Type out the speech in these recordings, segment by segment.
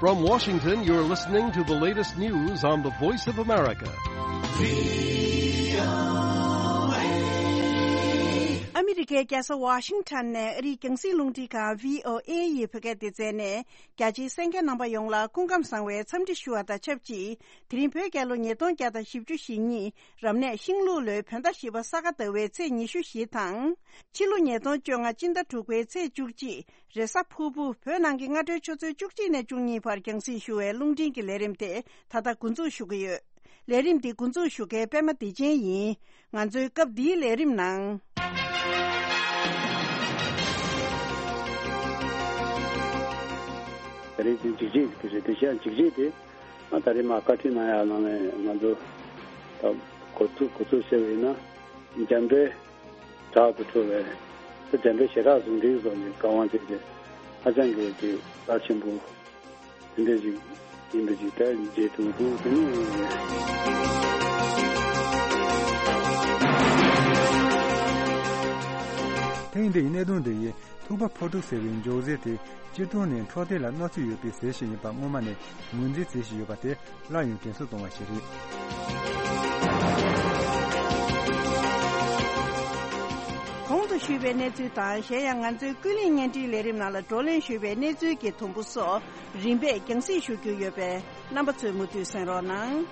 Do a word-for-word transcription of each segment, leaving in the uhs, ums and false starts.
From Washington, you're listening to the latest news on the Voice of America. ཨ་མི་རི་ཀའི་རྒྱལ་ས་ཝ་ཤིང་ཊོན་ནས་ཨ་རིའི་རྒྱང་སྲིང་རླུང་འཕྲིན་ཁང་བྷི་ཨོ་ཨེ་ཡི་བོད་སྐད་སྡེ་ཚན་ནས། རྒྱ་ཆེའི་གསན་མཁན་རྣམ་པ་ཡོངས་ལ་སྐུ་ཁམས་བཟང་བའི་འཚམས་འདྲི་ཞུ་བ་དང་ཆབས་ཅིག་དེ་རིང་བོད་རྒྱལ་ལོ་ཉིས་སྟོང་བརྒྱ་དང་བཞི་བཅུ་ཞེ་གཉིས། རབ་གནས་ཤིང་ལུག་ལོའི་བོད་ཟླ་བཞི་པ་ས་ག་ཟླ་བའི་ཚེས་ཉི་ཤུ་བཞི་དང་། ཕྱི་ལོ་ཉིས་སྟོང་བཅོ་ལྔ་སྤྱི་ཟླ་དྲུག་པའི་ཚེས་བཅུ་གཅིག་རེས་གཟའ་ཕུར་བུ། བོད་ནང་གི་སྔ་དྲོའི་ཆུ་ཚོད་བཅུ་གཅིག་ནས་བཅུ་གཉིས་བར་རྒྱང་སྲིང་ཞུ་བའི་རླུང་འཕྲིན་གྱི་ལས་རིམ་དེ་ད་ལྟ་འགོ་འཛུགས་ཞུ་གི་ཡོད། ལས་རིམ་འདི་འགོ་འཛུགས་ཞུ་མཁན་པད་མ་བདེ་ཆེན་ཡིན། ང་ཚོའི་སྐབས་འདིའི་ལས་རིམ་ནང་། ད་རེས་འདི་འཇིགས་བྱེད་ཀྱི་དེ་རེད། དེ་བཞིན་འཇིགས་བྱེད་དེ་ང་ད་རེས་མ་བཀའ་ཁྲིད་གནང་ཡག་ནང་ནས་ང་ཚོ་ད་འགོ་ཚུགས་འགོ་ཚུགས་བྱས་པ་ཡིན་ན། འཇམ་དཔལ་བྲག་ཏུ་འཁྲུངས་པའི་ད་འཇམ་དཔལ་ཞལ་གྲགས་གཟུངས་འདིའི་སོགས་ཀྱི་བཀའ་དབང་བྱས་ཏེ་ཧ་ཅང་གི་དེ་རླབས་ཆེན་པོ། དེ་འདྲ་ཞིག་ཡིན་པ་ཞིག་ད་མཇལ་ཐུབ་འདུག་དེ་ནི། ཐེངས་འདིའི་གནད་དོན་འདི་ཡིས་ཐུག་པ་ཕོ་ཕྲུག་ཟེར་བའི་མགྱོགས་ཟས་དེ་སྤྱིར་བཏང་ནས་འཕྲོད་བསྟེན་ལ་གནོད་འཚེ་ཡོད་པའི་ཟས་ཤིག་ཡིན་པ་སྔོན་མ་ནས་ངོས་འཛིན་མཛད་བཞིན་ཡོད་པ་དེ་སླར་ཡང་དྲན་གསོ་གཏོང་བ་ཞིག་རེད། གོང་དུ་ཞུས་པའི་གནས་ཚུལ་དང་། གཞན་ཡང་ང་ཚོའི་ཀུན་གླེང་བརྙན་འཕྲིན་ལས་རིམ་ནང་ལ་བགྲོ་གླེང་ཞུས་པའི་གནས་ཚུལ་གྱི་དུམ་བུ་སོགས་རིམ་པས་རྒྱང་སྲིང་ཞུ་རྒྱུ་ཡོད་པས། རྣམ་པ་ཚོས་མུ་མཐུད་གསན་རོགས་གནང་།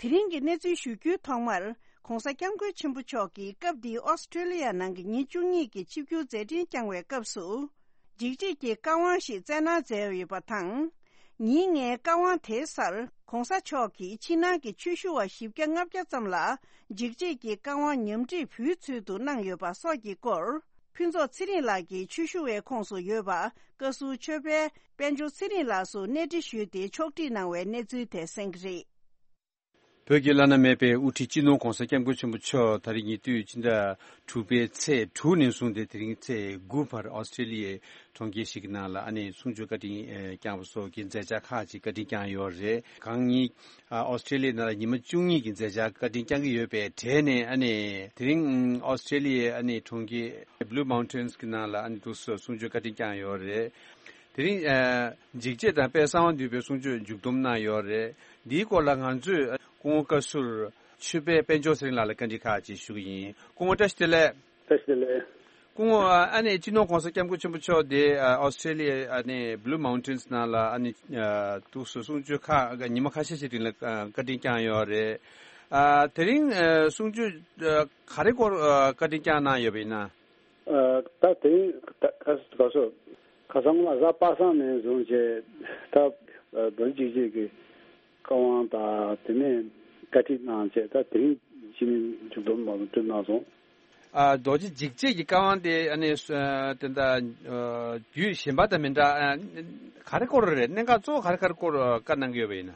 དེ་རིང་གི་གནས་ཚུལ་ཞུ་རྒྱུའི་ཐོག་མར། ྋགོང་ས་ྋསྐྱབས་མགོན་ཆེན་པོ་མཆོག་གིས་སྐབས་འདིའི་ཨོ་སི་ཀྲེ་ལི་ཡ་ནང་གི་ཉིན་བཅུ་གཉིས་ཀྱི་ཆིབས་བསྒྱུར་མཛད་འཕྲིན་བསྐྱངས་བའི་སྐབས་སུ། འཇིགས་བྱེད་ཀྱི་བཀའ་དབང་ཞིག་སྩལ་གནང་མཛད་ཡོད་པ་དང་། ཉིན་ལྔའི་བཀའ་དབང་དེའི་སར་ྋགོང་ས་མཆོག་གིས་ཕྱི་ནང་གི་ཆོས་ཞུ་བ་བཞི་བརྒྱ་ལྔ་བརྒྱ་ཙམ་ལ་འཇིགས་བྱེད་ཀྱི་བཀའ་དབང་ཉམས་ཁྲིད་ཕུལ་ཚུལ་དུ་གནང་ཡོད་པ་སོགས་ཀྱི་སྐོར། ཕུན་ཚོགས་ཚེ་རིང་ལགས་ཀྱིས་ཆོས་ཞུ་བའི་ཁོངས་སུ་ཡོད་པ་བཀའ་ཟུར་ཆོས་དཔོན་དཔལ་འབྱོར་ཚེ་རིང་ལགས་སུ་གནས་འདྲི་ཞུས་ཏེ་ཕྱོགས་སྒྲིག་གནང་བའི་གནས་ཚུལ་དེ་གསན་གྱི་རེད། བོད་ཀྱི་བླ་ན་མེད་པའི་དབུ་ཁྲིད་སྤྱི་ནོར་ྋགོང་ས་ྋསྐྱབས་མགོན་ཆེན་པོ་མཆོག་ད་རེས་ཉེ་དུས་སྤྱི་ཟླ་དྲུག་པའི་ཚེས་དྲུག་ནས་བཟུང་སྟེ་དེ་རིང་ཚེས་དགུ་བར་ཨོ་སི་ཀྲེ་ལི་ཡའི་གྲོང་ཁྱེར་ཞིག་གི་ནང་ལ་ཨ་ནེ་གསུང་ཆོས་བཀའ་དྲིན་ཨེ་བསྐྱངས་པ་སོགས་ཀྱི་མཛད་འཆར་ཁག་ཅིག་བཀའ་དྲིན་བསྐྱངས་ཡོད་རེད། གང་ཉིད་ཨ་ཨོ་སི་ཀྲེ་ལི་ཡའི་ནང་ལ་ཉི་མ་བཅུ་གཉིས་ཀྱི་མཛད་འཆར་བཀའ་དྲིན་བསྐྱངས་ཀྱི་ཡོད་པའི་གྲས་ནས་ཨ་ནེ་དེ་རིང་ཨོ་སི་ཀྲེ་ལི་ཡའི་ཨ་ནེ་གྲོང་ཁྱེར་Blue Mountains་གི་ནང་ལ་ཨ་ནེ་འདུག་སེ་གསུང་ཆོས་བཀའ་དྲིན་བསྐྱངས་ཡོད་རེད། དེ་རིང་ཨ་འཇིགས་བྱེད་དང་དཔལ་གསང་བ་འདུས་པའི་གསུང་ཆོས་མཇུག་བསྡོམས་གནང་ཡོད་རེད། འདིའི་སྐོར་ལ་ང་ཚོས་སྐུ་ངོ་བཀའ་ཟུར་ཆོས་དཔོན་དཔལ་འབྱོར་ཚེ་རིང་ལགས་ལ་བཀའ་འདྲི་ཁག་ཅིག་ཞུ་གི་ཡིན། སྐུ་ངོ་བཀྲ་ཤིས་བདེ་ལེགས། བཀྲ་ཤིས་བདེ་ལེགས། སྐུ་ངོ་ཨ་ནེ་སྤྱི་ནོར་ྋགོང་ས་ྋསྐྱབས་མགོན་ཆེན་པོ་མཆོག་དེ་ཨ་ཨོ་སི་ཀྲེ་ལི་ཡ་ཨ་ནེ་Blue Mountains་ནང་ལ་ཨ་ནེ་ཨ་འདུག་སེ་གསུང་ཆོས་ཁག་ཉི་མ་ཁ་ཤས་ཤིག་རིང་ལ་ཨ་བཀའ་དྲིན་བསྐྱངས་ཡོད་རེད། ཨ་དེ་རིང་ཨ་གསུང་ཆོས་ཨ་ག་རེ་སྐོར་ཨ་བཀའ་དྲིན་བསྐྱངས་གནང་ཡོད་པ་ཡིན་ན། ཨ་ད་དེ་རིང་ད་ཁ་ཁ་སོ་ཁ་སང་ལ་གཟའ་པ་སངས་ནས་བཟུང་བྱས་ད་ཨ་རྡོ་རྗེ་འཇིགས་བྱེད་ཀྱི་བཀའ་དབང་དང་དེ་ནས་བཀའ་ཁྲིད་གནང་བྱས། ད་དེ་རིང་ཕྱི་ཉིན་མཇུག་སྡོམ་མ་གཏོང་གནང་སོང་། ཨ་རྡོ་རྗེ་འཇིགས་བྱེད་ཀྱི་བཀའ་དབང་དེ་ཨ་ནི་ཨ་དེ་འདྲ་ཨ་རྒྱུད་གཞན་པ་དང་མི་འདྲ། ཨ་ག་རེ་སྐོར་རེད། གནད་འགག་གཙོ་བོ་ག་རེ་ག་རེ་སྐོར་བཀའ་གནང་གི་ཡོད་པ་ཡིན་ན།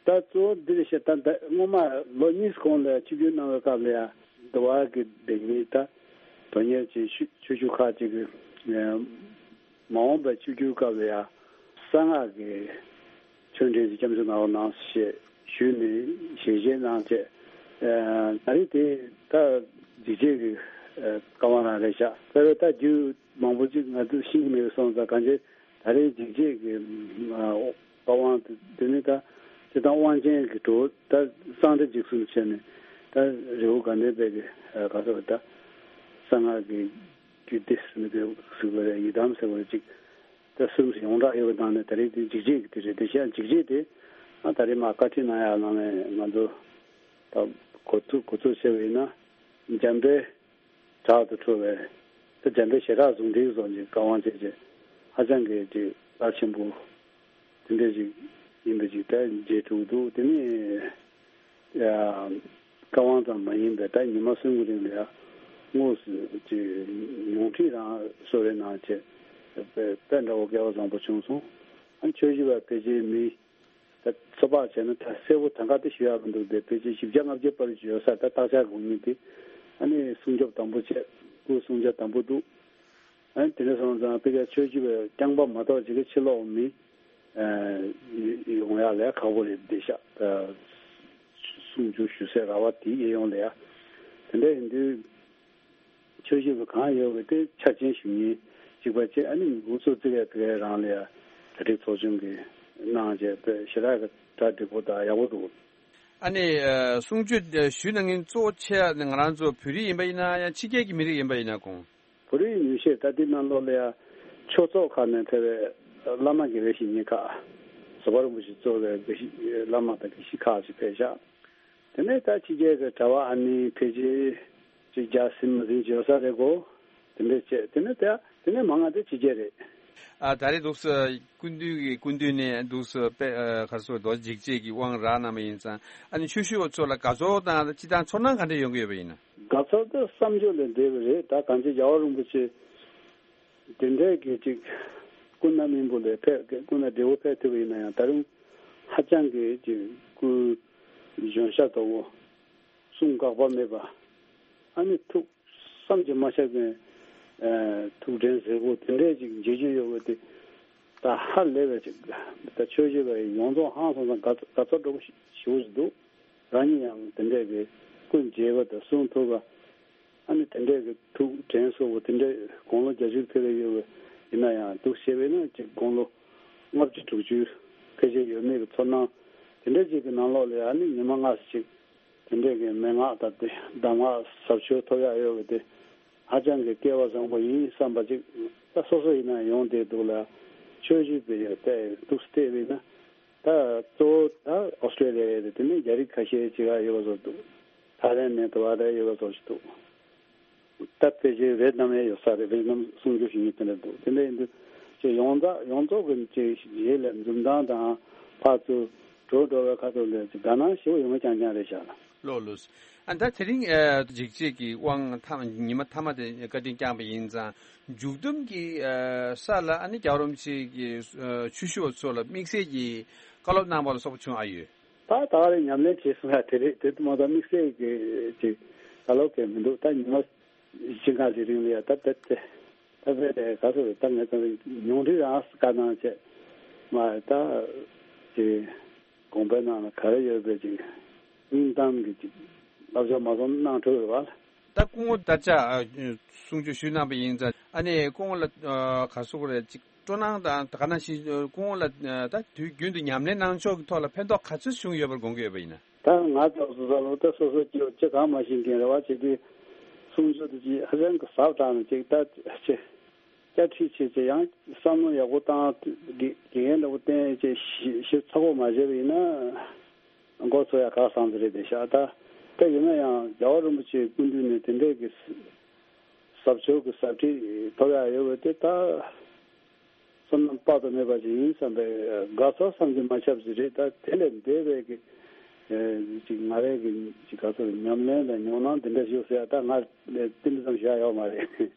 ད་གཙོ་བོ་འདི་རེད་ཤག་ད་ད་སྔོན་མ་ལོ་གཉིས་གོང་ལ་ཆིབས་བསྒྱུར་གནང་བའི་སྐབས་ལ་ཡང་འདི་བར་གྱི་འདི་གཉིས་ད་དོན་གཉེར་གྱི་ཆོས་ཆོས་ཞུ་ཁག་ཅིག་གི་ཨ་མ་འོངས་པའི་ཆིབས་བསྒྱུར་སྐབས་ལ་ཡང་གསང་སྔགས་ཀྱི་ཆོས་འབྲེལ་གྱི་སྐྱབས་འཇུག་གནང་རོགས་གནང་ཞེས་ཞུས་ནས་ཞལ་བཞེས་གནང་བྱས། ཨ་ད་རེས་དེ་ད་འཇིགས་བྱེད་ཀྱི་ཨ་བཀའ་དབང་རང་རེད་ཤག་ད་རེས་ད་རྒྱུད་མང་པོ་ཅིག་ང་ཚོས་ཤེས་ཀྱི་མེད་པ་སོང་ཙང་། གང་ཅི་ད་རེས་འཇིགས་བྱེད་ཀྱི་ཨ་བཀའ་དབང་དེ་ནི་ད་སྤྱིར་བཏང་དབང་ཆེན་གྱི་གྲོགས་ད་གསང་བདེ་འཇིགས་གསུམ་བྱས་ནས་ད་རི་བོ་དགའ་ལྡན་པའི་གི་ཨ་ག་ཟེར་བ་ད་གསང་སྔགས་ཀྱི་རྒྱུད་སྡེ་ཟེར་ནས་དེ་ཟེར་བ་རེད། ཡི་དམ་ཟེར་བ་རེད། ཅིག་ད་གསུམ་ཡོངས་གྲགས་ཡོད་པའི་ནང་ནས་ད་རེས་དེ་འཇིགས་བྱེད་ཀྱི་དེ་རེད། དེ་བཞིན་འཇིགས་བྱེད་དེ་ཨ་ད་རེས་མ་བཀའ་ཁྲིད་གནང་ཡག་ནང་ནས་ང་ཚོ་ད་འགོ་ཚུགས་འགོ་ཚུགས་བྱས་པ་ཡིན་ན་འཇམ་དཔལ་བྲག་ཏུ་འཁྲུངས་པའི་ད་འཇམ་དཔལ་ཞལ་གྲགས་གཟུངས་འདིའི་སོགས་ཀྱི་བཀའ་དབང་བྱས་རྗེས་ཧ་ཅང་གི་ཅིག་རླབས་ཆེན་པོ་དེ་འདྲ་ཅིག་ཡིན་པ་ཅིག་ད་མཇལ་ཐུབ་འདུག་དེ་ནས་ཡ་བཀའ་དབང་ཙམ་མ་ཡིན་པའི་ད་ཉི་མ་གསུམ་གྱི་རིང་ལ་ཡ་དངོས་སུ་ཅིག་ཉུང་འཕྲི་རང་གསོལ་རས་གནང་བྱས་དཔེ་དཔེ་འདྲ་བོ་སྐལ་བ་བཟང་པོ་བྱུང་སོང་། ཨ་ཆོས་ཞུ་བ་ཕལ་ཆེར་མི། ད་ཚོད་དཔག་བྱས་ན་ད་གསལ་པོ་ད་ག་དེ་ཞུ་ཡག་མི་འདུག་དེ་ཕལ་ཆེར་བཞི་བརྒྱ་ལྔ་བརྒྱ་བར་ཞུ་ཡོད་ས་ད་བརྟག་དཔྱད་དགོས་ངེས་དེ། ཨ་ནི་སྲུང་སྐྱོབ་དམ་པོ་བྱས། སྐུ་སྲུང་བྱ་དམ་པོ་འདུག་ཨ་ནི་དེ་འདྲ་སོང་ཙང་ཕལ་ཆེར་ཆོས་ཞུ་བའི་རྐྱང་པ་མ་གཏོགས་ཅིག་གི་ཕྱི་ལོགས་མི་ཨ་ཡོང་ཡག་ལས་ཁག་པོ་རེད་བསྡད་ཤག་ད་གསུང་ཆོས་ཞུ་སའི་ར་བ་དེ་གཡས་གཡོན་ལ་ཡ། དེ་འདྲ་ཡིན་དུས། ཆོས་ཞུ་བ་གང་ཡོད་པ་དེ་འཆར་ཅན་ཞུ་མཁན་གཅིག་པ་བཅས། ཨ་ནི་འགོ་གཙོ་བཙུགས་ཡ་དེ་གའི་རང་ལ་ཡ་གྲ་སྒྲིག་ཚོགས་ཆུང་གིས་གནང་བྱས་དཔེ་ཞེ་དྲག་གི་གྲ་སྒྲིག་པོ་དང་ཡག་པོ་འདུག་ཨ་ནི་ཨ་གསུང་ཆོས་ཞུས་གནང་མཁན་གཙོ་ཆེ་ང་རང་ཚོ་བོད་རིགས་ཡིན་པ་ཡིན་ན་ཡང་ཕྱི་རྒྱལ་གྱི་མི་རིགས་ཡིན་པ་ཡིན་ན་གོང་། བོད་རིགས་ཉུང་ཤས་ད་ལྟའི་ནང་ལོགས་ལ་ཡ་ཆོས་ཚོགས་ཁག་ནས་ཕེབས་པའི་བླ་མ་དགེ་བའི་བཤེས་གཉེན་ཁག་བཟོད་པ་རིན་པོ་ཆེ་གཙོས་པའི་དགེ་བཤེས་བླ་མ་དང་དགེ་བཤེས་ཁག་ཅིག་ཕེབས་ཤག་དེ་ནས་ད་ཕྱི་རྒྱལ་གྱི་གྲྭ་པ་ཨ་ནི་ཕལ་ཆེར་ཅིག་བརྒྱ་ཟིན་མ་ཟིན་ཅིག་ཡོད་ས་རེད་གོ། དེ་འདྲས་བྱས་དེ་ནས་ད་དེ་ནས་མང་ང་དེ་ཕྱི་རྒྱལ་རེད། ཨ་ད་རེས་འདུག་སེ་སྐུ་མདུན་གྱི་སྐུ་མདུན་ནས་འདུག་སེ་དཔེ་ཨ་ག་རེ་ཟེར་རྡོ་རྗེ་འཇིགས་བྱེད་ཀྱི་དབང་རག་གནང་བ་ཡིན་ཙང་ཨ་ནི་ཆོས་ཞུ་བ་ཚོ་ལ་དགའ་ཚོར་དང་སྤྱིར་བཏང་ཚོར་སྣང་ག་འདྲ་ཡོང་གི་ཡོད་པ་ཡིན་ན། དགའ་ཚོར་དེ་བསམ་བརྗོད་ལས་འདས་པ་རེད། ད་གང་ཅི་རྒྱལ་བ་རིན་པོ་ཆེ་དེ་འདྲས་ཀྱི་ཅིག་སྐུ་ན་སྨིན་པོ་ལས་ཕེབས་སྐུ་ན་བགྲེས་པོ་ཕེབས་ཐུབ་པ་ཡིན་ན་ཡང་ད་རུང་ཧ་ཅང་གི་ཅིག་སྐུ་གཞོན་ཤ་དོག་པོ། གསུང་འགག་པ་མེད་པ། ཨ་ནི་ཐུགས་བསམ་གྱིས་མ་ཁྱབ་པའི་ཨ་ཐུགས་དྲན་གཟིགས་པོ་དེ་འདྲས་ཅིག་མཇལ་རྒྱུ་ཡོད་པ་དེ་ད་ཧ་ལས་པའི་ཅིག་ད་ཆོས་ཞུ་བའི་ཡོངས་རྫོགས་ཧང་སང་སང་དགའ་དགའ་ཚོར་འགྲོ་གི་ཞེ་པོ་ཞིག་འདུག་རང་ཉིད་ཡང་དེ་འདྲས་ཀྱི་སྐུ་མཇལ་བ་དང་གསུང་ཐོས་པ། ཨ་ནི་དེ་འདྲས་ཀྱི་ཐུགས་དྲན་གསོ་བོ་དེ་འདྲས་དགུང་ལོ་བརྒྱད་ཅུ་ཕེབས་པའི་ཡོད་པ་ཡིན་ན་ཡང་འདུག་ཞེས་པས་ན་ཅིག་དགུང་ལོ་ལྔ་བཅུ་དྲུག་ཅུ་ཕལ་ཆེར་ཡོད་མེད་ཀྱི་ཚོར་སྣང་དེ་འདྲས་ཅིག་གི་ནང་ལོགས་ལ་ཨ་ནི་ཉི་མ་ལྔ་ཙམ་ཅིག་དེ་འདྲས་ཀྱི་མན་ངག་དང་དེ་གདམས་ངག་ཟབ་ཆོས་ཐོབ་ཡག་ཡོད་པ་དེ་ཧ་ཅང་གི་སྐལ་བ་བཟང་པོ་ཡིན་བསམ་པ་ཅིག་ད་སོ་སོ་ཡིན་ན་ཡོང་བསྡད་འདུག་ལ། ཆོས་ཞུ་བའི་ཡོད་དེ་འདུག་སྟེ་བས་ན་ད་གཙོ་བོ་ད་ཨོ་སི་ཀྲེ་ལི་ཡ་རེད། དེ་ནས་རྒྱ་རིགས་ཁ་ཤས་ཅིག་ཡོད་པ་བཟོ་འདུག་ཐའི་ལེན་ནས་དུ་བ་ད་ཡོད་པ་བཟོ་ཞིག་འདུག་ད་ཕལ་ཆེར་ཝེ་ཏི་ནམ་ཡང་ཡོད་ས་རེད། ཝེ་ཏི་ནམ་གསུང་ཆོས་ཞུ་མཁན་དེ་འདྲ་འདུག་དེ་འདྲ་ཡིན་དུས་ཅིག་ཡོངས་གྲགས་ཡོངས་རྫོགས་ཀྱི་ཅིག་གཞི་ལ་འཛུམ་མདངས་དང་ཕར་ཚུར་འགྲོ་འགྲོ་བའི་ཁ་ཐུག་ལ་ཅིག་དགའ་སྣང་ཞེ་པོ་ཡོང་གི་རྐྱང་རྐྱང་རེད་ཤག་ལགས། ལགས་ལགས། ཨ་ད་དེ་རིང་ཨ་འཇིགས་བྱེད་ཀྱི་དབང་ཐ་མ་ཉི་མ་ཐ་མ་དེ་བཀའ་དྲིན་བསྐྱངས་པ་ཡིན་ཙང་མཇུག་བསྡོམས་ཀྱི་ཨ་ས་ལ་ཨ་ནི་རྒྱལ་བ་རིན་པོ་ཆེ་གི་ཨ་ཆོས་ཞུ་བ་ཚོ་ལ་དམིགས་བསལ་གྱི་བཀའ་སློབ་གནང་བ་ལ་སོགས་པ་བྱུང་ཨ་ཡོད། ད་ད་ག་རེ་ཉམས་ལེན་བྱེད་སོང་ཡ་དེ་རེད། དེ་མ་གཏོགས་དམིགས་བསལ་གྱི་ཅིག་བཀའ་སློབ་གས་མི་འདུག་ད་ཉི་མ་བཞི་ལྔ་ཞིག་རིང་ལ་ཡ་ད་ད་དེ་ད་དཔེ་དེ་ག་ཚོད་རེད། ད་ངས་ད་ཉུང་འཕྲི་རང་བཀའ་གནང་བྱས་མ་ད་ཅིག་དགོངས་པའི་ནང་ལ་ག་རེ་ཡོད་པའི་ཅིག་སྙིང་གཏམ་གྱི་ཅིག་བསླབ་བྱ་མ་སོང་གནང་ཐུབ་རེད་བ། ད་སྐུ་ངོ་དར་ལྕག་ཨ་གསུང་ཆོས་ཞུས་གནང་བ་ཡིན་ཙང་ཨ་ནི་སྐུ་ངོ་ལ་ཨ་ག་ཟེར་དགོས་རེད། ཅིག་སྤྲོ་སྣང་དང་ད་ག་ནང་བཞིན་སྐུ་ངོ་ལ་ཨ་ད་དུས་རྒྱུན་དུ་ཉམས་ལེན་གནང་ཕྱོགས་ཀྱི་ཐོག་ལ་ཕན་ཐོགས་ག་ཚོད་བྱུང་ཡོད་པར་དགོངས་ཀྱི་ཡོད་པ་ཡིན་ན། ད་ང་ཚོ་སོ་སོ་ལོ་ད་སོ་སོ་སྐྱེ་བོ་ཅི་གང་མ་ཤེས་མཁན་རེ་བ་བྱེད་དུས་གསུང་ཆོས་དེ་ཅིག་ཧ་ཅང་གི་ཟབ་དྲགས་ནས་ཅིག་ད་ཅིག་སྐྱ་ཁྲིད་བྱེད་ཅིག་ཡང་བསམ་བློ་ཡག་པོ་བཏང་དགེ་དགེ་རྒན་འདྲ་པོ་བསྟེན་ཅིག་ཞིབ་ཞིབ་ཚགས་པོ་མ་བྱས་པ་ཡིན་ན་མགོ་ཚོས་ཡ་ཁག་སང་ཟིག་རེད་དེ་ཤག་ད་ད་ཡིན་ན་ཡང་རྒྱལ་བ་རིན་པོ་ཆེའི་སྐུ་མདུན་ནས་དེ་འདྲས་ཀྱི་ཟབ་ཆོས་ཀྱི་ཟབ་ཁྲིད་ཐོབ་ཡ་ཡོད་པ་དེ་ད། བསོད་ནམས་དཔག་ཏུ་མེད་པ་ཞིག་ཡིན་བསམ་པའི་དགའ་ཚོར་བསམ་གྱིས་མ་ཁྱབ་ཞིག་རེད། ད་དེ་ལས་འདས་པའི་གི་ཅིག་ང་རའི་གི་ཅིག་ག་ཚོད་ཉམས་ལེན་དང་མྱོང་སྣང་འདི་འདྲ་ཞིག་ཟེར་ཡ་ད་ང་དེ་འདྲ་ཙམ་ཞིག་ཡོད་མ་རེད།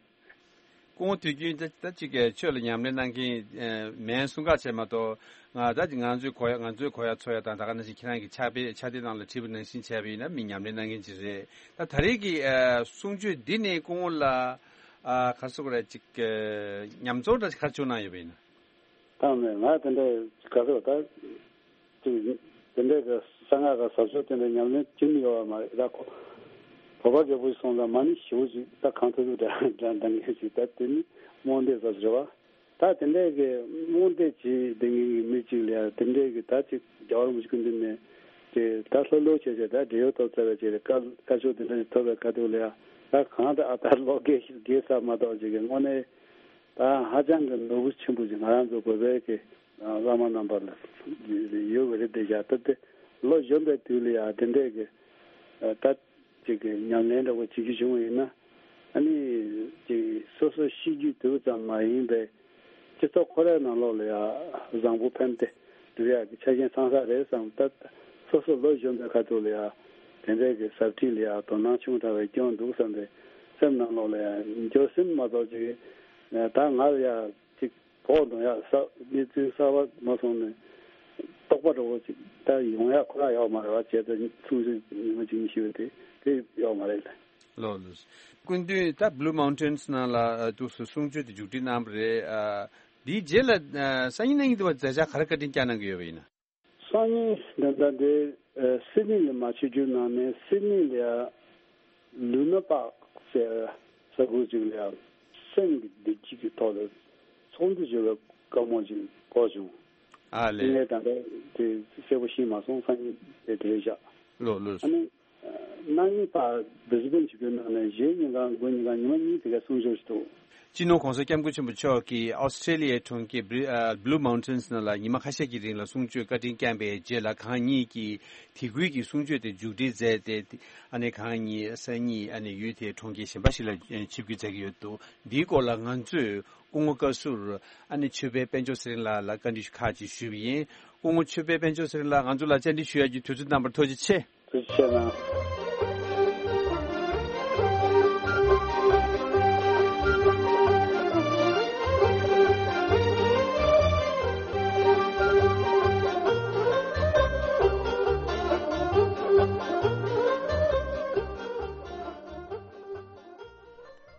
སྐུ་ངོ་དུས་རྒྱུན་ད་ད་ཅིག་གི་ཆོས་ལ་ཉམས་ལེན་གནང་མཁན་མིན་གསུང་ཁ་བྱས་མ་གཏོགས་ང་ད་ཅིག་ང་ཚོའི་གོ་ཡ་ང་ཚོའི་གོ་ཡ་ཚོར་ཡ་དང་ད་ག་ནང་བཞིན་ཁྱེད་རང་གི་ཕྱག་དཔེ་ཕྱག་དེབ་ནང་ལ་བྲིས་པ་ནང་བཞིན་བྱས་པ་ཡིན་ན་མི་ཉམས་ལེན་གནང་མཁན་ཅིག་རེད། ད་ད་རེས་ཀྱི་གསུང་ཆོས་འདི་ནས་སྐུ་ངོ་ལ། ཨ་ག་རེ་ཟེར་དགོས་རེད། ཅིག་གི་ཉམས་ཚོར་འདྲ་ཞིག་ག་རེ་བྱུང་གནང་ཡོད་པ་ཡིན་ན། ད་མེད་ང་དེ་འདྲ་ག་ཚོད་ད་ཅིག་དེ་འདྲ་གི་གསང་སྔགས་གི་ཟབ་ཆོས་དེ་འདྲ་ཉམས་ལེན་བྱེད་མི་ཡོད་པ་མ་རེད། ད་ཁོ་བོད་པ་རྒད་པོ་ཞིག་སོང་ཙང་མ་ཎི་ཞེ་པོ་ཅིག་ད་གང་ཐུབ་ཐུབ་འདྲ་འདྲ་འདང་མཁན་ཞིག་ད་དེ་ནི་རྨོངས་དད་ཟབ་ཟེར་བ། ད་དེ་འདྲ་གི་རྨོངས་དད་བྱེད་བསྡད་མཁན་གྱི་མི་གཅིག་ལ་ཡང་དེ་འདྲ་གི་ད་ཅིག་རྒྱལ་བ་རིན་པོ་ཆེ་སྐུ་མདུན་ནས་ཅིག་ད་ལྷོད་ལྷོད་བྱས་བྱས་ད་བགྲེས་ཡོལ་ཐོབ་ཚར་བའི་ཅིག་ལ་བཀའ་བཀའ་ཆོས་དེ་འདྲ་ཞིག་ཐོབ་པའི་ཁ་ཐུག་ལ་ཡང་ད་གང་ད་ཨ་ད་ལོ་རྒས་རྒས་ཚར་མ་གཏོགས་ཅིག་གི་དངོས་གནས། ད་ཧ་ཅང་གི་ནོར་བུ་ཆེན་པོ་ཞིག་ང་རང་ཚོ་བོད་པའི་གི་བླ་མ་རྣམ་པ་ལ་ཡོད་པ་རེད་དེ་བཞག་ད་དེ་ལོ་གཞོན་པའི་དུས་ལ་ཡང་དེ་འདྲས་གི་ད་ཅིག་གི་ཉམས་ལེན་འདྲ་བོ་བྱེད་རྒྱུ་བྱུང་བ་ཡིན་ན་ཨ་ནི་ཅིག་སོ་སོ་ཤི་རྒྱུའི་དུས་ཙམ་མ་ཡིན་པའི་སྤྱི་ཚོགས་ཁོ་རའི་ནང་ལོགས་ལ་ཡང་བཟང་པོ་ཕན་བདེ་སྒྲུབ་ཡག་གི་ཆ་རྐྱེན་ཚང་ས་རེད་བསམ། ད་སོ་སོ་ལོ་གཞོན་པའི་ཁ་ཐུག་ལ་ཡང་དེ་འདྲས་གི་ཟབ་ཁྲིད་ལ་ཡང་དོ་སྣང་ཆུང་དྲགས་པའི་སྐྱོན་འདུག་བསམ་པའི་སེམས་ནང་ལོགས་ལ་ཡང་འགྱོད་སེམས་མ་གཏོགས་ཅིག་ད་ང་ལ་ཡང་ཅིག་བོགས་གཏོང་ཡག་ས་གནས་ཚུལ་གསར་པ་མ་སོང་ནས་རྟོག་པ་འདྲ་བོ་ཅིག་ད་ཡོང་ཡག་ཁོ་རང་ཡོད་མ་རེད་བ། བྱས་ཙང་ཚུལ་ཞིག་ཉི་མ་གཅིག་གཉིས་ཤི་བ་དེ་དེ་ཡོད་མ་རེད། ལགས་ལགས། སྐུ་མདུན་ད་Blue Mountains་ནང་ལ་ཨ་འདུག་སེ་གསུང་ཆོས་དེ་མཇུག་སྒྲིལ་གནང་བ་རེད། ཨ་དེའི་རྗེས་ལ་ཨ་སང་ཉིན་གནངས་ཉིན་དུ་བ་མཛད་འཆར་ག་རེ་བཀའ་དྲིན་བསྐྱངས་གནང་གི་ཡོད་པ་ཡིན་ན། སང་ཉིན་ད་ལྟ་འདི་ཨ་སིད་ནི་ལ་མ་ཆིབས་བསྒྱུར་གནང་ནས་སིད་ནི་ལ་ལུ་ན་པག་ཟེར་ ས་ཁུལ་ཅིག་ལ་ཡང་སེམས་ཀྱི་བདེ་སྐྱིད་ཀྱི་ཐོག་ལ་ཚོགས་འདུ་བྱེད་པའི་བཀའ་མོལ་ཅིག་གོ་བྱུང་། ཨ་དེ་ལས། ངས་ད་ལྟ་དེ་གསལ་པོ་ཤེས་མ་སོང་། སང་ཉིན་དེ་དེ་རེད་བཞག་ལོ་ལོ། ཨ་ནི། གནངས་ཉིན་ཕར་བི་སི་བན་ཇི་པའི་ནང་ནས་གཞེས་ཉིན་གང་དགུན་ཉིན་གང་ཉི་མ་གཉིས་དེ་ག་གསུང་ཆོས་ཞིག་འདུག་སྤྱི་ནོར་༸གོང་ས་༸སྐྱབས་མགོན་ཆེན་པོ་མཆོག་གིས་ཨོ་སི་ཀྲེ་ལི་ཡའི་གྲོང་ཁྱེར་Blue- ཨ། Blue Mountains ནང་ལ་ཉི་མ་ཁ་ཤས་ཀྱི་རིང་ལ་གསུང་ཆོས་བཀའ་དྲིན་བསྐྱངས་པའི་རྗེས་ལ། གང་ཉིད་ཀྱིས་དེ་ཁུལ་གྱི་གསུང་ཆོས་དེ་མཇུག་སྒྲིལ་མཛད་དེ། ཨ་ནི་གང་ཉིད་སང་ཉིན་ཨ་ནི་ཡུལ་དེའི་གྲོང་ཁྱེར་གཞན་པ་ཞིག་ལ་ཆིབས་བསྒྱུར་མཛད་ཀྱི་ཡོད་འདུག་འདིའི་སྐོར་ལ་ང་ཚོས་སྐུ་ངོ་བཀའ་ཟུར་ཨ་ནི་ཆོས་འཕེལ་དཔལ་འབྱོར་ཚེ་རིང་ལགས་ལ་བཀའ་འདྲི་ཁག་ཅིག་ཞུས་པ་ཡིན། སྐུ་ངོ་ཆོས་འཕེལ་དཔལ་འབྱོར་ཚེ་རིང་ལགས། ང་ཚོ་ལ་བཅར་འདྲི་ཞུ་ཡག་གི་དུས་ཚོད་གནང་བར་ཐུགས་རྗེ་ཆེ། ཐུགས་རྗེ་ཆེ་གནང་།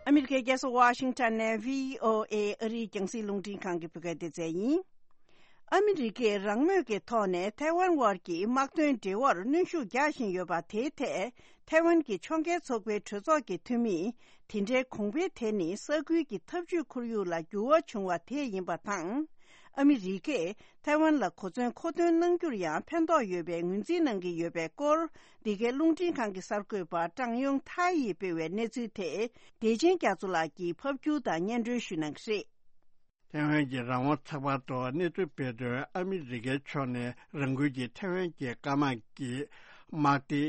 ཨ་མི་རི་ཀའི་རྒྱལ་ས་ཝ་ཤིང་ཊོན་ནས་བྷི་ཨོ་ཨེ་ཨ་རིའི་རྒྱང་སྲིང་རླུང་འཕྲིན་ཁང་གི་བོད་སྐད་སྡེ་ཚན་ཡིན། ཨ་མི་རི་ཀས་རང་མོས་ཀྱི་ཐོག་ནས་ཐའེ་ཝན་དབར་གྱི་དམག་དོན་འབྲེལ་བར་གནོན་ཤུགས་རྒྱག་བཞིན་ཡོད་པ་དེའི་ཐད། ཐའེ་ཝན་གྱི་ཕྱོགས་འགལ་ཚོགས་པའི་གྲོས་ཚོགས་ཀྱི་འཐུས་མིས། དེ་འདྲའི་གོང་འཕེལ་དེ་ནི་ས་ཁུལ་གྱི་འཐབ་ཇུས་ཁོར་ཡུག་ལ་འགྱུར་བ་བྱུང་བ་དེས་ཡིན་པ་དང་། ཨ་མི་རི་ཀས་ཐའེ་ཝན་ལ་གོ་མཚོན་མཁོ་འདོན་གནང་རྒྱུར་ཡང་ཕན་ཐོགས་ཡོད་པའི་ངོས་འཛིན་གནང་གི་ཡོད་པའི་སྐོར། འདི་གའི་རླུང་འཕྲིན་ཁང་གི་གསར་འགོད་པ་ཀྲང་ཡུང་ཐའི་ཡིས་སྤེལ་བའི་གནས་ཚུལ་དེ། བདེ་ཆེན་རྒྱ་མཚོ་ལགས་ཀྱིས་ཕབ་སྒྱུར་དང་སྙན་སྒྲོན་ཞུ་གནང་གི་རེད། ཐའེ་ཝན་གྱི་རང་དབང་ཚགས་པར་ཐོག་གནས་ཚུལ་སྤེལ་དོན། ཨ་མི་རི་ཀའི་ཕྱོགས་ནས་རང་འགུལ་གྱིས་ཐའེ་ཝན་གྱི་སྐམ་དམག་གི་དམག་སྡེ་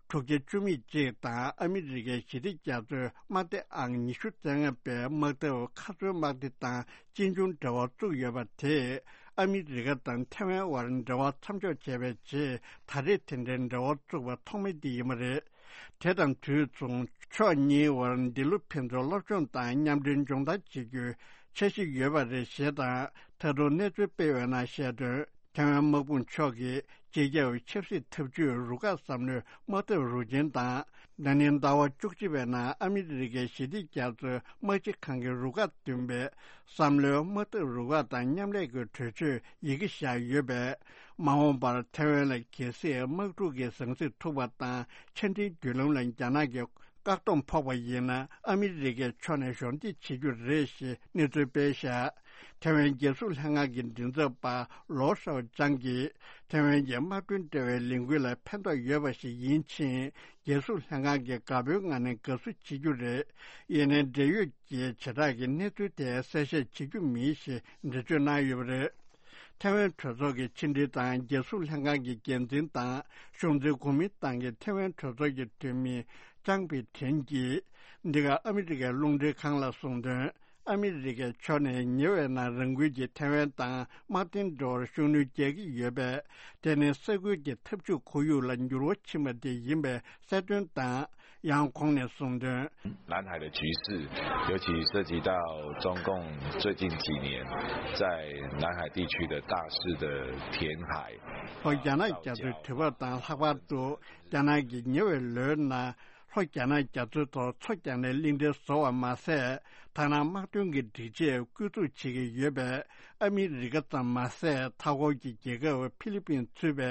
དྲུག་བརྒྱ་བཅུ་མེད་གཅིག་དང་། ཨ་མི་རི་ཀའི་ཞི་བདེ་རྒྱ་མཚོའི་དམག་སྡེ་ཨང་ཉི་ཤུ་རྩ་ལྔ་པའི་དམག་འཐབ་མཁའ་མཚོན་དམག་སྡེ་དང་གཅིག་མཇུག་འབྲེལ་བ་བཙུགས་ཡོད་པ་དེས། ཨ་མི་རི་ཀ་དང་ཐའེ་ཝན་དབར་འབྲེལ་བ་མཚམས་འཇོག་བྱས་པའི་རྗེས། ད་རེས་དེ་འདྲའི་འབྲེལ་བ་བཙུགས་པ་ཐོག་མ་དེ་ཡིན་པ་རེད། དེ་དང་དུས་མཚུངས། ཕྱོགས་གཉིས་དབར་འདི་ལོ་ཕན་ཚུན་སློབ་སྦྱོང་དང་མཉམ་འབྲེལ་སྦྱོང་བརྡར་བྱེད་རྒྱུའི་འཆར་གཞི་ཡོད་པ་རེད་ཞེས་དང་། ད་དུང་གནས་ཚུལ་སྤེལ་བའི་ནང་བཤད་དོན། ཐའེ་ཝན་དམག་དཔུང་མཆོག་གིས་སྤྱི་ཁྱབ་ཆབ་སྲིད་འཐབ་ཇུས་རུ་ཁག་བསམ་བློའི་དམག་འཐབ་རུ་ཆེན་དང་། ན་ནིང་ཟླ་བ་བཅུ་གཅིག་པའི་ནང་ཨ་མི་རི་ཀའི་ཞི་བདེ་རྒྱ་མཚོའི་དམག་སྤྱི་ཁང་གི་རུ་ཁག་བདུན་པའི་བསམ་བློའི་དམག་འཐབ་རུ་ཁག་དང་མཉམ་ལས་ཀྱི་གྲོས་ཆོད་ཡི་གེ་བཞག་ཡོད་པས། མ་འོངས་པར་ཐའེ་ཝན་ལ་གལ་སྲིད་དམག་འཁྲུག་གི་ཟང་ཟིང་ཐུག་པ་དང་། ཆ་འཕྲིན་བརྒྱུད་ལམ་ལ་རྒྱ་ནག་གི་བཀག་སྡོམ་ཕོག་པ་ཡིན་ན། ཨ་མི་རི་ཀའི་ཕྱོགས་ནས་གཞོགས་འདེགས་བྱེད་རྒྱུ་རེད་ཞེས་གནས་ཚུལ་སྤེལ་བཞག་ཐའེ་ཝན་རྒྱལ་སྲུང་ལྷན་ཁང་གི་མགྲིན་ཚབ་པ་ལོ་ཧྲའོ་ཅང་གིས། ཐའེ་ཝན་གྱི་དམག་དོན་འབྲེལ་བའི་ལས་འགུལ་ལ་ཕན་ཐོགས་ཡོད་པ་ཞིག་ཡིན་ཕྱིན། རྒྱལ་སྲུང་ལྷན་ཁང་གིས་དགའ་པོའི་ངང་ནས་དགའ་བསུ་བྱེད་རྒྱུ་རེད། ཡིན་ནའི་འབྲེལ་ཡོད་ཀྱི་བྱེ་བྲག་གི་གནས་ཚུལ་དེ་གསལ་བཤད་བྱེད་རྒྱུ་མིན་ཞེས་འགྲེལ་བརྗོད་གནང་ཡོད་པ་རེད། ཐའེ་ཝན་གྲོས་ཚོགས་ཀྱི་ཕྱི་འབྲེལ་དང་རྒྱལ་སྲུང་ལྷན་ཁང་གི་འགན་འཛིན་དང་གཞུང་འཛིན་གོ་མིན་ཏང་གི་ཐའེ་ཝན་གྲོས་ཚོགས་ཀྱི་འཐུས་མི་ཅང་པི་ཁྲིན་གྱིས། འདི་ག་ཨ་མི་རི་ཀའི་རླུང་འཕྲིན་ཁང་ལ་གསུངས་དོན། ཨ་མི་རི་ཀའི་ཕྱོགས་ནས་ཉེ་བའི་ནང་རང་འགུལ་གྱིས་ཐའེ་ཝན་དང་དམག་དོན་འབྲེལ་བར་ཤུགས་སྣོན་རྒྱག་གི་ཡོད་པས། དེ་ནི་ས་ཁུལ་གྱི་འཐབ་ཇུས་ཁོར་ཡུག་ལ་འགྱུར་བ་ཕྱིན་པ་དེ་ཡིན་པའི་གསལ་སྟོན་དང་། ཡང་ཁོང་ནས་གསུངས་དོན།南海的局势，尤其涉及到中共最近几年在南海地区的大肆的填海。ལྷོ་རྒྱ་ནག་རྒྱ་མཚོའི་དུས་བབ་དང་ལྷག་པར་དུ། རྒྱ་ནག་གིས་ཉེ་བའི་ལོའི་ནང་ལྷོ་རྒྱ་ནག་རྒྱ་མཚོའི་ཐོག་མཚོ་རྒྱག་ནས་གླིང་ཕྲན་བཟོ་བ་མ་ཟད། ཐ་ན་དམག་དོན་གྱི་སྒྲིག་ཆས་བསྐྱོད་འཛུགས་བྱེད་ཀྱི་ཡོད་པས། ཨ་མི་རི་ཀ་ཙམ་མ་ཟད། མཐའ་འཁོར་གྱི་རྒྱལ་ཁབ་ཕི་ལི་པིན་ཚུད་པའི་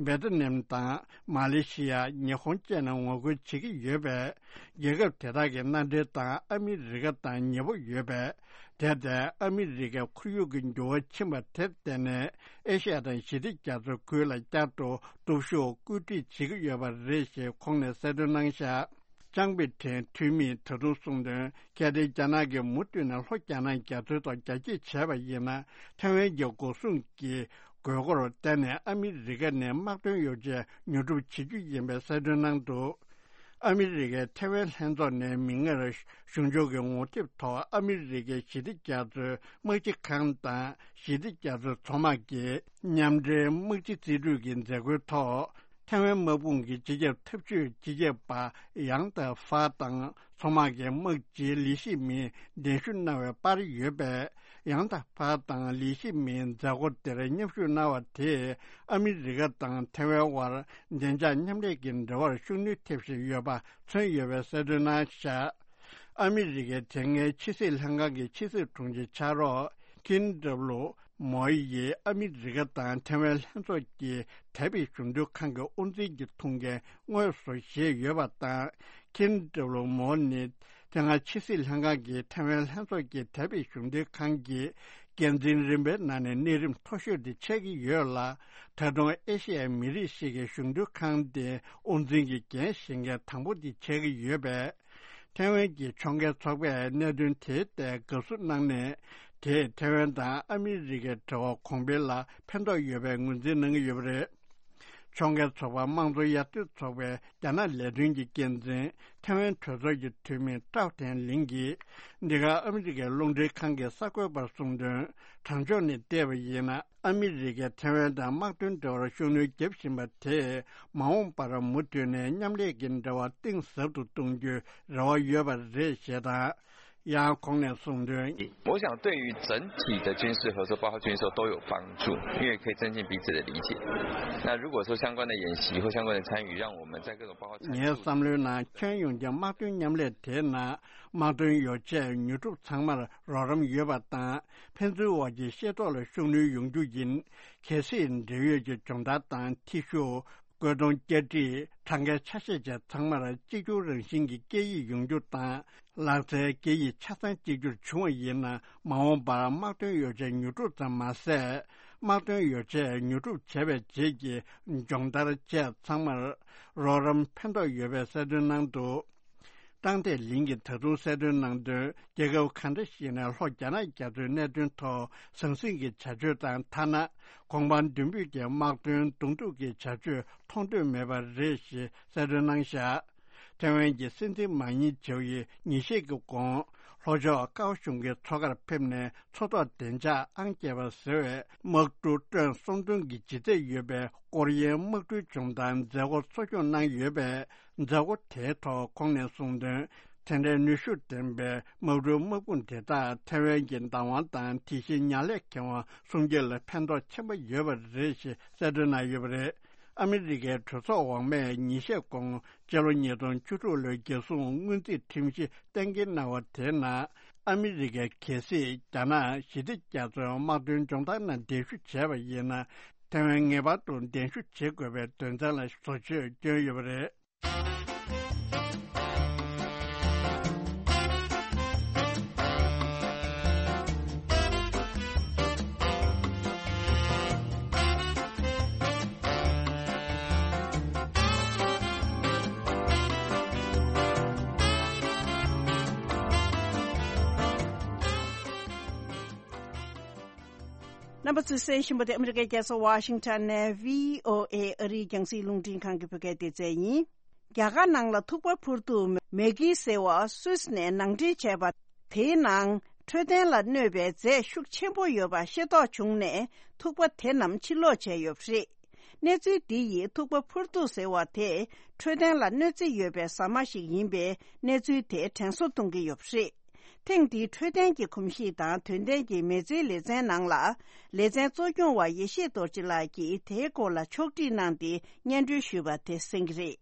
ཝེ་ཏི་ནམ་དང་མ་ལེ་ཤི་ཡ། ཉི་ཧོང་བཅས་ནས་ངོ་རྒོལ་བྱེད་ཀྱི་ཡོད་པས། རྒྱལ་ཁབ་དེ་དག་གི་མནའ་འབྲེལ་དང་ཨ་མི་རི་ཀ་དང་ཉེ་པོ་ཡོད་པས། དེར་བརྟེན། ཨ་མི་རི་ཀའི་ཁོར་ཡུག་གི་འགྱུར་བ་ཕྱིན་པ་དེར་བརྟེན་ནས། ཨེ་ཤ་ཡ་དང་ཞི་བདེ་རྒྱ་མཚོའི་ཁུལ་ལ་བསྐྱར་དུ་སྟོབས་ཤུགས་བཀོད་སྒྲིག་བྱེད་ཀྱི་ཡོད་པ་རེད་ཞེས་ཁོང་ནས་གསལ་སྟོན་གནང་བཞག་ཅང་པི་ཁྲིན་འཐུས་མིས་ད་དུང་གསུངས་དོན། གལ་ཏེ་རྒྱ་ནག་གིས་མུ་མཐུད་ནས་ལྷོ་རྒྱ་ནག་རྒྱ་མཚོའི་ཐོག་རྒྱ་སྐྱེད་བྱས་པ་ཡིན་ན། ཐའེ་ཝན་གྱི་འགོག་སྲུང་གི་དགོས་མཁོར་བརྟེན་ནས་ཨ་མི་རི་ཀ་ནས་དམག་དོན་ཡོ་བྱད་ཉོ་སྒྲུབ་བྱེད་རྒྱུ་ཡིན་པའི་གསལ་སྟོན་གནང་འདུག་ཨ་མི་རི་ཀའི་ཐའེ་ཝན་ལྷན་ཚོགས་ནས་མིག་སྔར། གཞུང་ཕྱོགས་ཀྱི་ངོ་དེབ་ཐོག་ཨ་མི་རི་ཀའི་ཞི་བདེ་རྒྱ་མཚོའི་དམག་སྤྱི་ཁང་དང་། ཞི་བདེ་རྒྱ་མཚོའི་མཚོ་དམག་གི་མཉམ་འབྲེལ་དམག་སྤྱི་རྩིས་སྤྲོད་ཀྱི་མཛད་སྒོའི་ཐོག་ཐའེ་ཝན་དམག་དཔུང་གི་སྤྱི་ཁྱབ་འཐབ་ཇུས་སྤྱི་ཁྱབ་པ་ཡང་ཏ་ཧྥ་དང་། མཚོ་དམག་གི་དམག་སྤྱི་ལི་ཤི་མིན་གདན་ཞུ་གནང་བའི་པར་ཡོད་པས། ཡང་ཏ་ཧྥ་དང་ལི་ཤི་མིན་མཛད་སྒོ་དེར་མཉམ་ཞུགས་གནང་བ་དེས། ཨ་མི་རི་ཀ་དང་ཐའེ་ཝན་དབར་བདེ་འཇགས་མཉམ་ལས་ཀྱི་འབྲེལ་བར་ཤུགས་སྣོན་ཐེབས་བཞིན་ཡོད་པ་མཚོན་ཡོད་པའི་གསལ་སྟོན་གནང་བཞག་ཨ་མི་རི་ཀའི་དེ་སྔའི་ཕྱི་སྲིད་ལྷན་ཁང་གི་ཕྱི་སྲིད་དྲུང་ཆེ་ཕྱག་རོགས་ཁིན་ཏྲབ་ལུ་མོ་ཡིས་ཨ་མི་རི་ཀ་དང་ཐའེ་ཝན་ལྷན་ཚོགས་ཀྱི་དེ་བའི་གཞུང་དོན་ཁང་གི་དབུ་འཛིན་གྱི་ཐུགས་འགན་དངོས་སུ་བཞེས་ཡོད་པ་དང་། ཁིན་ཏྲབ་ལུ་མོ་ནི་ དེ་སྔ་ཕྱི་སྲིད་ལྷན་ཁང་གིས་ཐའེ་ཝན་ལྷན་ཚོགས་ཀྱི་དེ་བའི་གཞུང་འབྲེལ་ཁང་གི་འགན་འཛིན་རིམ་པའི་ནང་ནས་གནས་རིམ་མཐོ་ཤོས་དེ་ཆགས་ཀྱི་ཡོད་ལ། ད་དུང་ཨེ་ཤི་ཡའི་མི་རིགས་ཤིག་གི་གཞུང་འབྲེལ་ཁང་དེ་དབུ་འཛིན་གྱི་འགན་བཞེས་མཁན་དང་པོ་དེ་ཆགས་ཀྱི་ཡོད་པས། ཐའེ་ཝན་གྱི་ཕྱོགས་འགལ་ཚོགས་པས་གནད་དོན་དེའི་ཐད་དགའ་བསུ་གནང་ནས། དེས་ཐའེ་ཝན་དང་ཨ་མི་རི་ཀའི་འབྲེལ་བ་གོང་འཕེལ་ལ་ཕན་ཐོགས་ཡོད་པའི་ངོས་འཛིན་གནང་གི་ཡོད་པ་རེད། ཕྱོགས་འགལ་ཚོགས་པ་དམངས་གཙོ་དབྱར་དོན་ཚོགས་པའི་རྒྱ་ནག་ལས་དོན་གྱི་འགན་འཛིན་ཐའེ་ཝན་གྲོས་ཚོགས་ཀྱི་འཐུས་མི་ཀྲའོ་ཐན་ལིང་གིས། འདི་ག་ཨ་མི་རི་ཀའི་རླུང་འཕྲིན་ཁང་གི་གསར་འགོད་པར་གསུངས་དོན། དྲང་ཕྱོགས་ནས་བལྟས་པ་ཡིན་ན། ཨ་མི་རི་ཀས་ཐའེ་ཝན་དང་དམག་དོན་འབྲེལ་བར་ཤུགས་སྣོན་བརྒྱབ་བཞིན་པ་དེས། མ་འོངས་པར་མུ་མཐུད་ནས་མཉམ་ལས་ཀྱི་འབྲེལ་བ་གཏིང་ཟབ་ཏུ་གཏོང་རྒྱུའི་རེ་བ་ཡོད་པ་རེད་ཞེས་དང་། ཡང་ཁོང་ནས་གསུངས་དོན། 我想，对于整体的军事合作，包括军售都有帮助，因为可以增进彼此的理解。那如果说相关的演习或相关的参与，让我们在各种包括参与 ངའི་བསམ་བློའི་ནང་ཁྱོན་ཡོངས་ཀྱི་དམག་དོན་མཉམ་ལས་དེའི་ནང་དམག་དོན་ཡོ་བྱད་ཉོ་སྒྲུབ་ཚང་མར་རོགས་རམ་ཡོད་པ་དང་། ཕན་ཚུན་དབར་གྱི་ཤེས་རྟོགས་ལ་ཤུགས་སྣོན་ཡོང་རྒྱུ་ཡིན། གལ་སྲིད་འབྲེལ་ཡོད་ཀྱི་སྦྱོང་བརྡར་དང་ཐེ་ཞུགས། བཀོད་གཏོང་བསྐྱར་སྒྲིག་གྲངས་ཀའི་ཆ་ཤས་བཅས་ཚང་མར་གཅིག་གྱུར་རང་བཞིན་གྱི་སྐད་ཡིག་ཡོང་རྒྱུ་དང་། ལག་རྩལ་སྐད་ཡིག་ཆ་ཚང་གཅིག་གྱུར་བྱུང་བ་ཡིན་ན། མ་འོངས་པར་དམག་དོན་ཡོ་བྱད་ཉོ་སྒྲུབ་ཙམ་མ་ཟད། དམག་དོན་ཡོ་བྱད་ཉོ་སྒྲུབ་བྱས་པའི་རྗེས་ཀྱི་སྦྱོང་བརྡར་བཅས་ཚང་མར་རོགས་རམ་ཕན་ཐོགས་ཡོད་པའི་གསལ་སྟོན་གནང་འདུག། ཀྲང་ཏེ་ལིང་གིས་ད་དུང་གསལ་སྟོན་གནང་དོན། རྒྱལ་ཁབ་གང་འདྲ་ཞིག་ནས་ལྷོ་རྒྱ་ནག་རྒྱ་མཚོའི་གནད་དོན་ཐོག་ཟང་ཟིང་གི་བྱ་སྤྱོད་དང་། ཐ་ན་གོང་འཕང་མདུན་སྤོས་ཀྱི་དམག་དོན་གདོང་ཐུག་གི་བྱ་སྤྱོད་མཐོང་འདོད་མེད་པ་རེད་ཞེས་གསལ་སྟོན་གནང་བཞག། ཐའེ་ཝན་གྱི་སྲིད་འཛིན་མ་ཉིན་ཇེའུ་ཡིས་ཉིན་ཤས་ཀྱི་གོང་ལྷོ་ཕྱོགས་ཀའོ་གཞུང་གི་མཚོ་ཁར་ཕེབས་ནས་མཚོ་ཐོག་བདེ་འཇགས་ཨང་བརྒྱད་པ་ཟེར་བའི་དམག་གྲུ་ཊོན་གསུམ་སྟོང་གི་ལྗིད་ཚད་ཡོད་པའི་ཀོ་རི་ཡའི་དམག་གྲུའི་སྦྱོང་བརྡར་མཛད་སྒོ་གཙོ་སྐྱོང་གནང་ཡོད་པས། མཛད་སྒོ་དེའི་ཐོག་ཁོང་ནས་གསུངས་དོན། དེ་འདྲའི་ནུས་ཤུགས་ལྡན་པའི་དམག་གྲུའི་དམག་དཔུང་དེ་དག་ཐའེ་ཝན་གྱི་བདག་དབང་དང་། དེ་བཞིན་ཉག་ལས་ཁེ་དབང་སྲུང་སྐྱོབ་ལ་ཕན་ཐོགས་ཆེན་པོ་ཡོད་པ་རེད་ཞེས་གསལ་སྟོན་གནང་ཡོད་པ་རེད། ཨ་མི་རི་ཀའི་གྲོས་ཚོགས་འོག་མས་ཉིན་ཤས་གོང་སྤྱི་ལོ་ཉིས་སྟོང་བཅུ་དྲུག་ལོའི་རྒྱལ་སྲུང་སྔོན་རྩིས་ཁྲིམས་གཞི་གཏན་འཁེལ་གནང་བ་དེའི་ནང་། ཨ་མི་རི་ཀས་གལ་སྲིད་རྒྱ་ནག་ཞི་བདེ་རྒྱ་མཚོའི་དམག་དོན་སྦྱོང་བརྡར་ནང་གདན་ཞུ་བྱས་པ་ཡིན་ན། ཐའེ་ཝན་ངེས་པར་དུ་གདན་ཞུ་བྱེད་དགོས་པའི་དོན་ཚན་ལ་བཟོ་བཅོས་བསྐྱོན་ཡོད་པ་རེད། རྣམ་པ་ཚོས་གསན་བཞིན་པ་དེ་ཨ་མི་རི་ཀའི་རྒྱལ་ས་ཝ་ཤིང་ཊོན་ནས་བྷི་ཨོ་ཨེ་ཨ་རིའི་རྒྱང་སྲིང་རླུང་འཕྲིན་ཁང་གི་བོད་སྐད་སྡེ་ཚན་ཡིན། རྒྱ་གར་ནང་ལ་ཐུག་པ་འཕུར་གདུགས་མེ་གི་ཟེར་བ་སུད་སི་ནས་ནང་འདྲེན་བྱས་པ། དེའི་ནང་འཕྲོད་བསྟེན་ལ་གནོད་པའི་རྫས་ཤུགས་ཆེན་པོ་ཡོད་པ་ཤེས་རྟོགས་བྱུང་ནས། ཐུག་པ་དེ་རྣམས་ཕྱིར་སློག་བྱས་ཡོད་པ་རེད། གནས་ཚུལ་འདི་ཡིས་ཐུག་པ་འཕུར་གདུགས་ཟེར་བ་དེ་འཕྲོད་བསྟེན་ལ་གནོད་འཚེ་ཡོད་པའི་ཟ་མ་ཞིག་ཡིན་པས། གནས་ཚུལ་དེ་དྲན་གསོ་གཏོང་གི་ཡོད་པ་རེད། ཐེངས་འདིའི་འཕྲོད་བསྟེན་གྱི་གོམས་གཤིས་དང་དོན་ལྡན་གྱི་མི་ཚེའི་ལེ་ཚན་ནང་ལ། ལེ་ཚན་གཙོ་སྐྱོང་བ་ཡེ་ཤེས་རྡོ་རྗེ་ལགས་ཀྱིས་དེའི་སྐོར་ལ་ཕྱོགས་སྒྲིག་གནང་སྟེ་སྙན་སྒྲོན་ཞུས་པ་དེ་གསན་གྱི་རེད།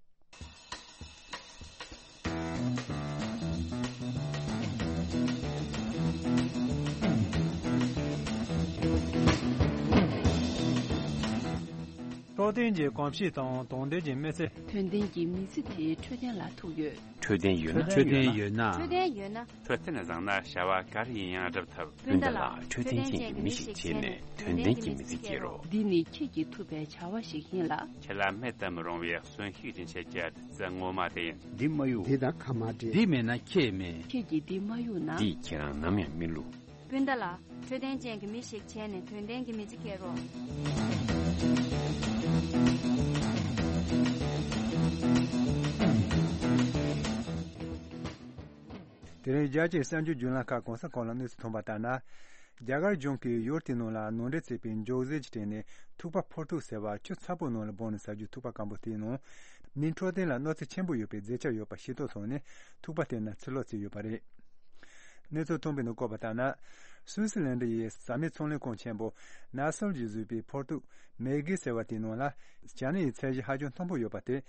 འཕྲོད་བསྟེན་གྱི་གོམས་གཤིས་དང་དོན་ལྡན་གྱི་མི་ཚེ། དོན་ལྡན་གྱི་མི་ཚེ་དེ་འཕྲོད་བསྟེན་ལ་ཐུག་ཡོད། འཕྲོད་བསྟེན་ཡོད་ན། འཕྲོད་བསྟེན་ཡོད་ན། འཕྲོད་བསྟེན་ཡོད་ན། འཕྲོད་བསྟེན་བཟང་ན་བྱ་བ་ག་རེ་ཡིན་ཡང་འགྲུབ་ཐུབ། སྤུན་ཟླ་ལགས། འཕྲོད་བསྟེན་ཅན་གྱི་མི་ཞིག་བྱས་ནས་དོན་ལྡན་གྱི་མི་ཚེ་སྐྱེལ་རོགས། འདི་ནི་ཁྱེད་ཀྱིས་ཐུབ་པའི་བྱ་བ་ཞིག་ཡིན་ལ། ཁྱེད་ལ་མེད་དུ་མི་རུང་བའི་གསོན་ཤུགས་སྦྱིན་བྱེད་ཀྱི་བདུད་རྩི་ངོ་མ་དེ་ཡིན། འདི་མ་གཡུག་འདི་དང་ཁ་མ་འབྲལ། འདི་མེད་ན་ཁྱེད་མེད། ཁྱེད་ཀྱིས་འདི་མ་གཡུག་ན། འདིས་ཁྱེད་རང་ནམ་ཡང་མི་བསླུ། སྤུན་ཟླ་ལགས། འཕྲོད་བསྟེན་ཅན་གྱི་མི་ཞིག་བྱས་ནས་དོན་ལྡན་གྱི་མི་ཚེ་སྐྱེལ་རོགས། དེ་རིང་རྒྱལ་སྤྱིའི་གསར་འགྱུར་བརྒྱུད་ལམ་ཁག་གང་ས་གང་ལ་གནས་ཚུལ་ཐོན་པ་ལྟར་ན། རྒྱ་གར་གཞུང་གིས་ཡུལ་དེའི་ནང་ལ་ནང་འདྲེན་བྱས་པའི་མགྱོགས་ཟས་ཀྱི་སྟེང་ནས་ཐུག་པ་འཕུར་གདུགས་ཟེར་བ་ཆུ་ཚ་པོའི་ནང་ལ་སྦངས་ནས་ཟ་རྒྱུའི་ཐུག་པ་སྐམ་པོ་དེའི་ནང་མིའི་འཕྲོད་བསྟེན་ལ་གནོད་འཚེ་ཆེན་པོ་ཡོད་པའི་རྫས་ཆ་ཡོད་པ་ཤེས་རྟོགས་སོང་ནས་ཐུག་པ་དེ་རྣམས་ཕྱིར་སློག་བྱས་ཡོད་པ་རེད། གནས་ཚུལ་ཐོན་པའི་ནང་བཀོད་པ་ལྟར་ན། སུད་སི་ལན་ཌི་ཡི་ཟ་མའི་ཚོང་ལས་ཁང་ཆེན་པོ་ནཱ་སོལ་གྱིས་བཟོས་པའི་འཕུར་གདུགས་མེ་གི་ཟེར་བ་དེའི་ནང་ལ་ཞ་ནི་ཡི་ཚད་གཞི་ཧ་ཅང་མཐོན་པོ་ཡོད་པ་དེ།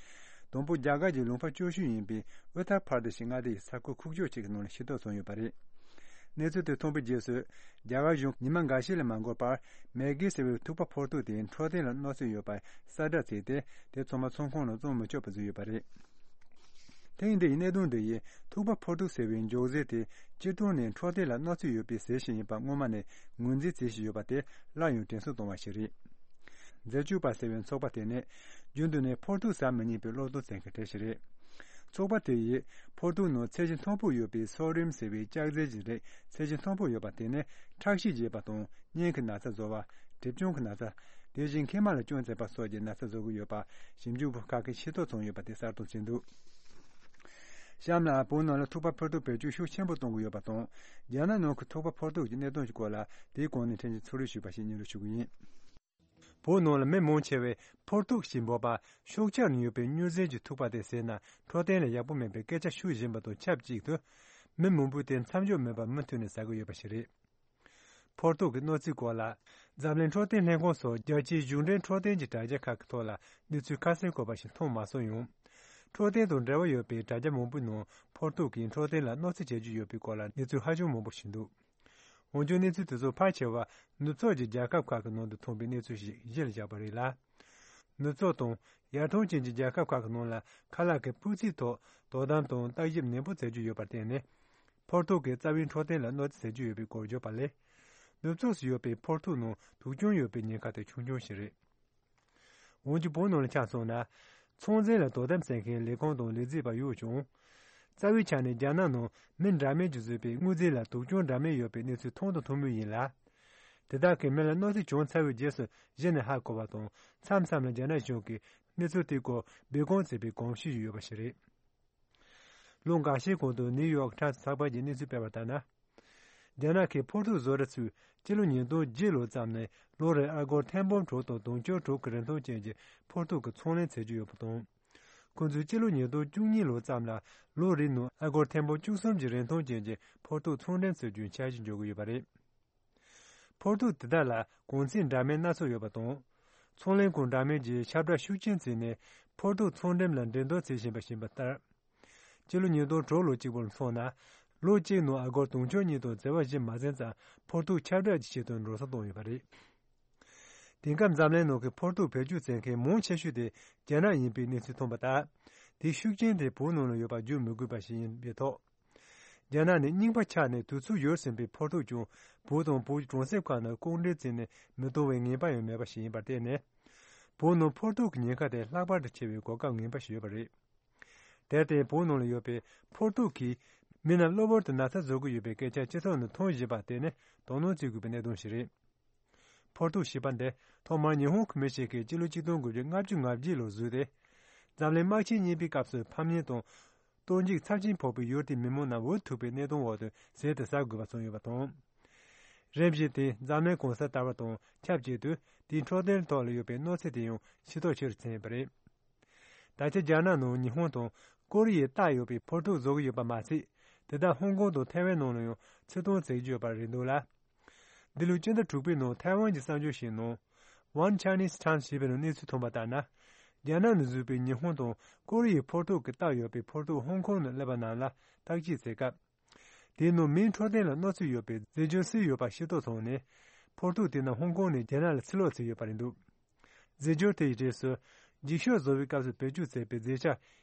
དང་པོ་རྒྱ་གར་གྱི་ལུང་པ་སྐྱོ་ཤོས་ཡིན་པའི་ཨུ་ཐར་བྷར་དེ་ཤི་མངའ་སྡེ་ཡི་ས་ཁུལ་ཁུག་ཀྱོག་ཅིག་གི་ནང་ལ་ཤེས་རྟོགས་བྱུང་ཡོད་པ་རེད། གནས་ཚུལ་དེ་ཐོན་པའི་རྗེས་སུ་རྒྱ་གར་གཞུང་ཉི་མ་འགའ་ཤས་ལས་མ་འགོར་བར་མེ་གི་ཟེར་བའི་ཐུག་པ་འཕུར་གདུགས་དེ་འཕྲོད་བསྟེན་ལ་གནོད་འཚེ་ཡོད་པ་གསལ་བསྒྲགས་བྱས་ཏེ་དེ་ཚང་མ་ཚོང་ཁང་ནང་བཙོང་མི་ཆོག་པ་བཟོས་ཡོད་པ་རེད། ཐེངས་འདི་ཡི་གནད་དོན་འདི་ཡིས་ཐུག་པ་ཕོར་ཐུག་ཟེར་བའི་འཇོག་རྫས་དེ་སྤྱིར་བཏང་ནས་འཕྲོད་བསྟེན་ལ་གནོད་འཚེ་ཡོད་པའི་ཟས་ཤིག་ཡིན་པ་སྔོན་མ་ནས་ངོས་འཛིན་བྱེད་བཞིན་ཡོད་པ་དེ་སླར་ཡང་དྲན་གསོ་བཏང་བ་ཞིག་རེད། མཛེས་སྤྱོད་པ་ཟེར་བའི་ཚོགས་པ་དེ་ནི་རྒྱུན་དུ་ནས་ཕོར་ཐུག་ཟ་མི་ཉན་པའི་བློ་སྟོབས་བསྟན་མཁན་གྲས་ཤིག་རེད། ཚོགས་པ་དེ་ཡིས་ཕོར་ཐུག་ནང་ཚད་གཞི་མཐོན་པོ་ཡོད་པའི་སོ་ཌི་ཡམ་ཟེར་བའི་ལྕགས་རྫས་ཀྱི་རིགས་ཚད་གཞི་མཐོན་པོ་ཡོད་པ་དེ་ནི་ཁྲག་ཤེད་རྒྱས་པ་དང་སྙིང་གི་ན་ཚ་བཟོ་བ། གྲིབ་སྐྱོན་གྱི་ན་ཚ། དེ་བཞིན་མཁལ་མ་ལ་སྐྱོན་བཙུགས་པ་སོགས་ཀྱི་ན་ཚ་བཟོ་གི་ཡོད་པ་ཞིབ་འཇུག་པ་ཁག་གིས་ཤེས་རྟོགས་བྱུང་ཡོད་པ་དེ་གསལ་སྟོན་བྱས་འདུག་གཤམ་ལ་བོད་ནང་ལ་ཐུག་པ་ཕོར་ཐུག་བེད་སྤྱོད་ཤུགས་ཆེན་པོ་གཏོང་གི་ཡོད་པ་དང་། རྒྱ་ནག་ནང་གི་ཐུག་པ་ཕོར་ཐུག་གི་གནད་དོན་གྱི་སྐོར་ལ་དེའི་གོང་ནས་ཕྲན་གྱིས་ཚོད་དཔག་ཞུས་པ་ཞིག་སྙན་སྒྲོན་ཞུ་གི་ཡིན། བོད་ནང་ལ་མི་མང་ཆེ་བས་ཕོར་ཐུག་ཞེས་འབོད་པ་ཤུགས་ཆེར་ཡོད་པའི་སྨྱུག་རྫས་ཀྱི་ཐུག་པ་དེ་ཟས་ན་འཕྲོད་བསྟེན་ལ་ཡག་པོ་མེད་པའི་སྐད་ཆ་ཤུགས་བཞིན་པ་དང་ཆབས་ཅིག་ཏུ། མི་མང་པོས་དེ་མཚམས་འཇོག་མེད་པར་མུ་མཐུད་ནས་ཟ་གི་ཡོད་པ་ཞིག་རེད། ཕོར་ཐུག་གི་གནོད་འཚེའི་སྐོར་ལ། འཛམ་གླིང་འཕྲོད་བསྟེན་ལྷན་ཁང་སོགས་རྒྱལ་སྤྱིའི་གཞུང་འབྲེལ་འཕྲོད་བསྟེན་གྱི་དྲ་རྒྱ་ཁག་གི་ཐོག་ལ་གནས་ཚུལ་ཁ་གསལ་བཀོད་པ་ཞིག་མཐོང་མ་སོང་ཡང་། འཕྲོད་བསྟེན་དང་འབྲེལ་བ་ཡོད་པའི་དྲ་རྒྱ་མང་པོའི་ནང་ཕོར་ཐུག་གིས་འཕྲོད་བསྟེན་ལ་གནོད་འཚེ་བྱེད་ཀྱི་ཡོད་པའི་སྐོར་ལ་གནས་ཚུལ་ཧ་ཅང་མང་པོ་ཞིག་འདུག་འོན་ཀྱང་གནས་ཚུལ་དེ་ཚོ་ཕལ་ཆེ་བ་ནུབ་ཕྱོགས་ཀྱི་རྒྱལ་ཁབ་ཁག་གི་ནང་དུ་ཐོན་པའི་གནས་ཚུལ་ཞིག་གཞི་ལ་བཞག་པ་རེད་ལ། ནུབ་ཕྱོགས་དང་ཡར་ཐོན་ཅན་གྱི་རྒྱལ་ཁབ་ཁག་གི་ནང་ལ་ཁ་ལག་གི་སྤུས་ཚད་ཐོག་དོ་དམ་དང་བརྟག་ཞིབ་ནན་པོ་བྱེད་ཀྱི་ཡོད་པར་བརྟེན་ནས། ཕོར་ཐུག་གིས་རྩ་བའི་འཕྲོད་བསྟེན་ལ་གནོད་འཚེ་བྱེད་ཀྱི་ཡོད་པའི་སྐོར་བརྗོད་པ་ལས། ནུབ་ཕྱོགས་སུ་ཡོད་པའི་ཕོར་ཐུག་ནང་དུག་སྐྱོན་ཡོད་པའི་ཉེན་ཁ་དེ་ཆུང་ཆུང་ཞིག་རེད། འོན་ཀྱང་བོད་ནང་ལ་ཆ་མཚོན་ན། ཚོང་འཛིན་ལ་དོ་དམ་བྱེད་མཁན་ལས་ཁུངས་དང་ལས་བྱེད་པ་ཡོད་ཀྱང་། རྩ་བའི་ཆ་ནས་རྒྱ་ནག་ནང་མི་འདྲ་མིན་གྱིས་བཟོས་པའི་དངོས་རྫས་ལ་དུག་སྐྱོན་འདྲ་མིན་ཡོད་པའི་གནས་ཚུལ་མཐོང་དང་མཐོང་མུས་ཡིན་ལ། དེ་དག་གིས་མི་ལ་གནོད་འཚེ་བྱུང་ཚར་བའི་རྗེས་སུ་གཞི་ནས་ཧ་གོ་བ་དང་མཚམས་མཚམས་ལ་རྒྱ་ནག་གཞུང་གིས་གནས་ཚུལ་དེའི་སྐོར་སྦས་སྐུང་བྱེད་པའི་གོམས་གཤིས་ཡོད་པ་ཞིག་རེད། ལོ་འགའ་ཤས་གོང་དུ་ནིའུ་ཡོག་ཊའིམ་ཚགས་པར་གྱིས་གནས་ཚུལ་སྤེལ་བ་ལྟར་ན། རྒྱ་ནག་གི་ཕོར་ཐུག་བཟོ་གྲྭ་ཚོས་སྤྱི་ལོ་ཉིས་སྟོང་བརྒྱད་ལོ་ཙམ་ནས་ལོ་རེར་ཨ་སྒོར་ཐེར་འབུམ་དྲུག་དང་དུང་ཕྱུར་དྲུག་གི་རིན་ཐང་ཅན་གྱི་ཕོར་ཐུག་གི་ཚོང་ལེན་བྱེད་ཀྱི་ཡོད་པ་དང་། ཁོ་ཚོས་སྤྱི་ལོ་ཉིས་སྟོང་བཅུ་གཉིས་ལོ་ཙམ་ལ་ལོ་རེའི་ནང་ཨ་སྒོར་ཐེར་འབུམ་བཅུ་གསུམ་གྱི་རིན་ཐང་ཅན་གྱི་ཕོར་ཐུག་ཚོང་འགྲེམས་བྱེད་རྒྱུའི་འཆར་གཞི་འཇོག་གི་ཡོད་པ་རེད། ཕོར་ཐུག་དེ་དག་ལ་གོང་ཚད་འདྲ་མིན་སྣ་ཚོགས་ཡོད་པ་དང་། ཚོང་ལས་ཁང་འདྲ་མིན་གྱིས་ཁྱབ་བསྒྲགས་ཤུགས་ཆེན་བྱས་ནས་ཕོར་ཐུག་ཚོང་འགྲེམས་ལ་འགྲན་བསྡུར་བྱེད་བཞིན་པ་ཞིག་ཡིན་པ་ལྟར། སྤྱི་ལོ་ཉིས་སྟོང་དྲུག་ལོ་གཅིག་པུར་མཚོན་ན། ལོ་གཅིག་ནང་ཨ་སྒོར་དུང་ཕྱུར་གཉིས་དང་བྱེ་བ་བཞི་མ་ཟིན་ཙམ་ཕོར་ཐུག་ཁྱབ་བསྒྲགས་ཀྱི་ཆེད་དུ་འགྲོ་སོང་བཏང་ཡོད་པ་རེད། དེང་སྐབས་འཛམ་གླིང་ནང་གི་ཕོར་ཐུག་བེད་སྤྱོད་བྱེད་མཁན་མང་ཆེ་ཤོས་དེ་རྒྱ་ནག་ཡིན་པའི་གནས་ཚུལ་ཐོན་པ་ལྟར། དེའི་ཤུགས་རྐྱེན་དེ་བོད་ནང་ལ་ཡོད་པ་བརྗོད་མི་དགོས་པ་ཞིག་ཡིན་པའི་ཐོག་རྒྱ་ནག་ནས་རྙིང་པ་ཆགས་ནས་དུས་ཚོད་ཡོལ་ཟིན་པའི་ཕོར་ཐུག་ཀྱང་བོད་དང་བོད་ཀྱི་གྲོང་གསེབ་ཁག་ནང་སྐུ་མགྲོན་བྱས་ནས་མི་གཏོང་བའི་ངེས་པ་ཡང་མེད་པ་ཞིག་ཡིན་པར་བརྟེན་ནས། བོད་ནང་ཕོར་ཐུག་གི་ཉེན་ཁ་དེ་ལྷག་པར་དུ་ཆེ་བའི་གོ་སྐབས་ངན་པ་ཞིག་ཡོད་པ་རེད། དེར་བརྟེན་བོད་ནང་ལ་ཡོད་པའི་ཕོར་ཐུག་གིས་མི་རྣམས་གློ་བུར་དུ་ན་ཚ་བཟོ་གི་ཡོད་པའི་སྐད་ཆ་སྤྱི་ཚོགས་ནང་ཐོན་བཞིན་པ་དེ་ནི་དོ་སྣང་བྱེད་དགོས་པའི་གནད་དོན་ཞིག་རེད། ཕོར་ཐུག་ཞེས་པ་འདི་ཐོག་མར་ཉི་ཧོང་གི་མི་ཞིག་གིས་སྤྱི་ལོ་ཆིག་སྟོང་དགུ་བརྒྱ་ལྔ་བཅུ་ང་བརྒྱད་ལོར་བཟོས་ཏེ། འཛམ་གླིང་དམག་ཆེན་གཉིས་པའི་སྐབས་སུ་ཕམ་ཉེས་དང་། གཏོར་འཇིགས་ཚབས་ཆེན་ཕོག་པའི་ཡུལ་དེའི་མི་མང་རྣམས་འུ་ཐུག་པའི་གནད་དོན་འོག་ཏུ་ཟས་དེ་ཟ་དགོས་པ་བྱུང་ཡོད་པ་དང་། རིམ་བཞིན་དེ་འཛམ་གླིང་གང་སར་དར་བ་དང་ཆབས་ཅིག་ཏུ་དེའི་འཕྲོད་བསྟེན་ཐོག་ལ་ཡོད་པའི་གནོད་འཚེ་དེ་ཡང་ཤེས་རྟོགས་ཆེ་རུ་ཕྱིན་ཡོད་པ་རེད། ད་ཆ་རྒྱ་ནག་ནང་ཉི་ཧོང་དང་ཀོ་རི་ཡའི་རྟགས་ཡོད་པའི་ཕོར་ཐུག་བཟོ་གི་ཡོད་པ་མ་ཟད། དེ་དག་ཧོང་ཀོང་དང་ཐའེ་ཝན་ནང་ལ་ཡང་ཕྱིར་གཏོང་བྱེད་ཀྱི་ཡོད་པ་རེད་འདུག་ལ། འདི་ལོའི་སྤྱི་ཟླ་དྲུག་པའི་ནང་ཐའེ་ཝན་གྱི་གསར་འགྱུར་ཞིག་ནང་། One Chinese Times ཞེས་པའི་ནང་གནས་ཚུལ་ཐོན་པ་ལྟར་ན། རྒྱ་ནག་ནས་བཟོས་པའི་ཉི་ཧོང་དང་ཀོ་རི་ཡའི་ཕོར་ཐུག་གི་རྟགས་ཡོད་པའི་ཕོར་ཐུག་ཧོང་ཀོང་ནས་སླེབས་པ་རྣམས་ལ་བརྟག་དཔྱད་བྱེད་སྐབས། དེའི་ནང་མིའི་འཕྲོད་བསྟེན་ལ་གནོད་འཚེ་ཡོད་པའི་རྫས་སྦྱོར་བསྲེས་ཡོད་པ་ཤེས་རྟོགས་བྱུང་ནས། ཕོར་ཐུག་དེ་རྣམས་ཧོང་ཀོང་ནས་རྒྱ་ནག་ལ་ཕྱིར་སློག་བྱས་ཡོད་པ་རེད་འདུག་རྫས་སྦྱོར་དེ་ཡི་རྗེས་སུ། འགྱིག་ཤོག་བཟོ་བའི་སྐབས་སུ་བེད་སྤྱོད་བྱས་པའི་རྫས་ཆ།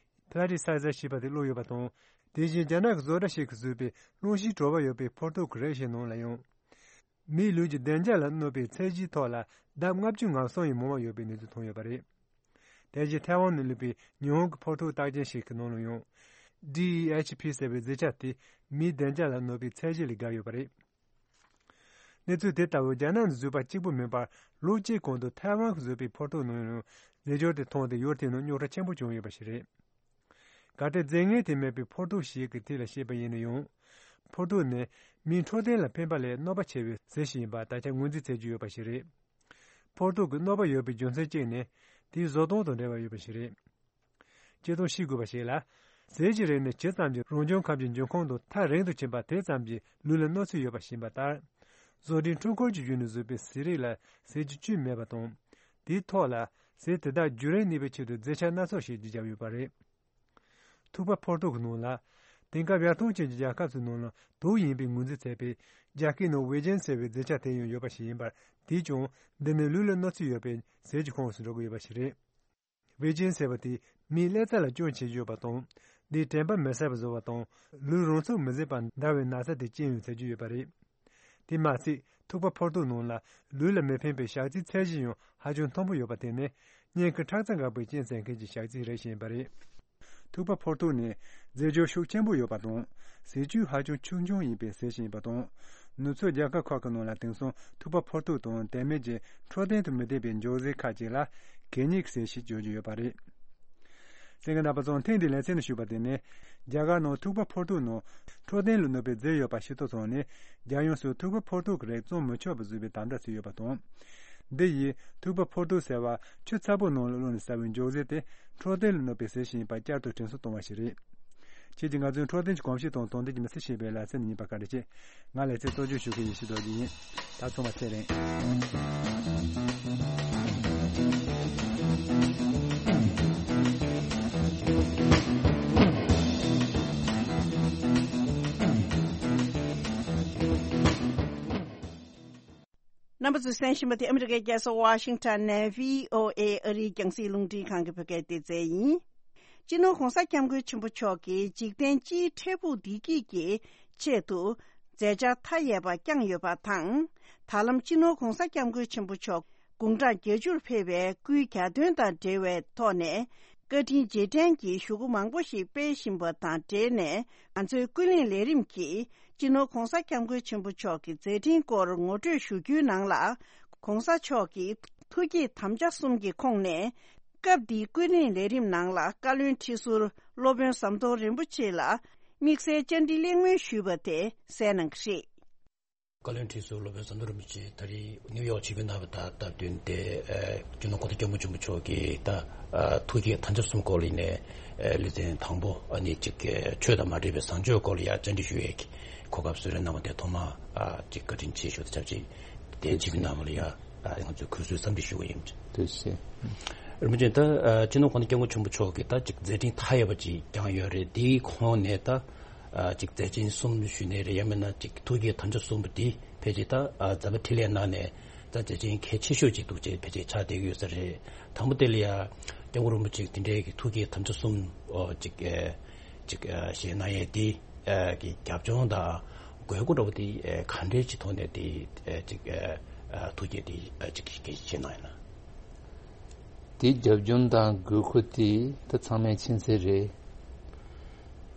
Plasticizer ཞེས་པ་དེ་བླུགས་ཡོད་པ་དང་། དེ་བཞིན་རྒྱ་ནག་གི་བཟོ་གྲྭ་ཞིག་གིས་བཟོས་པའི་རླུང་ཤིང་བྲོ་བ་ཡོད་པའི་ཕོར་ཐུག་གི་རིགས་ཤིག་ནང་ལ་ཡང་། མིའི་ལུས་ཀྱི་བདེ་འཇགས་ལ་གནོད་པའི་ཚད་གཞིའི་ཐོག་ལ་ལྡབ་ལྔ་བཅུ་ང་གསུམ་ཡི་མང་བ་ཡོད་པའི་གནས་ཚུལ་ཐོན་ཡོད་པ་རེད། དེ་བཞིན་ཐའེ་ཝན་ནས་སླེབས་པའི་ཉི་ཧོང་གི་ཕོར་ཐུག་རྟགས་ཅན་ཞིག་གི་ནང་ལ་ཡང་། ཌི་ཨི་ཨེཆ་ཕི་ཟེར་བའི་རྫས་ཆ་དེ་མིའི་བདེ་འཇགས་ལ་གནོད་པའི་ཚད་གཞི་ལས་བརྒལ་ཡོད་པ་རེད། གནས་ཚུལ་དེ་ལྟ་བུ་རྒྱ་ནག་ནས་བཟོས་པ་གཅིག་པུ་མིན་པར་ལོ་གཅིག་གོང་དུ་ཐའེ་ཝན་གྱིས་བཟོས་པའི་ཕོར་ཐུག་ནང་ཡང་རྫས་སྦྱོར་དེ་མཐོང་སྟེ་ཡུལ་དེའི་ནང་རྙོག་དྲ་ཆེན་པོ་བྱུང་ཡོད་པ་ཞིག་རེད། གལ་ཏེ་རྫས་ངན་དེ་མེད་པའི་ཕོར་ཐུག་ཞིག་གི་ཐད་ལ་བཤད་པ་ཡིན་ན་ཡང་། ཕོར་ཐུག་ནི་མིའི་འཕྲོད་བསྟེན་ལ་ཕན་པ་ལས་གནོད་པ་ཆེ་བའི་ཟས་ཤིག་ཡིན་པ་ད་ཆ་ངོས་འཛིན་བྱེད་ཀྱི་ཡོད་པ་ཞིག་རེད། ཕོར་ཐུག་གི་གནོད་པ་ཡོད་པའི་རྒྱུ་མཚན་གཅིག་ནི་དེའི་བཟོ་སྟངས་དང་འབྲེལ་བ་ཡོད་པ་ཞིག་རེད། སྤྱིར་བཏང་ཤེས་དགོས་པ་ཞིག་ལ། ཟས་ཀྱི་རིགས་ནི་ཇི་ཙམ་གྱིས་རང་བྱུང་ཁམས་ཀྱི་འབྱུང་ཁུངས་དང་ཐག་རིང་དུ་ཕྱིན་པ་དེ་ཙམ་གྱིས་ལུས་ལ་གནོད་འཚེ་ཡོད་པ་ཤེས་པ་ལྟར། བཟོ་སྐྲུན་འཕྲུལ་འཁོར་གྱི་བརྒྱུད་ནས་བཟོས་པའི་ཟས་རིགས་ལ་ཟས་ཀྱི་བཅུད་མེད་པ་དང་། དེའི་ཐོག་ལ་ཟས་དེ་དག་རྒྱུན་རིང་གནས་པའི་ཆེད་དུ་རྫས་ཆ་སྣ་ཚོགས་ཤིག་བརྒྱབ་ཡོད་པ་རེད། ཐུག་པ་ཕོར་ཐུག་གི་ནང་ལ། དེང་སྐབས་ཡར་ཐོན་ཅན་གྱི་རྒྱལ་ཁབ་ཚོའི་ནང་ལ་དུག་ཡིན་པའི་ངོས་འཛིན་བྱས་པའི་རྒྱ་སྐད་ནང་ཝེ་ཇན་ཟེར་བའི་རྫས་ཆ་དེ་ཡང་ཡོད་པ་ཞིག་ཡིན་པར། དེས་ཀྱང་འདི་ནི་ལུས་ལ་གནོད་འཚེ་ཡོད་པའི་ཟས་ཀྱི་ཁོངས་སུ་འགྲོ་གི་ཡོད་པ་ཞིག་རེད། ཝེ་ཇན་ཟེར་བ་དེ་ མིའི་ཀླད་རྩ་ལ་སྐྱོན་བྱེད་ཀྱི་ཡོད་པ་དང་། འདིས་དྲན་པ་མི་གསལ་བར་བཟོ་བ་དང་། ལུས་རང་ཚུགས་མི་བཟད་པར་འདར་བའི་ན་ཚ་དེ་སྐྱེ་ཡོང་ཚད་ཀྱི་ཡོད་པ་རེད། དེ་མ་ཟད། ཐུག་པ་ཕོར་ཐུག་ནང་ལ་ལུས་ལ་མི་ཕན་པའི་ཞག་རྩིའི་ཚད་གཞི་ཡང་ཧ་ཅང་མཐོན་པོ་ཡོད་པ་དེ་ནི། སྙིང་གི་ཁྲག་རྩ་འགག་པའི་རྐྱེན་བསལ་མཁན་གྱི་ཞག་རྩི་རེད་བཞིན་པ་རེད། ཐུག་པ་ཕོར་ཐུག་ནི་རྫས་སྦྱོར་ཤུགས་ཆེན་པོ་ཡོད་པ་དང་། ཟས་བཅུད་ཧ་ཅང་ཆུང་ཆུང་ཡིན་པས་ཟེར་བཞིན་པ་དང་། ནུབ་ཕྱོགས་རྒྱལ་ཁབ་ཁག་གི་ནང་ལ་དེང་སང་ཐུག་པ་ཕོར་ཐུག་དང་དེ་མིན་གྱི་འཕྲོད་བསྟེན་དུ་མི་བདེ་བའི་མགྱོགས་ཟས་ཁག་ཅིག་ལ་གད་སྙིགས་ཟེར་ཞེས་བརྗོད་ཀྱི་ཡོད་པ་རེད། གསན་མཁན་རྣམ་པ་ཚོ་ཐེངས་འདིའི་ལེ་ཚན་ནང་ཞུས་པ་དེ་ནི། རྒྱ་གར་ནང་ཐུག་པ་ཕོར་ཐུག་ནང་འཕྲོད་བསྟེན་ལ་གནོད་པའི་རྫས་ཡོད་པ་ཤེས་རྟོགས་སོང་ནས། རྒྱལ་ཡོངས་སུ་ཐུག་པ་ཕོར་ཐུག་གི་རིགས་བཙོང་མི་ཆོག་པ་བཟོས་པའི་དམ་བསྒྲགས་བྱས་ཡོད་པ་དང་། འདི་ཡིས་ཐུག་པ་ཕོར་ཐུག་ཟེར་བ་ཆུ་ཚ་པོ་ནང་ལ་བླུགས་ནས་ཟ་བའི་མགྱོགས་ཟས་དེ་འཕྲོད་བསྟེན་ལ་གནོད་པའི་ཟས་ཤིག་ཡིན་པ་བསྐྱར་དུ་དྲན་གསོ་གཏོང་བ་ཞིག་རེད། ཁྱེད་ཀྱིས་ང་ཚོའི་འཕྲོད་བསྟེན་གྱི་གོམས་གཤིས་དང་དོན་ལྡན་གྱི་མི་ཚེ་ཞེས་པའི་ལེ་ཚན་ནང་ཡིན་པ་བཀའ་འདྲི་ཆེ། ང་ལེ་ཚན་གཙོ་སྐྱོང་ཞུ་མཁན་ཡེ་ཤེས་རྡོ་རྗེ་ཡིན། ད་ཚང་མ་ཚེ་རིང་། རྣམ་པ་ཚོས་གསན་བཞིན་པ་དེ་ཨ་མི་རི་ཀའི་རྒྱལ་ས་ཝ་ཤིང་ཊོན་ནས་བྷི་ཨོ་ཨེ་ཨ་རིའི་རྒྱང་སྲིང་རླུང་འཕྲིན་ཁང་གི་བོད་སྐད་སྡེ་ཚན་ཡིན། སྤྱི་ནོར་༧གོང་ས་༧སྐྱབས་མགོན་ཆེན་པོ་མཆོག་གིས་འཇིག་རྟེན་སྤྱིའི་འཕྲལ་ཕུགས་བདེ་སྐྱིད་ཀྱི་ཆེད་དུ་མཛད་འཆར་མཐའ་ཡས་པ་བསྐྱངས་ཡོད་པ་དང་། ད་ལམ་སྤྱི་ནོར་༧གོང་ས་༧སྐྱབས་མགོན་ཆེན་པོ་མཆོག་དགུང་གྲངས་བརྒྱད་ཅུར་ཕེབས་པའི་སྐུའི་གྱ་སྟོན་དང་འབྲེལ་བའི་ཐོག་ནས། བཀའ་དྲིན་རྗེས་དྲན་གྱི་ཞུ་སྒོ་མང་པོ་ཞིག་སྤེལ་བཞིན་པ་དང་འབྲེལ་ནས། ང་ཚོའི་ཀུན་གླེང་ལས་རིམ་གྱིས་སྤྱི་ནོར་༧གོང་ས་༧སྐྱབས་མགོན་ཆེན་པོ་མཆོག་གི་མཛད་འཕྲིན་སྐོར་ངོ་སྤྲོད་ཞུ་རྒྱུའི་ནང་ལ། ༧གོང་ས་མཆོག་གི་ཐུགས་བསྐྱེད་དམ་བཅའ་གསུམ་གྱི་ཁོངས་ནས། སྐབས་འདིའི་ཀུན་གླེང་ལས་རིམ་ནང་ལ་བཀའ་བློན་ཁྲི་ཟུར་སློབ་དཔོན་ཟམ་གདོང་རིན་པོ་ཆེ་ལ་དམིགས་བསལ་བཅར་འདྲི་གླེང་མོལ་ཞུས་པ་དེ་གསན་གནང་གི་རེད། བཀའ་བློན་ཁྲི་ཟུར་སློབ་དཔོན་ཟམ་གདོང་རིན་པོ་ཆེ་ད་རེས་ནིའུ་ཡོག་བྱིས་པའི་རྣམ་པ་དང་སྟབས་བསྟུན་ཏེ། ཨ། སྤྱི་ནོར་༧གོང་ས་༧སྐྱབས་མགོན་ཆེན་པོ་མཆོག་གི་ད་ཨ་ཐུགས་བསྐྱེད་དམ་བཅའ་གསུམ་སྐོར་ལ་ཡིན་ནའི། ཨ། ལེ་ཚན་དང་པོ་ཨ་ནི་ཅིག་ཆོས་དང་མ་འདྲེས་པའི་བཟང་སྤྱོད་སྐོར་ལ་ཡང་བཅར་འདྲི་ཞུ་ཡས་ཀྱི་གོ་སྐབས་གསོལ་རས་གནང་བ་དེ་ཐོག་མར་ཨ་ཅིག་བཀའ་དྲིན་ཆེ་ཞུ། ད་ཆབས་ཅིག་དེ་བྱིས་པའི་རྣམ་པ་ལ་ཡང་ཨ་ང་ཚོས་གུས་བསུའི་འཚམས་འདྲི་ཞུ་གི་ཡིན། ཐུགས་རྗེ་ཆེ། རིན་པོ་ཆེ། ད་ཨ་སྤྱི་ནོར་༧གོང་ས་༧སྐྱབས་མགོན་ཆེན་པོ་མཆོག་གིས་ད་ཅིག་མཛད་འཕྲིན་མཐའ་ཡས་པ་ཅིག་བསྐྱངས་ཡོད་རེད། དེའི་ཁོངས་ནས་ད། ཨ་ཅིག་མཛད་འཕྲིན་གསུམ་ཞུས་ནའི་རེད། ཡང་མིན་ན་ཅིག་ཐུགས་བསྐྱེད་དམ་བཅའ་གསུམ་པོ་འདི་ཕལ་ཆེར་ད་ཨ་མཛད་པ་འཕྲིན་ལས་ནང་ནས་ད་མཛད་འཕྲིན་གལ་ཆེ་ཤོས་ཅིག་འདུག་ཅེས་ཕལ་ཆེར་ཆགས་བསྡད་ཀྱི་ཡོད་ས་རེད། དང་པོ་དེ་ལ་ཡ་སྐྱབས་མགོན་རིན་པོ་ཆེ་དེ་འདྲའི་གི་ཐུགས་བསྐྱེད་དམ་བཅའ་གསུམ། ཨོ་ཅིག་ཨེ་ཅིག་ཨ་བཞེས་གནང་ཡས་དེ་ཨ་གི་རྒྱབ་ལྗོངས་དང་དགོས་མཁོ་འདྲ་བོ་དེ་ཨེ་ག་འདྲའི་ཅིག་ཐོག་ནས་དེ་ཨེ་ཅིག་ཨ་ཨ་ཐུགས་བསྐྱེད་དེ་ཨ་ཅིག་གི་བཞེས་གནང་ཡིན་ན། དེའི་རྒྱབ་ལྗོངས་དང་དགོས་མཁོ་དེ་ད་ཚང་མས་མཁྱེན་གསལ་རེད།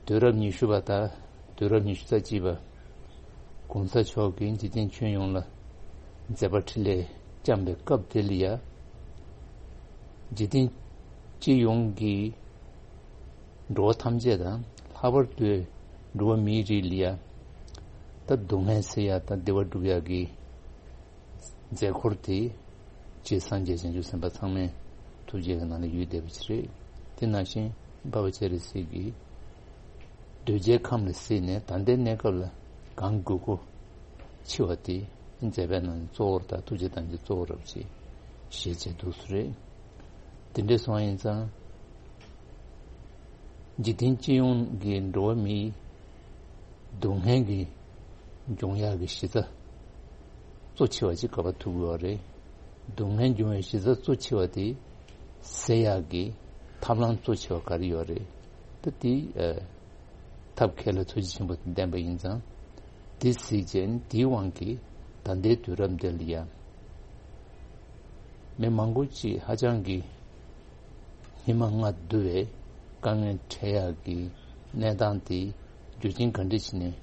དུས་རབས་ཉི་ཤུ་པ་དང་དུས་རབས་ཉི་ཤུ་རྩ་གཅིག་པ་༧གོང་ས་མཆོག་གིས་འཇིག་རྟེན་ཁྱོན་ཡོངས་ལ་མཛད་པ་འཕྲིན་ལས་བསྐྱངས་པའི་སྐབས་དེ་ལ་ཡ། འཇིག་རྟེན་སྤྱི་ཡོངས་ཀྱི་འགྲོ་བ་ཐམས་ཅད་དང་ལྷག་པར་དུ་འགྲོ་བ་མིའི་རིགས་ལ་ཡ། ད་སྡུག་བསྔལ་སེལ་ཡ་དང་བདེ་བ་སྒྲུབ་ཡ་གི་མཛད་སྒོ་དེ་རྗེ་སངས་རྒྱས་བྱང་ཆུབ་སེམས་དཔའ་ཚང་མས་ཐུགས་རྗེ་གི་ནང་ལ་ཡོད་བསྡད་པ་ཅིག་རེད། དེ་ནང་བཞིན་འཕགས་པ་སྤྱན་རས་གཟིགས་ཀྱིས་གདོས་བཅས་ཁམས་ལ་གཟིགས་ནས་ད་ལྟའི་གནས་སྐབས་ལ་གང་དགོས་མཁོ་ཆེ་བ་དེ་མཛད་པའི་ནང་ནས་གཙོ་བོར་དང་ཐུགས་རྗེ་དང་གི་གཙོ་བོར་རབ་ཅིག་བཞེས་བྱས་འདུག་སུ་རེད། དེ་འདྲ་སོང་བ་ཡིན་ཙང་། འཇིག་རྟེན་སྤྱི་ཡོངས་ཀྱི་འགྲོ་བ་མིའི་སྡུག་བསྔལ་གྱི་འབྱུང་ཡག་གི་གཞི་རྩ་གཙོ་ཆེ་བ་ཅིག་ག་པར་ཐུག་ཡོད་རེད། སྡུག་བསྔལ་འབྱུང་བའི་གཞི་རྩ་གཙོ་ཆེ་བ་དེ་སེལ་ཡག་གི་ཐབས་ལམ་གཙོ་ཆེ་བ་ག་རེ་ཡོད་རེད། ད་དེ་ཨ་ཐབས་མཁས་ལ་ཐུགས་རྗེ་ཆེན་པོ་ལྡན་པ་ཡིན་ཙང་། དེ་གཟིགས་རྗེས་དེའི་དབང་གིས་ད་ལྟའི་དུས་རབས་འདི་ལ་ཡང་མི་མང་པོ་ཅིག་ཧ་ཅང་གི་སྙིགས་མ་ལྔ་བསྡུ་བའི་དཀའ་ངལ་འཕྲད་ཡག་གི་གནས་སྟངས་དེ་རྒྱུ་རྐྱེན་ག་འདྲ་ཞིག་ནས་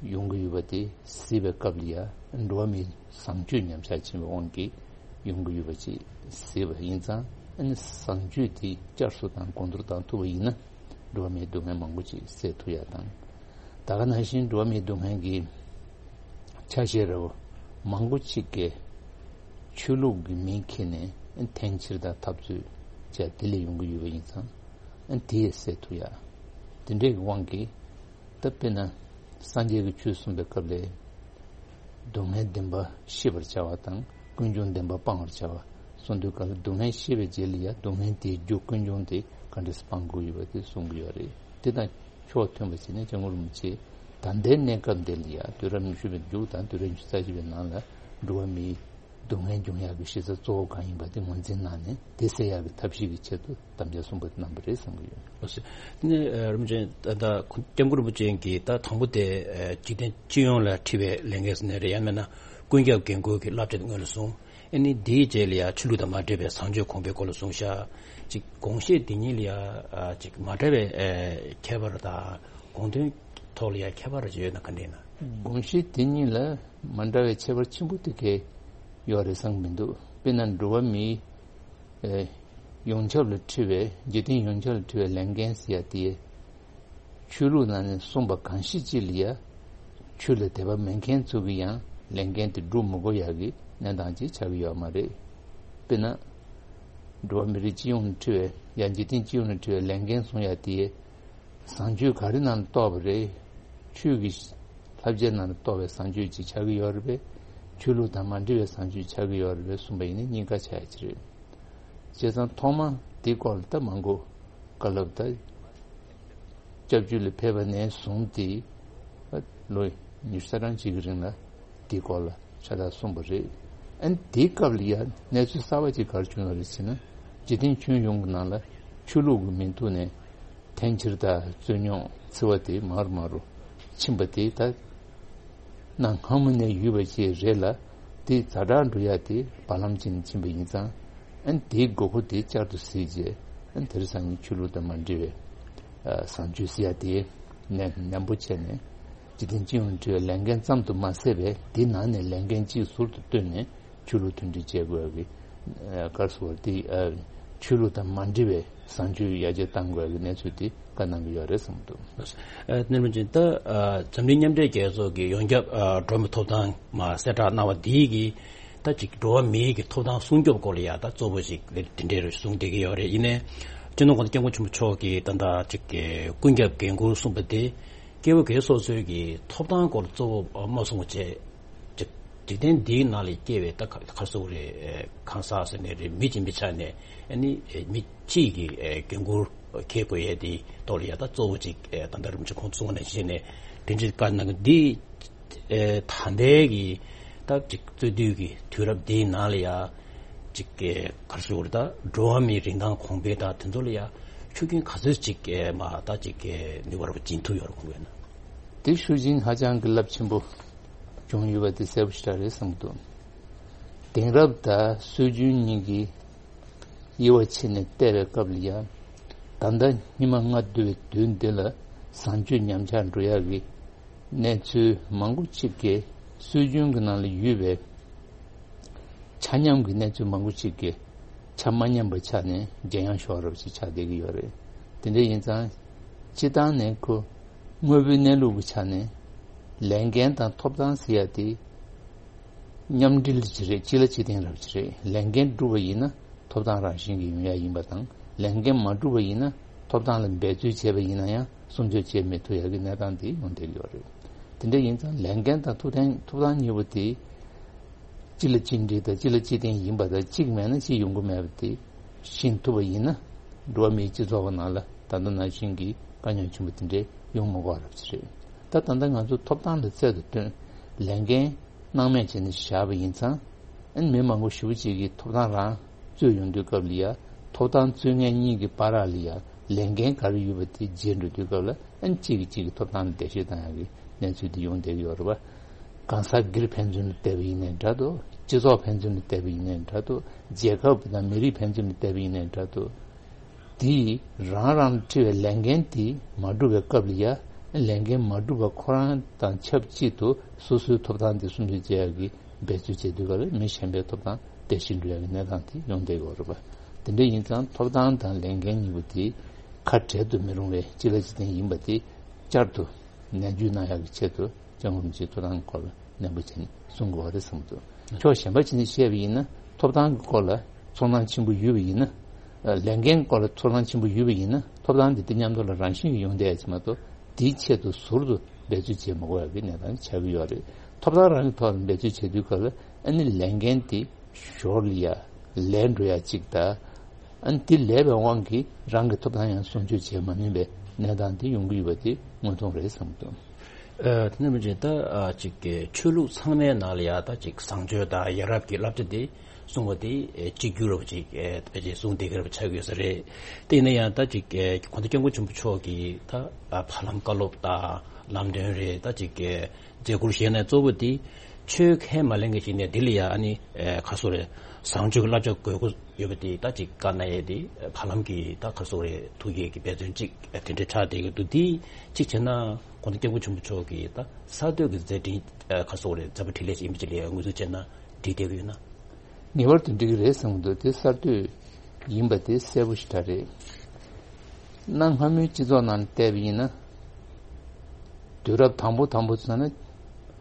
ཡོང་གི་ཡོད་པ་དེ་གཟིགས་པའི་སྐབས་ལ་ཡང་འགྲོ་བ་མིའི་བཟང་སྤྱོད་ཉམས་ཆག་ཕྱིན་པའི་དབང་གིས་ཡོང་གི་ཡོད་པ་ཅིག་གཟིགས་པ་ཡིན་ཙང་། ཨ་ནི་བཟང་སྤྱོད་དེ་བསྐྱར་གསོ་དང་གོང་མཐོར་བཏང་ཐུབ་པ་ཡིན་ན། འགྲོ་བ་མིའི་སྡུག་བསྔལ་མང་པོ་ཅིག་སེལ་ཐུབ་ཡ་དང་། ད་ག་ནང་བཞིན་འགྲོ་བ་མིའི་སྡུག་བསྔལ་གྱི་ཆ་ཤས་རེ་བ་མང་པོ་ཅིག་གིས་ཆོས་ལུགས་ཀྱི་མིང་འཁྱེར་ནས་འཐེན་འཁྱེར་དང་འཐབ་རྩོད་བྱས་དེ་ལས་ཡོང་གི་ཡོད་པ་ཡིན་ཙང་། དེ་ཡང་སེལ་ཐུབ་ཡ། དེ་འདྲའི་དབང་གིས་ད་དཔེར་ན་སངས་རྒྱས་ཀྱི་ཆོས་གསུངས་པའི་སྐབས་ལས། སྡུག་བསྔལ་བདེན་པ་ཤེས་པར་བྱ་བ་དང་ཀུན་འབྱུང་བདེན་པ་སྤང་བར་བྱ་བ་གསུངས་དུས་སྐབས་ལ། སྡུག་བསྔལ་ཤེས་པའི་རྗེས་ལ་ཡང་སྡུག་བསྔལ་དེའི་རྒྱུ་ཀུན་འབྱུང་དེ་ག་འདྲ་སེ་སྤང་དགོས་ཡོད་པ་དེ་གསུང་གི་ཡོད་རེད། དེ་དང་ཕྱོགས་མཐུན་པ་བྱས་ནས་སྐྱབས་མགོན་རིན་པོ་ཆེས་ད་ལྟའི་གནས་སྐབས་འདི་ལ་ཡང་དུས་རབས་ཉི་ཤུ་པའི་མཇུག་དང་དུས་རབས་ཉི་ཤུ་རྩ་གཅིག་པའི་ནང་ལ་འགྲོ་བ་མིའི་ སྡུག་བསྔལ་འབྱུང་ཡག་གི་གཞི་རྩ་གཙོ་བོ་གང་ཡིན་པ་དེ་ངོས་འཛིན་གནང་ནས། དེ་སེལ་ཡག་གི་ཐབས་ཤེས་ཀྱི་ཆེད་དུ་དམ་བཅའ་གསུངས་པ་གནང་བ་རེད་བསམ་གྱི་ཡོད། ལགས་སོ། དེ་ནས་ཨ་རིན་པོ་ཆེ། ད་ལྟ་སྐྱབས་མགོན་རིན་པོ་ཆེ་གིས་ད་དང་པོ་དེ་ཨ་འཇིག་རྟེན་སྤྱི་ཡོངས་ལ་འཁྲི་བའི་ལས་འགན་ཟེར་ནའི་རེད། ཡང་མིན་ན་ཀུན་ཁྱབ་འགན་ཁུར་གྱི་བསླབ་བྱ་དེ་སྔོན་ལ་བཟུང་། ཨ་ནི་དེའི་རྗེས་ལ་ཡང་ཆོས་ལུགས་དང་མ་འབྲེལ་བའི་བཟང་སྤྱོད་གོང་འཕེལ་སྐོར་ལ་བཟུང་བཞག། ཅིག་དགོངས་བཞེད་དེ་གཉིས་ལ་ཡང་ཨ་ཅིག་མ་འདྲ་བའི་ཨ་ཁྱད་པར་དང་། དགོངས་དོན་ཐོག་ལ་ཡང་ཁྱད་པར་ཅིག་ཡོད་ན་ག་འདྲ་ཡིན་ན། དགོངས་བཞེད་དེ་གཉིས་ལ་མ་འདྲ་བའི་ཁྱད་པར་ཆེན་པོ་དེ་གས་ཡོད་རེད་བསམ་གྱི་མི་འདུག། དཔེར་ན་འགྲོ་བ་མིའི་ཨེ་ཡོངས་ཁྱབ་ལ་འཁྲི་བའི། འཇིག་རྟེན་ཡོངས་ཁྱབ་ལ་འཁྲི་བའི་ལས་འགན་ཟེར་ཡ་དེ། ཆོས་ལུགས་ནང་ནས་གསུངས་པ་གང་ཞིག་ཅིག་ལ་ཡ། ཆོས་ལ་དད་པ་མེད་མཁན་ཚོ་གིས་ཡང་ལས་འགན་དེ་སྒྲུབ་མི་དགོས་ཡག་གི་གནས་སྟངས་ཅིག་ཆགས་ཀྱི་ཡོད་མ་རེད། དཔེར་ན། འགྲོ་བ་མི་རིགས་སྤྱི་ཡོངས་ལ་འཁྲི་བའི། ཡང་འཇིག་རྟེན་སྤྱི་ཡོངས་ལ་འཁྲི་བའི་ལས་འགན་གསུང་ཡ་དེ། བཟང་སྤྱོད་ག་རེ་ནང་ལ་གཏོགས་པ་རེད། ཆོས་ཀྱི་བསླབ་བྱ་ནང་ལ་གཏོགས་པའི་བཟང་སྤྱོད་ཅིག་ཆགས་ཀྱི་ཡོད་རེད་པས། ཆོས་ལུགས་དང་མ་འབྲེལ་བའི་བཟང་སྤྱོད་ཆགས་ཀྱི་ཡོད་རེད་པས་གསུངས་པ་ཡིན་ན་གཉིས་ཀ་ཆགས་ཡ་ཅིག་རེད། བྱས་ཙང་ཐོག་མ་དེའི་སྐོར་ལ་ད་མང་པོ་བཀའ་སློབ་ད། སྐྱབས་བཅོལ་ལ་ཕེབས་པ་ནས་བཟུང་སྟེ། ལོ་ཉི་ཤུ་རྩ་གྲངས་ཅིག་གི་རིང་ལ་དེའི་སྐོར་ལ་ཤ་སྟག་གསུངས་པ་རེད། ཨ་ནི་དེའི་སྐབས་ལ་ཡང་གནས་ཚུལ་གསར་པ་ཅིག་ག་རེ་བྱུང་ཡོད་རེད་ཟེར་ན། འཇིག་རྟེན་ཁྱོན་ཡོངས་ཀྱི་ནང་ལ་ཆོས་ལུགས་ཀྱི་མིང་ཐོག་ནས་འཐེན་འཁྱེར་དང་རྩོད་རྙོག་འཚེ་བ་དེ་མར་མར་རུ་ཕྱིན་པ་དེ་ད། གནའ་སྔ་མོ་ནས་ཡོད་པ་ཅིག་རེད་ལ། དེ་ཛ་དྲག་འགྲོ་ཡ་དེ་བར་ལམ་ཅིག་ནས་ཕྱིན་པ་ཡིན་ཙང་། ཨ་ནི་དེའི་དགོས་མཁོ་དེ་བསྐྱར་དུ་གཟིགས་རྗེས། ཨ་ནི་དེང་སང་ཉིན་ཆོས་ལུགས་དང་མ་འབྲེལ་བའི་ཨ་བཟང་སྤྱོད་ཟེར་ཡ་དེ་ནན་ནན་པོ་བྱས་ནས། འཇིག་རྟེན་སྤྱི་ཡོངས་འབྲེལ་བའི་ལས་འགན་ཙམ་དུ་མ་ཟད་པའི་དེའི་ནང་ནས་ལས་འགན་གཅིག་ཟུར་དུ་བཏོན་ནས་ཆོས་ལུགས་མཐུན་སྒྲིལ་བྱེད་དགོས་པའི་ཨ་སྐབས་སུ་བར་དེ་ཨ་ཆོས་ལུགས་དང་མ་འབྲེལ་བའི་བཟང་སྤྱོད་ཡར་རྒྱས་གཏང་དགོས་པའི་གནས་ཚུལ་དེ་བཀའ་གནང་གི་ཡོད་རེད་བསམ་གྱི་འདུག། ཨ་ནི་རིན་པོ་ཆེ། ད་ཨ་འཛམ་གླིང་མཉམ་འབྲེལ་རྒྱལ་ཚོགས་ཀྱི་ཡོངས་ཁྱབ་ཨ་འགྲོ་བ་མིའི་ཐོབ་ཐང་མར་གསལ་བསྒྲགས་གནང་བ་འདིའི་གི་ད་ཅིག་འགྲོ་བ་མིའི་གི་ཐོབ་ཐང་སྲུང་སྐྱོབ་སྐོར་ལ་ཡ་ད་གཙོ་བོ་ཞིག་དེ་འདྲའི་རུ་གསུངས་བསྡད་ཀྱི་ཡོད་རེད། ཡིན་ནའི་སྤྱི་ནོར་༸གོང་ས་༸སྐྱབས་མགོན་ཆེན་པོ་མཆོག་གིས་ད་ལྟ་ཅིག་གི་ཀུན་ཁྱབ་འགན་འཁུར་གསུངས་པ་དེ། སྐྱེ་བོ་སྒེར་སོ་སོའི་གི་ཐོབ་ཐང་སྐོར་གཙོ་བོ་མ་གསུངས་བྱས། འཇིག་འཇིག་རྟེན་འདིའི་ནང་ལ་སྐྱེ་བའི་ད་ག་ག་སུ་རེད། གང་ཟག་ཟེར་ནའི་རེད། མི་གཅིག་མི་ཆགས་ནས། ཨ་ནི་མི་གཅིག་གི་འགན་འཁུར་འཁྱེར་དགོས་ཡས་དེ་ཐོག་ལ་ཡ་ད་གཙོ་བོ་ཅིག་ད་ལྟ་རིན་པོ་ཆེ་ཁོང་གསུངས་པ་ནང་བཞིན་ནས་དེ་འདྲའི་བཀའ་གནང་གི་འདི། ད་ལྟའི་གི་ད་ཅིག་རྩོད་དུས་ཀྱི་དུས་རབས་འདིའི་ནང་ལ་ཡ། ཅིག་ག་རེ་ཟེར་དགོས་རེད། ད་འགྲོ་བ་མིའི་རིན་ཐང་གོང་འཕེལ་དང་དེ་ཚོ་ལ་ཡ་ཤུགས་རྐྱེན་ག་ཚོད་ཅིག་མ་ད་ཅིག་ནུས་པ་ར་བ་སྦྱིན་ཐུབ་ཡོད་རེད་ཁོང་གིས་ན། དེ་ཤུགས་རྐྱེན་ཧ་ཅང་གི་རླབས་ཆེན་པོ་བྱུང་ཡོད་པ་དེ་གསལ་པོ་ཞེ་དྲག་རེད་བསམ་གྱི་འདུག། དེང་རབས་དང་སྲོལ་རྒྱུན་གཉིས་ཀྱི་དབྱེ་བ་ཕྱེ་ནས་བལྟས་པའི་སྐབས་ལ་ཡང་། ད་ལྟ་སྙིགས་མ་ལྔ་བདོ་བའི་དུས་འདི་ལ་བཟང་སྤྱོད་ཉམས་ཆག་འགྲོ་ཡག་གི་གནས་ཚུལ་མང་པོ་ཅིག་གིས་སྲོལ་རྒྱུན་གྱི་ནང་ལ་ཡོད་པའི་ཆ་མཉམ་གྱི་གནས་ཚུལ་མང་པོ་ཅིག་གིས་ཆ་མ་མཉམ་པ་ཆགས་ནས་འཇམ་དབྱངས་ཤོར་བ་ཞིག་ཆགས་བསྡད་ཀྱི་ཡོད་རེད། དེ་འདྲ་ཡིན་ཙང་། སྤྱིར་བཏང་ནས་ཁོ་དངོས་པོའི་གནས་ལུགས་ཀྱི་ཆ་ནས་ལས་འགན་དང་ཐོབ་ཐང་ཟེར་ཡ་དེ་མཉམ་འབྲེལ་གྱི་རེད། གཅིག་ལ་གཅིག་བརྟེན་རབས་ཀྱི་རེད། ལས་འགན་བསྒྲུབས་པ་ཡིན་ན་ཐོབ་ཐང་རང་བཞིན་གྱིས་ཡོང་ཡ་ཡིན་པ་དང་། ལས་འགན་མ་བསྒྲུབས་པ་ཡིན་ན་ཐོབ་ཐང་ལ་འབད་རྩོལ་བྱས་པ་ཡིན་ན་ཡང་སྲུང་སྐྱོབ་བྱེད་མི་ཐུབ་ཡ་གི་གནས་སྟངས་དེ་ཡོང་བསྡད་ཀྱི་ཡོད་རེད། དེ་འདྲ་ཡིན་ཙང་ལས་འགན་དང་ཐོབ་ཐང་ཐོབ་ཐང་གཉིས་པོ་དེ་གཅིག་ལ་གཅིག་འབྲེལ་དང་གཅིག་ལ་གཅིག་བརྟེན་ཡིན་པ་དང་། གཅིག་མེད་ན་གཅིག་ཡོང་གི་མེད་པ་དེ་ཤེས་ཐུབ་པ་ཡིན་ན། འགྲོ་བ་མིའི་སྤྱི་ཚོགས་ཀྱི་ནང་ལ་ད་ལྟ་ནང་བཞིན་གྱི་དཀའ་རྙོག་ཆེན་པོ་དེ་འདྲས་ཡོང་མི་དགོས་རབས་ཅིག་རེད། ད་ད་ལྟ་ང་ཚོ་ཐོབ་ཐང་ལ་རྩལ་དུ་བཏོན། ལས་འགན་སྣང་མེད་བྱས་ནས་བཞག་པ་ཡིན་ཙང་། ཨ་ནི་མི་མང་པོ་ཞེ་པོ་ཅིག་གིས་ཐོབ་ཐང་རང་རྩོད་ཡོང་དུས་སྐབས་ལ་ཡ། ཐོབ་ཐང་རྩོད་མཁན་གཉིས་ཀྱི་བར་ལ་ཡ་ལས་འགན་ག་རེ་ཡོད་པ་དེ་བརྗེད་འགྲོ་དུས་སྐབས་ལ། ཨ་ནི་གཅིག་གིས་གཅིག་གི་ཐོབ་ཐང་ལ་འགྲེལ་བཤད་བཏང་ཡག་གི་གནས་ཚུལ་དེ་ཡོང་བསྡད་ཀྱི་ཡོད་རེད་པ། གང་ཟག་སྒེར་ཕན་ཚུན་ལ་བལྟས་པ་ཡིན་ནའི་འདྲ་འདུག། སྤྱི་ཚོགས་ཕན་ཚུན་ལ་བལྟས་པ་ཡིན་ནའི་འདྲ་འདུག། རྒྱལ་ཁབ་དང་མི་རིགས་ཕན་ཚུན་ལ་བལྟས་པ་ཡིན་ནའི་འདྲ་འདུག། དེ་རང་རང་ལ་འཁྲི་བའི་ལས་འགན་དེ་མ་འགྲུབ་པའི་སྐབས་ལ་ཡ། ལས་འགན་མ་འགྲུབ་པ་ཁོ་རང་དང་ཆབས་ཅིག་ཏུ་སོ་སོའི་ཐོབ་ཐང་དེ་སྲུང་སྐྱོབ་བྱེད་ཡག་གི་འབད་རྩོལ་བྱེད་དུས་སྐབས་ལ་མི་གཞན་པའི་ཐོབ་ཐང་དེ་ཤེས་འགྲོ་ཡག་གི་གནས་སྟངས་དེ་ཡོང་བསྡད་ཡོད་རེད་པ། དེ་འདྲ་ཡིན་ཙང་ཐོབ་ཐང་དང་ལས་འགན་གཉིས་པོ་དེ་ཁ་བྲལ་དུ་མི་རུང་བའི་གཅིག་ལ་གཅིག་བརྟེན་ཡིན་པ་དེ་བསྐྱར་དུ་ནན་བརྗོད་གནང་ཡག་གི་ཆེད་དུ། སྐྱབས་མགོན་རིན་པོ་ཆེའི་ཐོབ་ཐང་སྐོར་ལ་ནན་པོ་བྱས་ནས་གསུང་དགོས་པ་རེད་བསམ་འདུག། ཕྱོགས་གཞན་པ་བྱས་ནས་བཤད་པ་ཡིན་ན། ཐོབ་ཐང་གི་སྐོར་ལ་ཚོར་སྣང་ཆེན་པོ་ཡོད་པ་ཡིན་ན། ལས་འགན་སྐོར་ལ་ཚོར་སྣང་ཆེན་པོ་ཡོད་པ་ཡིན་ན། ཐོབ་ཐང་འདི་དེ་མཉམ་དུ་ལ་རང་བཞིན་གྱིས་ཡོང་བསྡད་ཡ་ཅིག་མ་གཏོགས། དེའི་ཆེད་དུ་ཟུར་དུ་འབད་རྩོལ་བྱེད་མི་དགོས་ཡ་གི་གནས་སྟངས་ཆགས་ཀྱི་ཡོད་རེད། ཐོབ་ཐང་རང་གི་ཐོག་ལ་འབད་རྩོལ་བྱེད་དུས་སྐབས་ལ། ཨ་ནི་ལས་འགན་དེ་ཞོར་ལ་ཡ་ལས་འགྲོ་ཡ་གཅིག་དང་། ཨ་ནི་དེ་ལས་པའི་དབང་གིས་རང་གི་ཐོབ་ཐང་ཡང་སྲུང་སྐྱོབ་བྱེད་མ་ནུས་པའི་གནས་སྟངས་དེ་ཡོང་གི་ཡོད་པ་དེ་དངོས་མཐོང་རེད་བསམ་གྱི་འདུག། ཨ། དེ་ནས་མི་ཅིག་ད་ཨ་ཅིག་གི་ཆོས་ལུགས་ཚང་མའི་ནང་ལ་ཡ་ད་ཅིག་བཟང་སྤྱོད་དང་ཡ་རབས་ཀྱི་བསླབ་བྱ་དེ་གསུང་བ་དེ་ཨེ་གཅིག་གྱུར་རབ་ཅིག་ཨེ་ཕལ་ཆེར་གསུང་བསྡད་ཀྱི་རབ་ཆགས་ཡོད་ས་རེད། དེ་ཡིན་ན་ཡང་ད་ཅིག་ཨེ་གོང་ས་སྐྱབས་མགོན་ཆེན་པོ་མཆོག་གིས་ད་ཨ་བར་ལམ་བཀའ་སློབ་དང་ལམ་སྟོན་རེད། ད་ཅིག་ཨེ་མཛད་ཁུར་བཞེས་ནས་གཙོ་བོ་དེ་ཆོས་ཁས་མ་ལེན་མཁན་ཞིག་ནས་དེ་ལ་ཡ་ཨ་ནི་ཨེ་ག་སོ་རེད། བཟང་སྤྱོད་ཀྱི་བསླབ་བྱ་དགོས་མཁོ་ཡོད་པ་དེ་ད་ཅིག་བཀའ་གནང་ཡས་དེ་བར་ལམ་གྱི་ད་ག་སོ་རེད། ཐུགས་བསྐྱེད་ཀྱི་འབད་བརྩོན་ཅིག་དེ་འདྲ་ཆགས་བསྡད་ཀྱི་འདུག་དེ་གཅིག་བྱས་ན་གོང་ས་སྐྱབས་མགོན་ཆེན་པོ་མཆོག་གིས་ད་གསར་གཏོད་ཀྱི་མཛད་འཕྲིན་ཨ་ག་སོ་རེད། མཛད་པ་འཕྲིན་ལས་ཅིག་ཡིན་པ་ཅིག་ལ་ངོས་འཛིན་བྱས་ན་འགྲིག་བསྡད་ཀྱི་ཡོད་ན། ངེས་པར་དུ་འགྲིག་གི་རེད་བསམ་གྱི་འདུག་དེ་གསར་གཏོད་ཡིན་པ་དེ་གསལ་པོ་ཞེ་དྲག་རེད། གནའ་སྔ་མོའི་སྤྱི་ཚོགས་ནང་བལྟས་པ་ཡིན་ན། དུས་རབས་དང་པོ་དང་པོ་ཚོ་ན་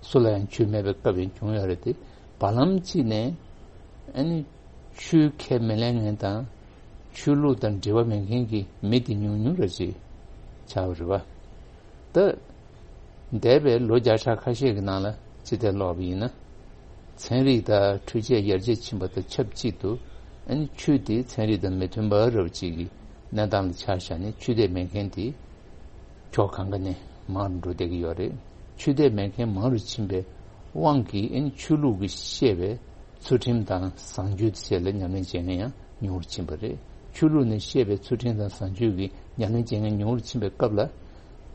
སུ་ལ་ཡང་ཆོས་མེད་པའི་སྐབས་ཡང་བྱུང་ཡོད་རེད་དེ། བར་ལམ་གཅིག་ནས་ཨ་ནི་ཆོས་ཁས་མི་ལེན་མཁན་དང་ཆོས་ལུགས་དང་འབྲེལ་བ་མེད་མཁན་གྱི་མི་དེ་ཉུང་ཉུང་རེ་ཞིག་ཆགས་པ་རེད་པ། ད་འདས་པའི་ལོ་བརྒྱ་ཕྲག་ཁ་ཤས་ཀྱི་ནང་ལ་ཅི་ཐད་ཀློག་པ་ཡིན་ན། ཚན་རིག་དང་འཕྲུལ་ཆས་ཡར་རྒྱས་ཕྱིན་པ་དང་ཆབས་ཅིག་ཏུ་ཨ་ནི་ཆོས་དེ་ཚན་རིག་དང་མི་མཐུན་པ་རབ་ཅིག་གི་གནས་སྟངས་ལ་ཆ་བཞག་ནས་ཆོས་དད་མེད་མཁན་དེ་ཕྱོགས་གང་ག་ནས་མང་རུ་འགྲོ་བསྡད་ཀྱི་ཡོད་རེད། ཆོས་དད་མེད་མཁན་མང་རུ་ཕྱིན་པའི་དབང་གིས་ཨ་ནི་ཆོས་ལུགས་ཀྱིས་བཤད་པའི་ཚུལ་ཁྲིམས་དང་བཟང་སྤྱོད་བཅས་ལ་ཉམས་ལེན་བྱེད་མཁན་ཡང་ཉུང་རུ་ཕྱིན་པ་རེད། ཆོས་ལུགས་ནས་བཤད་པའི་ཚུལ་ཁྲིམས་དང་བཟང་སྤྱོད་ཀྱི་ཉམས་ལེན་བྱེད་མཁན་ཉུང་རུ་ཕྱིན་པའི་སྐབས་ལ།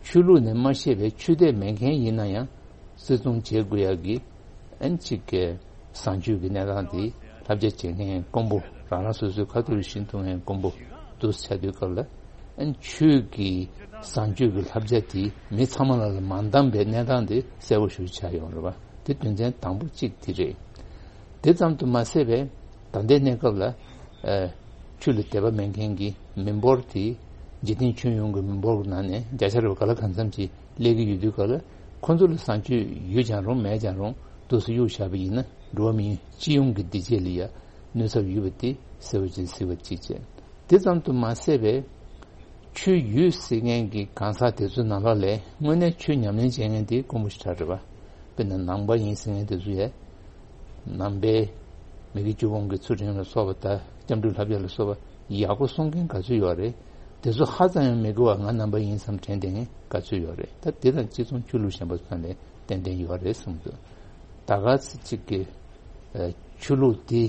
ཆོས་ལུགས་ནས་མ་བཤད་པའི་ཆོས་དད་མེད་མཁན་ཡིན་ན་ཡང་བརྩི་མཐོང་བྱེད་དགོས་ཡག་གི་ཨན་གཅིག་གི་བཟང་སྤྱོད་ཀྱི་གནས་སྟངས་དེ་བསླབ་བྱ་བྱེད་མཁན་དཀོན་པོ། རང་རང་སོ་སོའི་ཁ་ཐུག་ལ་ཤིན་ཏུ་ངན་དཀོན་པོ་འདུག་ཆགས་དུས་སྐབས་ལ། ཨན་ཆོས་ཀྱི་བཟང་སྤྱོད་ཀྱི་བསླབ་བྱ་དེ་མི་ཚང་མ་ལ་ལ་མ་འདང་པའི་གནས་སྟངས་དེ་གསལ་པོ་ཞིག་ཆགས་ཡོང་རེད་པ། དེ་དོན་ཚན་དང་པོ་གཅིག་དེ་རེད། དེ་ཙམ་དུ་མ་ཟད་པའི་ད་ལྟའི་གནས་སྐབས་ལ། ཨ། ཆོས་ལ་དད་པ་མེད་མཁན་གྱི་མི་འབོར་དེ་འཇིག་རྟེན་ཁྱོན་ཡོངས་ཀྱི་མི་འབོར་གྱི་ནང་ནས་བརྒྱ་ཆ་རེ་བ་ག་ལ་གང་འཚམ་ཅིག་སླེབས་ཀྱི་ཡོད་དུས་སྐབས་ལ། ཁོ་ཚོ་ལ་བཟང་སྤྱོད་ཡོད་ཀྱང་རུང་མེད་ཀྱང་རུང་འདུག་སེ་གཡུག་བཞག་པ་ཡིན་ན་འགྲོ་བ་མིའི་སྤྱི་ཡོངས་ཀྱི་བདེ་སྐྱིད་ལ་ཡ་གནོད་ཚབས་ཡོད་པ་དེ་གསལ་པོ་ཅིག་གཟིགས་པ་གཅིག་བྱས། དེ་ཙམ་དུ་མ་ཟད་པའི་ཆོས་ཡོད་ཟེར་མཁན་གྱི་གང་ཟག་དེ་ཚོའི་ནང་ལོགས་ལས་དངོས་གནས་ཆོས་ཉམས་ལེན་བྱེད་མཁན་དེ་དཀོན་པོ་ཞེ་དྲག་རེད་པ། དཔེར་ན་ནང་པ་ཡིན་ཟེར་མཁན་དེ་ཚོ་ཡས། ནང་པའི་མི་དགེ་བཅུ་སྤོང་གི་ཚུལ་ཁྲིམས་ལ་སོགས་པ་དང་སྐྱབས་འགྲོའི་བསླབ་བྱ་ལ་སོགས་པ་ཡག་པོ་སྲུང་མཁན་ག་ཚོད་ཡོད་རེད། དེ་ཚོ་ཧ་ཙམ་ཡང་མི་དགོས་པ་ང་ནང་པ་ཡིན་བསམ་དྲན་བསྡད་མཁན་ག་ཚོད་ཡོད་རེད། ད་དེ་དང་གཅིག་མཚུངས་ཆོས་ལུགས་གཞན་པ་ཚོ་ལ་ཏན་ཏན་ཡོད་རེད་བསམ་འདུག་ད་ག་ཚོད་ཅིག་གི་ཨ། ཆོས་ལུགས་དེ་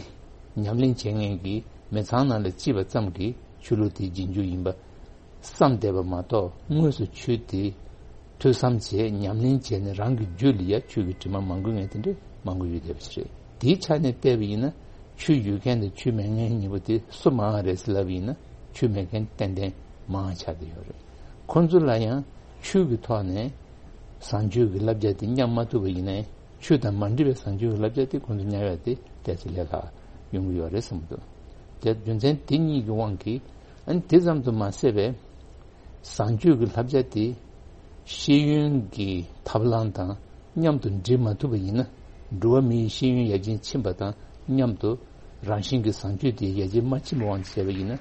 ཉམས་ལེན་བྱེད་མཁན་གྱི་མི་ཚང་ནང་ལ་སྐྱེས་པ་ཙམ་གྱིས་ཆོས་ལུགས་དེ་རྗེས་འཇུག་ཡིན་པ་བསམ་བསྡད་པ་མ་གཏོགས། དངོས་སུ་ཆོས་དེ་ཐོས་བསམ་བྱས་ཉམས་ལེན་བྱས་ནས་རང་གི་རྒྱུད་ལ་ཡ་ཆོས་ཀྱི་དྲི་མ་མང་པོ་ངེས་དེ་འདྲ་མང་པོ་ཡོད་བསྡད་པ་ཞིག་རེད། དེའི་ཆ་ནས་བལྟས་པ་ཡིན་ན་ཆོས་ཡོད་མཁན་དང་ཆོས་མེད་མཁན་གཉིས་པོ་དེ་སུ་མང་བ་རེད་ཟེར་ལབ་པ་ཡིན་ན་ཆོས་མེད་མཁན་ཏན་ཏན་མང་བ་ཆགས་བསྡད་ཡོད་རེད། ཁོང་ཚོ་ལ་ཡང་ཆོས་ཀྱི་ཐོག་ནས་བཟང་སྤྱོད་ཀྱི་བསླབ་བྱ་དེ་མཉམ་མ་ཐུབ་པ་ཡིན་ན་ཡང་། ཆོས་དང་མ་འདྲེས་པའི་བཟང་སྤྱོད་ཀྱི་བསླབ་བྱ་དེ་ཁོང་ཚོ་ཉར་ཡག་དེ་ཏོག་ཙམ་ལས་སླ་ཡོང་གི་ཡོད་རེད་བསམ་གྱི་འདུག་དེ་རྒྱུ་མཚན་དེ་གཉིས་ཀྱི་དབང་གིས་ཨ་ནི་དེ་ཙམ་དུ་མ་ཟད་པའི་བཟང་སྤྱོད་ཀྱི་བསླབ་བྱ་དེ་ཤེས་ཡོན་གྱི་ཐབས་ལམ་དང་མཉམ་དུ་འདྲེས་མ་ཐུབ་པ་ཡིན་ན། འགྲོ་བ་མིའི་ཤེས་ཡོན་ཡར་རྒྱས་ཕྱིན་པ་དང་མཉམ་དུ་རང་བཞིན་གྱི་བཟང་སྤྱོད་དེ་ཡར་རྒྱས་མ་ཕྱིན་པའི་དབང་དུ་བྱས་པ་ཡིན་ན།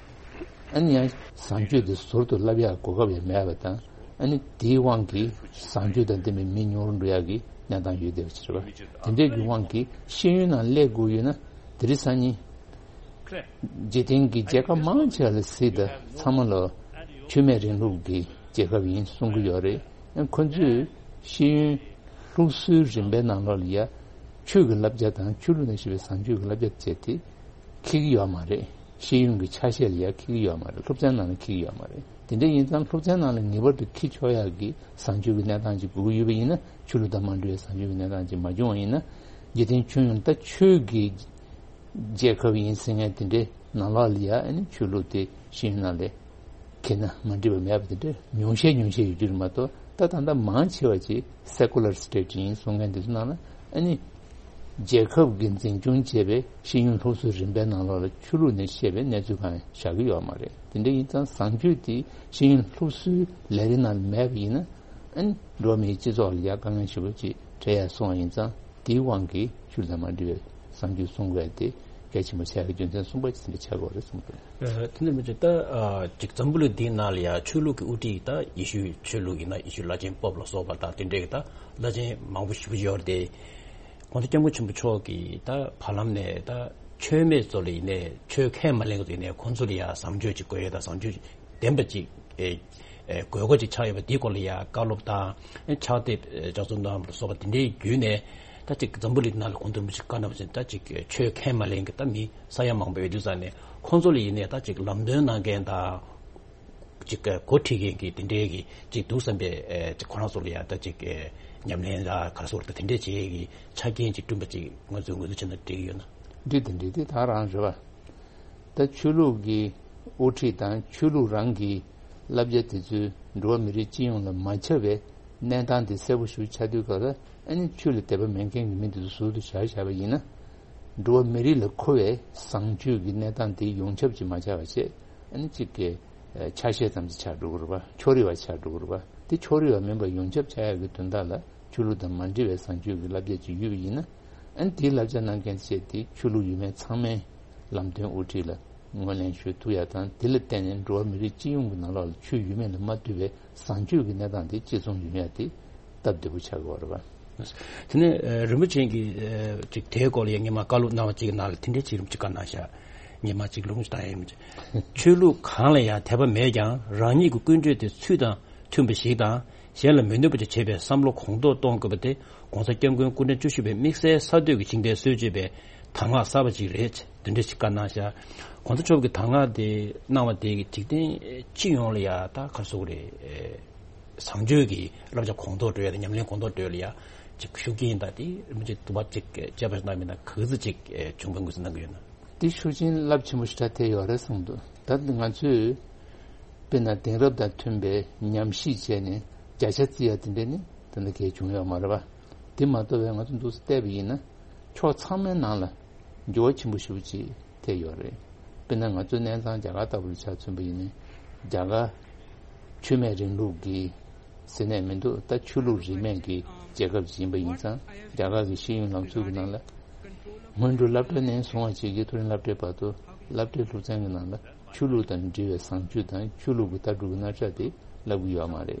ཨ་ནི་ཡང་བཟང་སྤྱོད་དེ་ཟུར་དུ་བསླབ་ཡག་གོ་སྐབས་ཡང་མེད་པ་དང་། ཨ་ནི་དེའི་དབང་གིས་བཟང་སྤྱོད་དང་ལྡན་པའི་མི་ཉུང་རུ་འགྲོ་ཡག་གི་གནས་སྟངས་ཡོད་བསྡད་པ་ཞིག་རེད་པ། དེ་འདྲའི་གི་དབང་གིས་ཤེས་ཡོན་ནང་སླེབས་དགོས་ཡོད་ན། དེ་རིང་སང་ཉིན་འཇིག་རྟེན་གྱི་རྒྱལ་ཁབ་མང་ཆེ་བ་ལ་གཟིགས་དང་ཚང་མ་ལ་ཆོས་མེད་རིང་ལུགས་ཀྱི་རྒྱལ་ཁབ་ཡིན་གསུང་གི་ཡོད་རེད། ཁོ་ཚོས་ཤེས་ཡོན་སློབ་གསོའི་རིམ་པའི་ནང་ལོགས་ལ་ཡ་ཆོས་ཀྱི་བསླབ་བྱ་དང་ཆོས་ལུགས་ནས་བཤད་པའི་བཟང་སྤྱོད་ཀྱི་བསླབ་བྱ་བྱས་ཏེ་འཁྱེར་གྱི་ཡོད་མ་རེད། ཤེས་ཡོན་གྱི་ཆ་ཤས་ལ་ཡ་འཁྱེར་གྱི་ཡོད་མ་རེད། སློབ་ཚན་ནང་ལ་འཁྱེར་གྱི་ཡོད་མ་རེད། དེ་འདྲ་ཡིན་ཙང་སློབ་ཚན་ནང་ལ་ངེས་པར་དུ་འཁྱེར་ཆོག་ཡག་གི་བཟང་སྤྱོད་ཀྱི་གནས་སྟངས་ཅིག་དགོས་ཀྱི་ཡོད་པ་ཡིན་ན། ཆོས་ལུགས་དང་མ་འདྲེས་པའི་བཟང་སྤྱོད་ཀྱི་གནས་སྟངས་ཅིག་མ་བྱུང་བ་ཡིན་ན། འཇིག་རྟེན་ཁྱོན་ཡོངས་ད་ཆོས་ཀྱི་རྒྱལ་ཁབ་ཡིན་ཟེར་མཁན་དེ་འདྲའི་ནང་ལོགས་ལ་ཡ་ཨ་ནི་ཆོས་ལུགས་དེ་ཤེས་ཡོན་ནང་ལ་འཁྱེར་ན་མ་འགྲིག་པ་མེད་པ་དེ་འདྲ་ཉུང་ཤས་ཉུང་ཤས་ཡོད་རྒྱུ་རེད་མ་གཏོགས། ད་ད་ལྟ་མང་ཆེ་བ་ཅིག་སེ་ཀུ་ལར་སི་ཊེ་ཊི་ཡིན་གསུང་མཁན་དེ་ཚོ་ནང་ལ་ཨ་ནི་རྒྱལ་ཁབ་ཀྱིས་འཛིན་སྐྱོང་བྱས་པའི་ཤེས་ཡོན་སློབ་གསོའི་རིམ་པའི་ནང་ལོགས་ལ་ཆོས་ལུགས་ནས་བཤད་པའི་གནས་ཚུལ་གང་ཡང་བཞག་གི་ཡོད་མ་རེད། དེ་འདྲ་ཡིན་ཙང་བཟང་སྤྱོད་དེ་ཤེས་ཡོན་སློབ་གསོའི་ལས་རིགས་ནང་ལ་མེད་པ་ཡིན་ན། ཨ་ནི་འགྲོ་བ་མིའི་སྤྱི་ཚོགས་ལ་ཡ་དཀའ་ངལ་ཞེ་པོ་ཅིག་འཕྲད་ཡ་སོང་བ་ཡིན་ཙང་། དེའི་དབང་གིས་ཆོས་དང་མ་འདྲེས་པའི་བཟང་སྤྱོད་སྲུང་དགོས་ཡ་དེ་གལ་ཆེན་པོ་ཆགས་ཀྱི་རྒྱུ་མཚན་གསུམ་པ་ཅིག་དེ་འདྲ་ཆགས་ཀྱི་ཡོད་རེད་བསམ་གྱི་འདུག་ཨ། དེ་འདྲ་མི་བྱེད་ད། ཨ། ཅིག་འཛམ་བུ་གླིང་འདིའི་ནང་ལ་ཡ་ཆོས་ལུགས་ཀྱི་དབུ་ཁྲིད་ད་ཡེ་ཤུའི་ཆོས་ལུགས་ཡིན་ན་ཡེ་ཤུ་བླ་ཆེན་པོབ་ལ་སོགས་པ་ད་དེ་འདྲའི་གི་ད་བླ་ཆེན་མང་པོ་ཞེ་པོ་ཡོད་རེད་དེ། གོང་ས་སྐྱབས་མགོན་ཆེན་པོ་མཆོག་གིས་ད་བར་ལམ་ནས་ད་ཆོས་མེད་ཚོ་ལ་ཡིན་ནའི་ཆོས་ཁས་མ་ལེན་ཚོ་ཡིན་ནའི་ཁོང་ཚོ་ལ་ཡ་བཟང་སྤྱོད་ཅིག་དགོས་ཡོད། ད་བཟང་སྤྱོད་ལྡན་པ་ཅིག་ཨེ་ དགོས་མཁོ་ཅིག་ཆགས་ཡོད་པ་འདིའི་སྐོར་ལ་ཡང་བཀའ་སློབ་དང་ཕྱག་དེབ་ལྗགས་རྩོམ་གནང་བ་ལ་སོགས་པ་དེ་འདྲའི་བརྒྱུད་ནས། ད་ཅིག་འཛམ་བུ་གླིང་ནང་ལ་གོང་དུ་རིན་པོ་ཆེས་བཀའ་གནང་བ་བཞིན། ད་ཅིག་ཆོས་ཁས་མ་ལེན་གྱི་ད་མི་ས་ཡ་མང་པོ་ཡོད་དུས་ཙང་ནས། ཁོང་ཚོ་ལ་ཡིན་ནའི་ད་ཅིག་ལམ་སྟོན་གནང་མཁན་དང་། ཅིག་འགོ་ཁྲིད་མཁན་གྱི་དེ་འདྲའི་གི་ཅིག་འདུག་བསམ་པའི་ཅིག་ཁོ་རང་ཚོ་ལ་ཡང་ད་ཅིག་ཉམས་ལེན་ལ་ག་རེ་ཟེར་དགོས་རེད། ད་དེ་འདྲའི་བྱེད་ཡས་ཀྱི་ཆ་རྐྱེན་ཅིག་བསྐྲུན་པ་ཅིག་ང་ཚོས་ངོས་འཛིན་བྱས་ན་འགྲིག་གི་ཡོད་ན། འགྲིག་དང་འགྲིག་དེ་ད་རང་རེད་བ། ད་ཆོས་ལུགས་ཀྱི་དབུ་ཁྲིད་དང་ཆོས་ལུགས་རང་གི་བསླབ་བྱ་དེ་ཚོས་འགྲོ་བ་མི་རིགས་སྤྱི་ཡོངས་ལ་མ་ཁྱབ་པའི་གནས་སྟངས་དེ་གསལ་པོ་ཞིག་ཆགས་དུས་སྐབས་ལ། ཨ་ནི་ཆོས་ལ་དད་པ་མེད་མཁན་གྱི་མི་དེ་ཚོ་ཟུར་དུ་བཞག་བཞག་པ་ཡིན་ན། འགྲོ་བ་མི་རིགས་ལ་མཁོ་བའི་བཟང་སྤྱོད་ཀྱི་གནས་སྟངས་དེ་ཡོངས་ཁྱབ་ཅིག་མ་ཆགས་པ་བྱས། ཨ་ནི་གཅིག་གི་ཆ་ཤས་ཙམ་ཅིག་ཆགས་འགྲོ་གི་རེད་པ། ཕྱོགས་རིས་པ་ཆགས་འགྲོ་གི་རེད་པ། དེ་ཕྱོགས་རིས་པ་མིན་པ་ཡོངས་ཁྱབ་ཆགས་ཡག་གི་དོན་དག་ལ་ཆོས་ལུགས་དང་མ་འབྲེལ་བའི་བཟང་སྤྱོད་ཀྱི་བསླབ་བྱ་ཅིག་ཡོད་པ་ཡིན་ན། ཨ་ནི་དེའི་བསླབ་བྱ་གནང་མཁན་བྱས་ཏེ་ཆོས་ལུགས་ཡོད་མེད་ཚང་མའི་ལམ་སྟོན་དབུ་ཁྲིད་ལ་ངོས་ལེན་ཞུ་ཐུབ་ཡ་དང་། དེ་ལ་བརྟེན་ནས་འགྲོ་བ་མི་རིགས་སྤྱི་ཡོངས་ཀྱི་ནང་ལོགས་ལ་ཆོས་ཡོད་མེད་ལ་མ་ལྟོས་པའི་བཟང་སྤྱོད་ཀྱི་གནས་སྟངས་དེ་གཅིག་མཚུངས་ཡོང་ཡ་དེ་སྟབས་བདེ་པོ་ཆགས་ཀྱི་ཡོད་རེད་པ། དེ་ནས་ཨ་རིན་པོ་ཆེ་གིས་ཨ་ཅིག་དེའི་སྐོར་ལ་ཡང་སྔོན་མ་བཀའ་སློབ་གནང་བ་ཅིག་གི་ནང་ལ་དེ་འདྲའི་ཅིག་རིན་པོ་ཆེས་བཀའ་གནང་ཤག་སྔོན་མ་ཅིག་ལུང་ཞིག་བཏང་ཡ་ཡིན་པ་ཅིག་ཆོས་ལུགས་གང་ལ་ཡང་དད་པ་མེད་ཀྱང་། རང་ཉིད་ཀྱི་ཀུན་སྤྱོད་དེ་ཚུལ་དང་མཐུན་པ་ཞིག་དང་། གཞན་ལ་མི་གནོད་པ་ཅིག་བྱེད་པའི་བསམ་བློ་གོང་མཐོར་གཏོང་དགོས་པ་དེ་༸གོང་ས་༸སྐྱབས་མགོན་སྐུ་ཕྲེང་བཅུ་བཞི་པའི་དམིགས་བསལ་གསར་གཏོད་ཀྱི་ཇི་འདྲའི་སྲོལ་འབྱེད་པའི་གདམས་ངག་གསར་པ་ཅིག་རེད། དེ་འདྲ་ཞིག་བཀའ་གནང་ཤག་གོང་ས་མཆོག་གིས་གདམས་ངག་དེ་གནང་བ་དེ་གིས་འཇིག་རྟེན་སྤྱི་ཡོངས་ལ་ཡ་ད་ག་རེ་ཟེར་དགོས་རེད། བཟང་སྤྱོད་ཀྱི་བསླབ་བྱ་གོང་མཐོར་འགྲོ་ཡ་དང་ཉམས་ལེན་གོང་མཐོར་འགྲོ་ཡ་ལ་ཡ་ཅིག་ཤུགས་རྐྱེན་དང་། དེ་རིན་པོ་ཆེ་དུ་བ་ཅིག་དཔྱད་པ་གནང་མིན་ན་ག་ཚོད་ཅིག་བྱུང་བའི་ངོས་སུ་གནང་གི་ཡོད་ན། དེ་ཤུགས་རྐྱེན་རླབས་ཆེན་པོ་ཞེ་དྲག་ཐེབས་ཡོད་རེད་བསམ་འདུག་ད་ང་ཚོས་དཔེར་ན་དེང་རབས་དང་མཐུན་པའི་ཉམས་ཞིབ་བྱས་ནས་བརྒྱ་ཆ་བརྩི་ཡ་དེ་འདྲ་ནི་ད་ལྟ་གས་བྱུང་ཡོད་མ་རེད་པ། དེ་མ་གཏོགས་པའི་ང་ཚོ་འདུག་སེ་བལྟས་པ་ཡིན་ན། ཕྱོགས་ཚང་མའི་ནང་ལ་འགྱུར་བ་ཆེན་པོ་ཞེ་པོ་ཅིག་ཐེབས་ཡོད་རེད། དཔེར་ན་ང་ཚོའི་གནས་ཚང་རྒྱ་གར་ལྟ་བུ་ལ་ཆ་མཚོན་པ་ཡིན་ན། རྒྱ་གར་ཆོས་མེད་རིང་ལུགས་ཀྱི་ཟེར་ནས་མི་འདུག་ད་ཆོས་ལུགས་རིས་མེད་ཀྱི་རྒྱལ་ཁབ་ཅིག་ཡིན་པ་ཡིན་ཙང་། རྒྱ་གར་གྱི་ཤེས་ཡོན་ལམ་སྲོལ་གྱི་ནང་ལ། སྔོན་འགྲོ་སློབ་གྲྭ་ནས་བཟུང་བ་བྱས་རྗེས་མཐོ་རིམ་སློབ་གྲྭའི་བར་དུ། སློབ་གྲྭའི་སློབ་ཚན་གྱི་ནང་ལ་ཆོས་ལུགས་དང་འབྲེལ་བའི་བཟང་སྤྱོད་དང་ཆོས་ལུགས་ཀྱི་ལྟ་གྲུབ་ཀྱི་རྣམ་གཞག་དེ་བསླབ་ཀྱི་ཡོད་མ་རེད།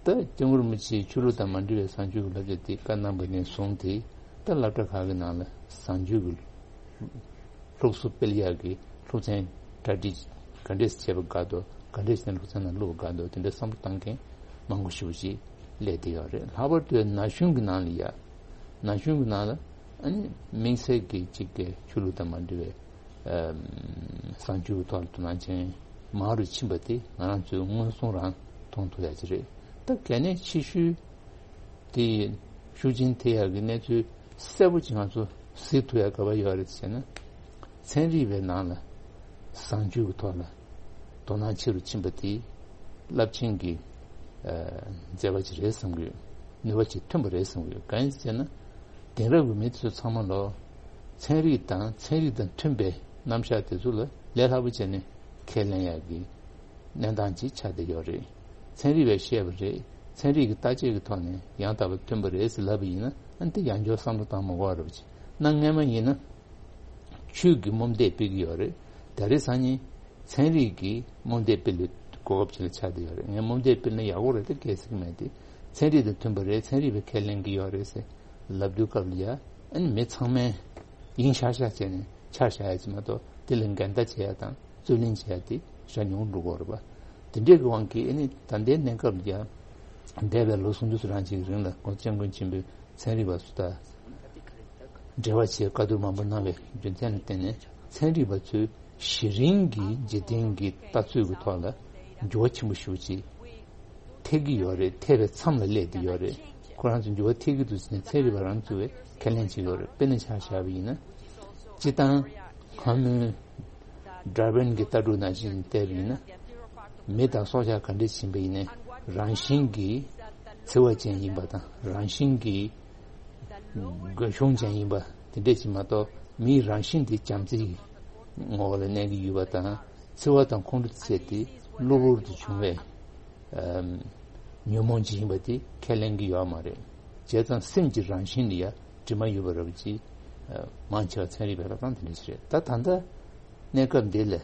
ད་སྐྱབས་མགོན་རིན་པོ་ཆེས་ཆོས་ལུགས་དང་མ་འབྲེལ་བའི་བཟང་སྤྱོད་ཀྱི་བསླབ་བྱ་དེ་བཀའ་གནང་པ་ནས་བཟུང་སྟེ། ད་སློབ་གྲྭ་ཁག་གི་ནང་ལ་བཟང་སྤྱོད་ཀྱི་སློབ་གསོ་སྤེལ་ཡག་གི་སློབ་ཚན་གྲ་སྒྲིག་ག་འདྲས་བྱས་པ་དགའ་འདུག་ག་འདྲས་བྱས་ནས་སློབ་ཚན་ནང་བླུགས་པ་དགའ་འདུག་དེ་འདྲ་བསམ་བློ་བཏང་མཁན་མང་པོ་ཞེ་པོ་ཅིག་སླེབས་བསྡད་ཡོད་རེད། ལྷག་པར་དུ་ན་གཞོན་གྱི་ནང་ལ་ཡ། ན་གཞོན་གྱི་ནང་ལ་ཨ་ནི་དམིགས་བསལ་གྱི་གཅིག་གི་ཆོས་ལུགས་དང་མ་འབྲེལ་བའི་ཨམ་བཟང་སྤྱོད་ཀྱི་ཐོག་ལ་དོ་སྣང་ཅན་མང་རུ་ཕྱིན་པ་དེ་ང་རང་ཚོས་མངོན་སུམ་རང་མཐོང་ཐུབ་ཡག་ཅིག་རེད། ད་གལ་གནད་ཆེ་ཤོས་དེ་ཤུགས་རྐྱེན་ཐེབས་ཡག་གི་གནས་ཚུལ་གསལ་པོ་ཅིག་ང་ཚོ་གཟིགས་ཐུབ་ཡག་ག་པར་ཡོད་རེད་ཟེར་ན། ཚན་རིག་པའི་ནང་ལ་བཟང་སྤྱོད་ཀྱི་ཐོག་ལ་དོ་སྣང་ཆེ་རུ་ཕྱིན་པ་དེ་རླབས་ཆེན་གྱི་ཨ་མཛད་པ་ཅིག་རེད་བསམ་གྱི་ཡོད། ནུས་པ་ཅིག་ཐོན་པ་རེད་བསམ་གྱི་ཡོད། གང་ཡིན་ཟེར་ན། དེང་རབས་ཀྱི་མི་ཚོ་ཚང་མ་ལོ། ཚན་རིག་དང་ཚན་རིག་དང་མཐུན་པའི་རྣམ་གཞག་དེ་ཚོ་ལ་ལས་སླ་པོ་བྱས་ནས་ཁས་ལེན་ཡག་གི་གནས་སྟངས་ཅིག་ཆགས་བསྡད་ཡོད་རེད། ཚན་རིག་པས་བཤད་པ་རེད། ཚན་རིག་གི་བརྟག་དཔྱད་ཀྱི་ཐོག་ནས་ཡང་དག་པ་ཐོན་པ་རེད་ཟེར་ལབ་པ་ཡིན་ན། ཨ་ནི་དེ་ཡང་བསྐྱར་བསམ་བློ་བཏང་མ་དགོས་པ་རེད་པ་ཅིག་གནའ་སྔ་མ་ཡིན་ན། ཆོས་ཀྱི་རྨོངས་དད་སྤེལ་གྱི་ཡོད་རེད། ད་རེས་སང་ཉིན་ཚན་རིག་གི་རྨོངས་དད་སྤེལ་བའི་གོ་སྐབས་ཅིག་ལ་ཆགས་བསྡད་ཡོད་རེད། ངས་རྨོངས་དད་སྤེལ་ན་ཡག་པོ་རེད། ད་སྐད་ཆ་མེད་དེ། ཚན་རིག་དང་མཐུན་པ་རེད། ཚན་རིག་པས་ཁས་ལེན་གྱི་ཡོད་རེད་ཟེར་ལབ་དུས་སྐབས་ལ་ཡ། ཨ་ནི་མི་ཚང་མས་ཡིན་ཤག་ཤག་བྱས་ནས་ཆ་བཞག་ཡ་ཅིག་མ་གཏོགས། དེ་ལ་འགལ་ཟླ་བྱེད་ཡ་དང་རྩོད་གླེང་བྱེད་ཡ་དེ་ཞེ་དྲག་ཉུང་རུ་འགྲོ་གི་ཡོད་རེད་པ། དེ་འདྲའི་གི་དབང་གིས་ཨ་ནི་ད་ལྟའི་གནས་སྐབས་ལ་ཡ། འདས་པའི་ལོ་སུམ་ཅུ་སོ་གྲངས་ཅིག་གི་རིང་ལ་༸གོང་ས་༸སྐྱབས་མགོན་ཆེན་པོས་ཚན་རིག་པ་ཚོ་དང་འབྲེལ་བ་བྱེད་བཀའ་བསྡུར་མང་པོ་གནང་བའི་རྒྱུ་མཚན་ལ་བརྟེན་ནས། ཚན་རིག་པ་ཚོས་གཞི་རིམ་གྱི་འཇིག་རྟེན་གྱི་ལྟ་ཚུལ་གྱི་ཐོག་ལ་འགྱུར་བ་ཆེན་པོ་ཞེ་པོ་ཅིག་ཐེབས་ཀྱི་ཡོད་རེད། ཐེབས་པའི་མཚམས་ལ་སླེབས་བསྡད་ཡོད་རེད། ཁོ་རང་ཚོ་འགྱུར་བ་ཐེབས་ཀྱི་འདུག་ཟེར་ནས་ཚན་རིག་པ་རང་ཚོ་བས་ཁས་ལེན་བྱེད་ཀྱི་ཡོད་རེད། དཔེར་ན་ཆ་བཞག་པ་ཡིན་ན། སྤྱིར་བཏང་སྔ་མོའི་ཌར་ཝིན་གྱི་ལྟ་གྲུབ་ནང་བཞིན་བལྟས་པ་ཡིན་ན། མི་དང་སྲོག་ཆགས་ག་འདྲས་ཡིན་པ་ཡིན་ནའི་རང་བཞིན་གྱིས་འཚེ་བ་ཅན་ཡིན་པ་དང་། རང་བཞིན་གྱིས་རྒོལ་གཞུང་ཅན་ཡིན་པ་དེ་འདྲས་ཅིག་མ་གཏོགས། མིའི་རང་བཞིན་དེ་བྱམས་བརྩེའི་ངོ་བོ་ལ་གནས་ཀྱི་ཡོད་པ་དང་། འཚེ་བ་དང་ཁོང་ཁྲོ་བཅས་དེ་གློ་བུར་དུ་བྱུང་བའི་ཨམ་ཉོན་མོངས་ཅིག་ཡིན་པ་དེ་ཁས་ལེན་གྱི་ཡོད་མ་རེད། བྱས་ཙང་སེམས་ཀྱི་རང་བཞིན་ལ་ཡ་དྲི་མ་ཡོད་པ་འདྲ་པོ་ཅིག་ཨ་མང་ཆེ་བ་ཚན་རིག་པས་ལབ་སྟངས་དེ་འདྲ་ཞིག་རེད། ད་ད་ལྟ་གནས་སྐབས་འདི་ལ།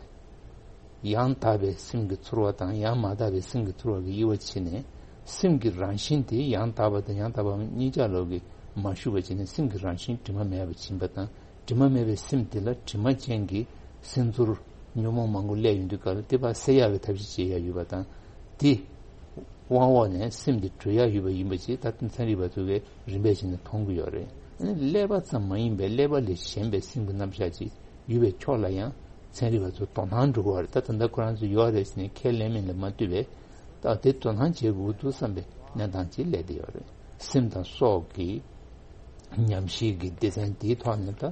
ཡང་དག་པའི་སེམས་ཀྱི་ཚོར་བ་དང་ཡང་མ་དག་པའི་སེམས་ཀྱི་ཚོར་བ་གི་དབྱེ་བ་ཕྱེ་ནས། སེམས་ཀྱི་རང་བཞིན་དེ་ཡང་དག་པ་དང་ཡང་དག་པ་མིན་གཉིས་ཆ་ལོག་གིས་མ་ཞུགས་པ་བྱས་ནས། སེམས་ཀྱི་རང་བཞིན་དྲི་མ་མེད་པ་ཡིན་པ་དང་། དྲི་མ་མེད་པའི་སེམས་དེ་ལ་དྲི་མ་ཅན་གྱི་སེམས་ཚོར་ཉོན་མོངས་མང་པོ་སླེབས་ཡོང་དུས་སྐབས་ལ། དེ་ཕར་སེལ་ཡག་གི་ཐབས་ཤེས་བྱེད་ཡག་ཡོད་པ་དང་། དེ་དབང་འོག་ནས་སེམས་དེ་གྲོལ་ཡག་ཡོད་པ་ཡིན་པ་ཅིག་ད་ལྟ་ཚན་རིག་པ་ཚོ་གིས་རིམ་པས་བྱས་ནས་མཐོང་གི་ཡོད་རེད། ཨ་ནི་ཀླད་པ་ཙམ་མ་ཡིན་པའི་ཀླད་པ་ལས་གཞན་པའི་སེམས་ཀྱི་རྣམ་གཞག་ཅིག་ཡོད་པའི་ཕྱོགས་ལ་ཡང་ཚན་རིག་པ་ཚོ་དོ་སྣང་འགྲོ་གི་ཡོད་རེད། ད་ད་ལྟ་ཁོ་རང་ཚོ་ཡོད་རེད་ཟེར་ནས་ཁས་ལེན་མིན་ལ་མ་ལྟོས་པའི་ད་དེ་དོ་སྣང་བྱེད་དགོས་འདུག་བསམ་པའི་གནས་སྟངས་ཅིག་སླེབས་བསྡད་ཡོད་རེད། སེམས་དང་སྲོག་གི་ཉམས་ཞིབ་ཀྱི་སྡེ་ཚན་དེའི་ཐོག་ནས་ད་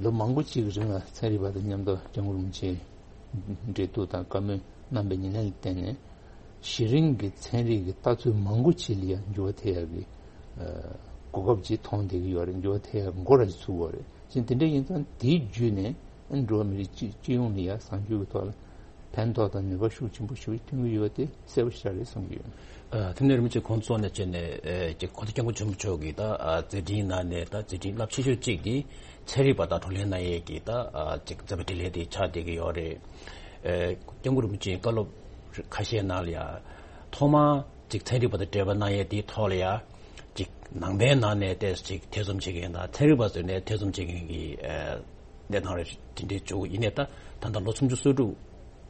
ལོ་མང་པོ་གཅིག་གི་རིང་ལ་ཚན་རིག་པ་དང་མཉམ་དུ་སྐྱབས་མགོན་རིན་པོ་ཆེ་འབྲེལ་གཏུག་དང་བཀའ་མོལ་གནང་པའི་ཉེ་ལམ་ལ་བརྟེན་ནས་གཞི་རིམ་གྱི་ཚན་རིག་གི་ལྟ་ཚུལ་མང་པོ་ཅིག་ལ་ཡང་འགྱུར་བ་ཐེབས་ཡག་གི་གོ་སྐབས་ཅིག་མཐོང་བསྡད་ཀྱི་ཡོད་རེད། འགྱུར་བ་ཐེབས་ཡག་གི་འགོ་ར་ཅིག་ཚུགས་ཡོད་རེད། ཅིང་དེ་འདྲ་ཡིན་ཙང་དེའི་བརྒྱུད་ནས་འགྲོ་བ་མི་རིགས་སྤྱི་སྤྱི་ཡོངས་ལ་ཡང་བཟང་སྤྱོད་ཀྱི་ཐོག་ལ་ཕན་ཐོགས་དང་ནུས་པ་ཤུགས་ཆེན་པོ་ཞིག་ཐོན་གྱི་ཡོད་པ་དེ་གསལ་པོ་ཤར་རེད་བསམ་གྱི་ཡོད། ཨ། དེ་ནས་རིན་པོ་ཆེ་ཁོང་གཙོ་ནས་བྱས་ནས་ཨེ་ཅིག་གོང་ས་སྐྱབས་མགོན་ཆེན་པོ་མཆོག་གིས་ད་ཨ་མཛད་འཕྲིན་ནང་ནས་ད་མཛད་འཕྲིན་རླབས་ཆེ་ཤོས་གཅིག་དེ་ཚན་རིག་པ་དང་བགྲོ་གླེང་གནང་ཡས་ཀྱི་ད་ཨ་ཅིག་མཛད་པ་འཕྲིན་ལས་དེ་ཆགས་བསྡད་ཀྱི་ཡོད་རེད། ཨེ་སྐྱབས་མགོན་རིན་པོ་ཆེའི་བཀའ་སློབ་ཁ་ཤས་ནང་ལ་ཡང་ཐོག་མར་ཅིག་ཚན་རིག་པ་དང་འབྲེལ་བ་གནང་ཡས་དེའི་ཐོག་ལ་ཡང་ཅིག་ནང་པའི་ནང་ནས་ཏོག་ཙམ་ཅིག་ཐེ་ཚོམ་བྱེད་མཁན་དང་ཚན་རིག་པ་ཚོའི་ནས་ཐེ་ཚོམ་བྱེད་མཁན་གྱི་ཨེ་གནས་སྟངས་རེ་དེ་འདྲའི་བྱུང་ཡིན་ནའི་ད་ད་ལྟ་ལོ་སུམ་ཅུ་སོ་དྲུག་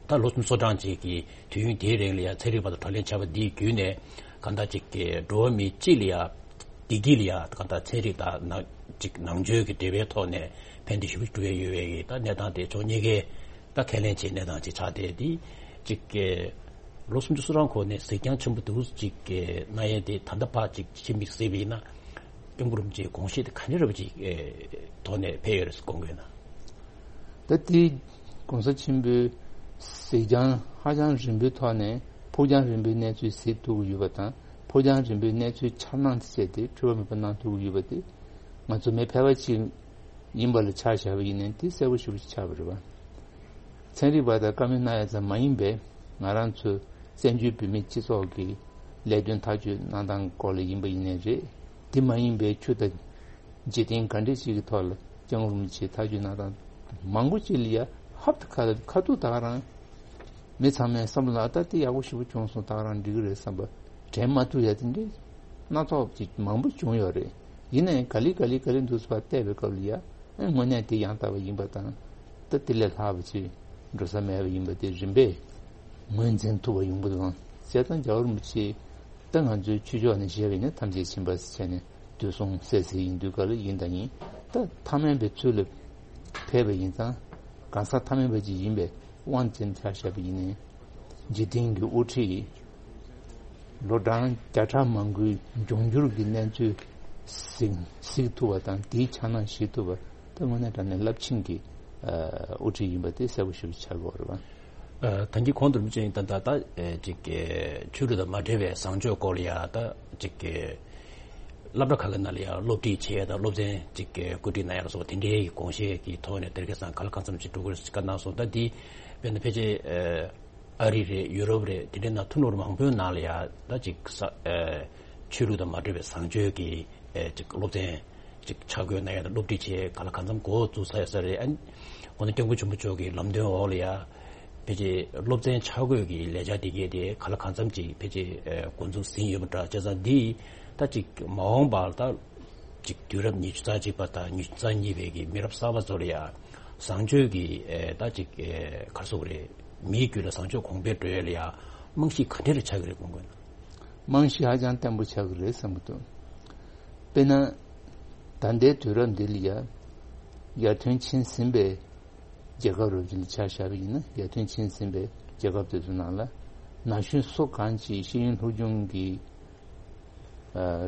ད་ལོ་སུམ་ཅུ་སོ་གྲངས་ཅིག་གི་དུས་ཡུན་དེའི་རིང་ལ་ཡང་ཚན་རིག་པ་དང་བགྲོ་གླེང་བྱས་པ་འདིའི་བརྒྱུད་ནས་གང་ལྟར་ཅིག་གི་འགྲོ་བ་མི་སྤྱི་ལ་ཡང་བདེ་སྐྱིད་ལ་ཡང་གང་ལྟར་ཚན་རིག་དང་ནང་ཅིག་ནང་ཆོས་ཀྱི་འབྲེལ་བའི་ཐོག་ནས་ཕན་བདེ་ཞེ་པོ་ཅིག་འགྲོ་ཡས་ཡོད་པའི་ད་གནས་སྟངས་དེ་ཕྱོགས་གཉིས་ཀའི་ད་ཁས་ལེན་བྱེད་གནས་སྟངས་ཅིག་ཆགས་བསྡད་དེ་ཅིག་གི་ལོ་སུམ་ཅུ་སོ་གྲངས་གོང་ནས་གཟིགས་རྒྱང་ཆེན་པོ་འདུག་ཅིག་གི་གནང་ཡས་དེ་ད་ལྟ་ཕར་ཅིག་ཕྱི་མིག་གཟིགས་པ་ཡིན་ན་སྐྱབས་མགོན་རིན་པོ་ཆེའི་དགོངས་བཞེད་དེ་ག་འདྲ་རབ་ཅིག་ཐོག་ནས་ཕེབས་ཡོད་རེད་ཟེར་དགོངས་དགོས་ན། ད་ལྟའི་གོང་ས་ཆེན་པོའི་གཟིགས་རྒྱང་ཧ་ཅང་རིང་པོའི་ཐོག་ནས་ཕུགས་རྒྱང་རིང་པོའི་གནས་ཚུལ་གཟིགས་ཐུབ་ཀྱི་ཡོད་པ་དང་ཕུགས་རྒྱང་རིང་པོའི་གནས་ཚུལ་འཆར་སྣང་དེ་བྱས་ཏེ་འཁྲུལ་བ་མེད་པ་གནང་ཐུབ་ཀྱི་ཡོད་པ་དེ་ང་ཚོ་མི་ཕལ་པ་ཅིག་ཡིན་པ་ལ་ཆ་བཞག་པ་ཡིན་ནའི་དེ་གསལ་པོ་ཞེ་པོ་ཅིག་ཆགས་པ་རེད་པ། ཚན་རིག་པ་དང་བཀའ་མོལ་གནང་ཡ་ཙམ་མ་ཡིན་པའི་ང་རང་ཚོ་བཙན་བྱོལ་བོད་མིའི་སྤྱི་ཚོགས་ཀྱི་ལས་དོན་ཐག་གཅོད་གནང་སྟངས་སྐོར་ལ་ཡིན་པ་ཡིན་ནའི་རེད། དེ་མ་ཡིན་པའི་ཆོས་དང་འཇིག་རྟེན་ག་འདྲ་ཞིག་གི་ཐོག་ལ་སྐྱབས་མགོན་རིན་པོ་ཆེས་ཐག་གཅོད་གནང་སྟངས་མང་པོ་ཅིག་ལ་ཡ་ཧབ་ཏུ་ཁ་ཁ་ཐུག་ད་ག་རང་མི་ཚང་མའི་བསམ་བློ་ལ་ད་དེ་ཡག་པོ་ཞེ་པོ་བྱུང་སོང་ད་ག་རང་འགྲིག་གི་རེད་བསམ་པ་དྲན་མ་ཐུབ་ཡ་དེ་འདྲའི་སྣ་ཚོགས་ཅིག་མང་པོ་བྱུང་ཡོད་རེད། ཡིན་ནའི་ག་ལེ་ག་ལེ་ག་ལེ་འདུག་སེ་ཕར་བལྟས་པའི་སྐབས་ལ་ཡ་དངོས་གནས་དེ་ཡང་དག་པ་ཡིན་པ་དང་། ད་དེ་ལས་ལྷག་པ་ཅིག་འགྲོ་ས་མེད་པ་ཡིན་པ་དེ་རིམ་པས་ངོས་འཛིན་ཐུབ་པ་ཡོང་གི་འདུག་ཨང་། བྱས་ཙང་རྒྱལ་བ་རིན་པོ་ཆེ་ད་ང་ཚོའི་ཆོས་ཕྱོགས་ནས་བཤད་པ་ཡིན་ན་ཐམས་ཅད་མཁྱེན་པ་ཟེར་བྱས་ནས་དུས་གསུང་སད་སེ་ཡིན་དུས་ག་ལ་ཡིན་དང་ཡིན་ད་ཐ་མལ་པའི་ཚུལ་ལ་ཕེབས་པ་ཡིན་ཙང་གང་ཟག་ཐ་མལ་པ་ཅིག་ཡིན་པའི་དབང་ཅན་ཆ་བཞག་པ་ཡིན་ནའི་འཇིག་རྟེན་གྱི་དབུ་ཁྲིད་ལོ་གྲངས་བརྒྱ་ཕྲག་མང་པོའི་འབྱུང་འགྱུར་གྱི་གནས་ཚུལ་གཟིགས་གཟིགས་ཐུབ་པ་དང་དེའི་འཆར་སྣང་ཞིག་ཐུབ་པ་ད་དངོས་གནས་དྲང་གནས་རླབས་ཆེན་གྱི་དབུ་ཁྲིད་ཡིན་པ་དེ་གསལ་པོ་ཞེ་པོ་ཆགས་ཀྱི་ཡོད་རེད་བ། ད་གིན་གོང་དུ་རིན་པོ་ཆེ་ད་ད་ད་ཅིག་ཆོས་ལུགས་དང་མ་འབྲེལ་བའི་བཟང་སྤྱོད་སྐོར་ལ་ཡ་ད་ཅིག་སློབ་གྲྭ་ཁག་གི་ནང་ལ་ཡ་སློབ་ཁྲིད་བྱེད་ཡ་དང་སློབ་ཚན་ཅིག་བཀོད་སྒྲིག་གནང་ཡ་ལ་སོགས་དེ་འདྲའི་དགོངས་བཞེད་ཀྱི་ཐོག་ནས་དེ་རིང་ཁ་སང་ག་ལ་གང་འཚམ་ཞིག་འགྲོ་དགོས་རེད་བཀའ་གནང་སོང་། ད་འདི་དཔེར་ན་ཕལ་ཆེར་ཨ་རི་རེད། ཡུ་རོབ་རེད། དེ་འདྲའི་ནང་ཐུན་མོང་མང་པོའི་ནང་ལ་ཡ་ད་ཅིག་ས་ཨ་ཆོས་ལུགས་དང་མ་འབྲེལ་བའི་བཟང་སྤྱོད་ཀྱི་ཨ་ཅིག་སློབ་ཚན་ཅིག་ཆ་བགོས་གནང་ཡ་དང་སློབ་ཁྲིད་བྱེད་ག་ལ་གང་འཚམ་འགོ་བཙུགས་ཚར་ཡོད་ས་རེད། ཨ་ནི་འོ་ན་སྐྱབས་མགོན་ཆེན་པོ་མཆོག་གི་ལམ་སྟོན་འོག་ལ་ཡ་ཕལ་ཆེར་སློབ་ཚན་ཆ་བགོས་ཀྱི་ལས་འཆར་དེ་གས་དེ་ག་ལ་གང་འཚམ་ཅིག་ཕལ་ཆེར་ཨ་འགོ་འཛུགས་ཟིན་ཡོད་པ་འདྲ། བྱས་ཙང་འདི་ད་ཅིག་མ་འོངས་པར་ད་ཅིག་དུས་རབས་ཉི་ཤུ་རྩ་གཅིག་པ་དང་ཉི་ཤུ་རྩ་གཉིས་པའི་གི་མི་རབས་གསར་པ་ཚོ་ལ་ཡ་བཟང་སྤྱོད་ཀྱི་ཨེ་ད་ཅིག་ཨེ་ག་རེ་ཟེར་དགོས་རེད། མིའི་རྒྱུད་ལ་བཟང་སྤྱོད་གོང་འཕེལ་འགྲོ་ཡ་ལ་ཡ་རྨང་གཞི་ག་འདྲ་རེ་ཆགས་ཀྱི་རེད་དགོངས་དགོས་ན། རྨང་གཞི་ཧ་ཅང་བརྟན་པོ་ཆགས་ཀྱི་རེད་བསམ་གྱི་འདུག་དཔེར་ན་ད་ལྟའི་དུས་རབས་འདི་ལ་ཡ་ཡར་ཐོན་ཕྱིན་ཟིན་པའི་རྒྱལ་ཁབ་རུ་ཆེན་ཆ་བཞག་པ་ཡིན་ན་ཡར་ཐོན་ཕྱིན་ཟིན་པའི་རྒྱལ་ཁབ་དེ་ཚོའི་ནང་ལ་ན་གཞོན་སུ་གང་ཅིག་ཤེས་ཡོན་སློབ་སྦྱོང་གི་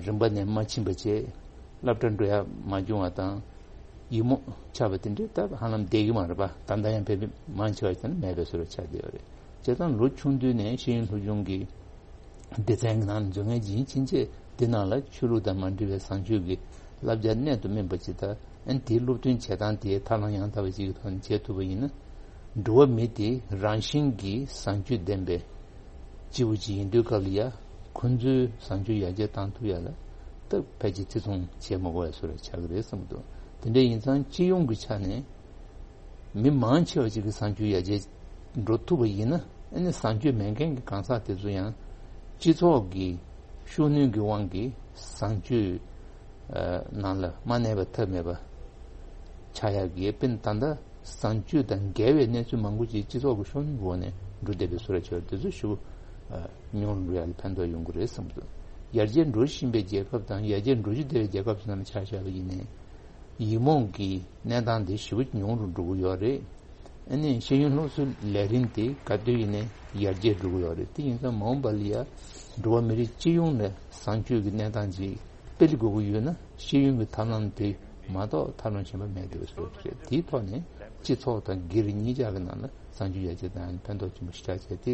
རིམ་པ་ནས་མ་ཕྱིན་པ་བྱས་སློབ་གྲྭ་འགྲོ་ཡ་མ་བྱུང་བ་དང་ཡིག་རྨོངས་ཆགས་པ་དེ་འདྲའི་སྟབས་ཧ་ལམ་བསྡད་ཀྱི་མ་རེད་པ། ད་ལྟ་ཡང་དཔེ་མང་ཆེ་བ་ཞིག་ནི་མེད་པའི་བཟོ་འདྲ་ཆགས་བསྡད་ཡོད་རེད། བྱས་ཙང་ལོ་ཆུང་དུས་ནས་ཤེས་ཡོན་སློབ་སྦྱོང་གི་སྡེ་ཚན་གྱི་ནང་ལ་འཛུལ་མཁན་ཅིག་ཡིན་ཕྱིན་ཆད་དེ་ནང་ལ་ཆོས་ལུགས་དང་མ་འབྲེལ་བའི་བཟང་སྤྱོད་ཀྱི་བསླབ་བྱ་གནད་དུ་སྨིན་པ་ཅིག་དང་། ཨ་ནི་དེའི་སློབ་སྟོན་བྱེད་སྟངས་དེ་ཐབས་ལམ་ཡང་དག་པ་ཅིག་གི་ཐོག་ནས་བྱེད་ཐུབ་པ་ཡིན་ན། འགྲོ་བ་མི་དེ་རང་བཞིན་གྱིས་བཟང་སྤྱོད་ལྡན་པའི་སྐྱེས་བུ་ཅིག་ཡིན་དུས་སྐབས་ལ་ཡ་ཁོང་ཚོའི་བཟང་སྤྱོད་ཡར་རྒྱས་བཏང་ཐུབ་ཡ་ལ་ད་ཕལ་ཆེར་བརྩི་མཐོང་བྱེད་མ་དགོས་པའི་བཟོ་འདྲ་ཆགས་ཀྱི་རེད་བསམ་གྱི་འདུག་དེ་འདྲ་ཡིན་ཙང་སྤྱི་ཡོངས་ཀྱི་ཆ་ནས་མི་མང་ཆེ་བ་ཅིག་གི་བཟང་སྤྱོད་ཡར་རྒྱས་འགྲོ་ཐུབ་པ་ཡིན་ན། ཨ་ནི་བཟང་སྤྱོད་མེད་མཁན་གྱི་གང་ཟག་དེ་ཚོ་ཡང་སྤྱི་ཚོགས་ཀྱི་ཤུགས་སྣོན་གྱི་དབང་གིས་བཟང་སྤྱོད་ནང་ལ་མ་གནས་པ་ཐབས་མེད་པ་ཆགས་ཡག་གི་དཔེར་ན་ད་ལྟ་བཟང་སྤྱོད་དང་འགལ་བའི་གནས་ཚུལ་མང་པོ་ཅིག་སྤྱི་ཚོགས་ཀྱི་ཤུགས་སྣོན་གྱི་འོག་ནས་འགྲོ་བསྡད་པའི་བཟོ་འདྲ་ཆགས་དེ་ཚོ་ཞུ་ ཉུང་རུ་འགྲོ་ཡ་ལ་ཕན་ཐོགས་ཡོང་གི་རེད་བསམ་འདུག་ཡར་རྒྱས་འགྲོ་བཞིན་པའི་རྒྱལ་ཁབ་དང་ཡར་རྒྱས་འགྲོ་བཞིན་བསྡད་པའི་རྒྱལ་ཁབ་ཚོ་ནང་ཆ་བཞག་པ་ཡིན་ནའི། ཡིག་རྨོངས་ཀྱི་གནས་སྟངས་དེ་ཞེ་པོ་ཉུང་རུ་འགྲོ་གི་ཡོད་རེད། ཨ་ནི་ཤེས་ཡོན་སློབ་གསོའི་ལས་རིམ་དེ་ག་དུས་ཡིན་ནའི་ཡར་རྒྱས་འགྲོ་གི་ཡོད་རེད། དེ་ཡིན་ཙང་མ་འོངས་པ་ལ་ཡ་འགྲོ་བ་མི་རིགས་སྤྱི་ཡོངས་ནས་བཟང་སྤྱོད་ཀྱི་གནས་སྟངས་ཅིག་སྤེལ་དགོས་ཀྱི་ཡོད་ན་ཤེས་ཡོན་གྱི་ཐབས་ལམ་དེ་མ་གཏོགས་ཐབས་ལམ་གཞན་པ་མེད་འདུག་ཟེར་བ་རེད། དེའི་ཐོག་ནས་སྤྱི་ཚོགས་དང་སྒེར་གཉིས་ཆ་གི་ནང་ལ་བཟང་སྤྱོད་ཡར་རྒྱས་བཏང་ཡ་ལ་ཕན་ཐོགས་ཆེན་པོ་ཞེ་དྲག་བྱས་ཏེ་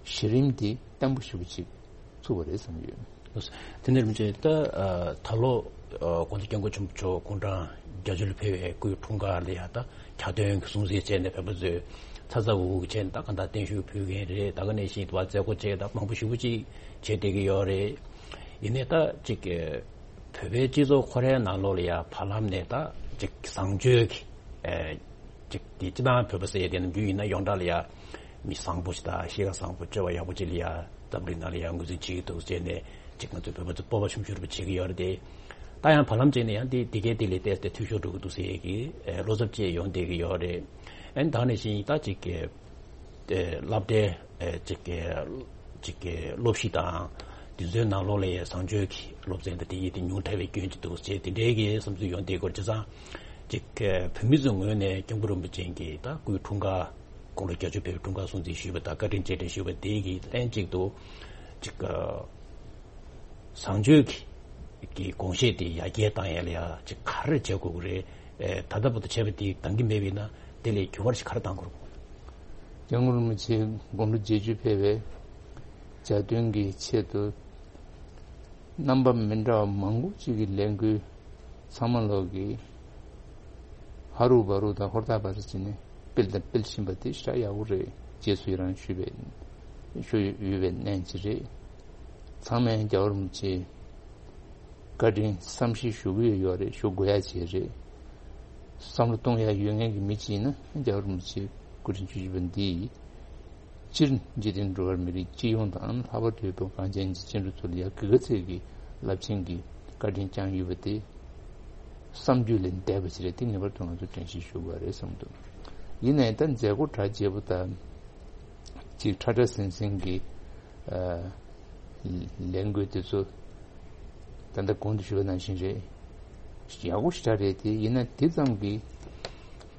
གཞི་རིམ་དེ་བརྟན་པོ་ཞེ་པོ་ཅིག་ཚུགས་པ་རེད་བསམ་གྱི་ཡོད། དེ་འདྲ་མི་བྱེད་ད། ད་ལོ་དགོང་དྲོ་སྐྱབས་མགོན་ཆེན་པོ་མཆོག་དགུང་གྲངས་བརྒྱད་ཅུ་ལ་ཕེབས་པའི་སྐུའི་འཁྲུངས་སྐར་ལ་ཡ་ད་ཁྱབ་སྟོན་གྱི་སྲུང་བརྩི་བྱས་ནས་བོད་པ་ཚོས་ཚ་ཚ་འུར་འུར་བྱས་ནས་ད་གང་ལྟར་བརྟན་བཞུགས་ཕུལ་མཁན་རེད། ད་ག་ནང་བཞིན་དུ་བ་མཛད་སྒོ་བྱས་ད་མང་པོ་ཞེ་པོ་ཅིག་བྱས་བསྡད་ཀྱི་ཡོད་རེད། ཡིན་ནའི་ད་ཅིག་བོད་པའི་སྤྱི་ཚོགས་ཁོ་རའི་ནང་ལོགས་ལ་ཡ་བར་ལམ་ནས་ད་ཅིག་བཟང་སྤྱོད་ཀྱི་ཅིག་དེ་སྤྱི་བཏང་བོད་པ་ཟེར་ཡ་དེ་ནམ་རྒྱུན་ཡིན་ན་ཡོངས་གྲགས་ལ་ཡ་མི་བཟང་པོ་ཞིག་དང་གཤིས་ཀ་བཟང་པོ་སྤྱོད་པ་ཡག་པོ་ཅིག་ལ་ཡ་འཛམ་གླིང་ནང་ལ་ཡ་ངོས་འཛིན་བྱེད་ཀྱི་འདུག་ཟེར་ནས་ཅིག་ང་ཚོ་བོད་པ་ཚོ་སྤོབས་པ་ཆུང་ཆུང་རུ་བྱེད་ཀྱི་ཡོད་རེད་དེ། ད་ཡང་བར་ལམ་ཅིག་ནས་ཡང་དེ་དེ་གའི་དེ་ལས་ཏོག་ཙམ་འཐུས་ཤོར་འགྲོ་གི་འདུག་ཟེར་ཡ་གི་བློ་འཚབ་ཅིག་ཡོང་བསྡད་ཀྱི་ཡོད་རེད། ཨ་ནི་ད་ནང་བཞིན་ད་ཅིག་གི་སློབ་གྲྭའི་ཅིག་གི་ཅིག་གི་སློབ་གཞི་དང་དེ་ཚོའི་ནང་ལོགས་ལ་ཡ་བཟང་སྤྱོད་ཀྱི་སློབ་ཚན་དང་དེ་ཡི་དེ་ཉུང་དྲགས་པའི་སྐྱོན་ཅིག་འདུག་ཅེས་དེ་འདྲའི་གི་བསམ་ཚུལ་ཡོང་བསྡད་སྐོར་བྱས་ཙང་། ཅིག་བོད་མི་ཚོའི་ངོས་ནས་སྐྱབས་མགོན་རིན་པོ་ཆེ་གི་ད་སྐུའི་འཁྲུངས་སྐར་དགུང་ལོ་བརྒྱད་ཅུ་ཕེབས་པའི་འཁྲུངས་སྐར་སྲུང་བརྩི་ཞུས་པ་དང་བཀའ་དྲིན་རྗེས་དྲན་ཞུས་པ་དེ་གི་ལན་གཅིག་ཏུ་ཅིག་བཟང་སྤྱོད་ཀྱི་དགོངས་བཞེད་དེ་ཡར་རྒྱས་བཏང་ཡ་ལ་ཡ་ཅིག་ག་རེ་བྱེད་དགོས་ཀྱི་རེད། ད་ལྟ་བར་དུ་བྱས་པ་དེ་འདང་གི་མེད་པ་ཡིན་ན་དེ་ལས་འགྱུར་བ་ཞིག་ག་རེ་གཏང་དགོས་རེད། སྐྱབས་མགོན་རིན་པོ་ཆེ་དགུང་ལོ་བརྒྱད་ཅུ་ཕེབས་པའི་གྱ་སྟོན་གྱི་ཆེད་དུ། རྣམ་པ་མི་འདྲ་བ་མང་པོ་ཅིག་གི་ལས་འགུལ་ཚང་མ་ལོག་གིས་ཧ་རུ་བ་རུ་དང་ཧོར་ཐག་བར་ཟེར་ནས་སྤེལ་དང་སྤེལ་བཞིན་པ་དེ་ཞེ་དྲག་ཡག་པོ་རེད། རྗེས་སུ་ཡི་རང་ཞུས་པའི་ཞུ་ཡོད་པའི་གནས་ཅིག་རེད། ཚང་མས་རྒྱལ་བ་རིན་པོ་ཆེ་བཀའ་དྲིན་བསམ་ཤེས་ཞུ་གི་ཡོད་རེད། ཞུ་དགོས་ཡ་བྱས་རེད། བསམ་བློ་གཏོང་ཡ་ཡོད་མཁན་གྱི་མི་ཅིག་ཡིན་ན་རྒྱལ་བ་རིན་པོ་ཆེ་སྐུ་ཕྲེང་བཅུ་བཞི་པ་འདི་སྤྱིར་འཇིག་རྟེན་འགྲོ་བ་མི་རིགས་སྤྱི་ཡོངས་དང་ལྷག་པར་དུ་བོད་གངས་ཅན་གྱི་སྐྱེ་འགྲོ་ཚོ་ལ་ཡ་གི་ག་ཚད་ཀྱི་རླབས་ཆེན་གྱི་བཀའ་དྲིན་བསྐྱངས་ཡོད་པ་དེ་བསམ་རྒྱུ་ལས་འདས་པ་ཞིག་རེད། དེ་ངེས་པར་དུ་ང་ཚོ་དྲན་ཤེས་ཞུ་དགོས་རེད་བསམ་འདུག་ཡིན་ནའི་ད་མཛད་སྒོ་གྲ་རྒྱས་པོ་དང་ཅིག་ཁྲ་ཁྲ་ཟིང་ཟིང་གི་ལས་འགུལ་དེ་ཚོ་ད་ལྟ་གོང་དུ་ཞུས་པ་ནང་བཞིན་རེད། ཡག་པོ་ཞེ་དྲག་རེད་དེ། ཡིན་ན་དེ་ཙམ་གྱིས་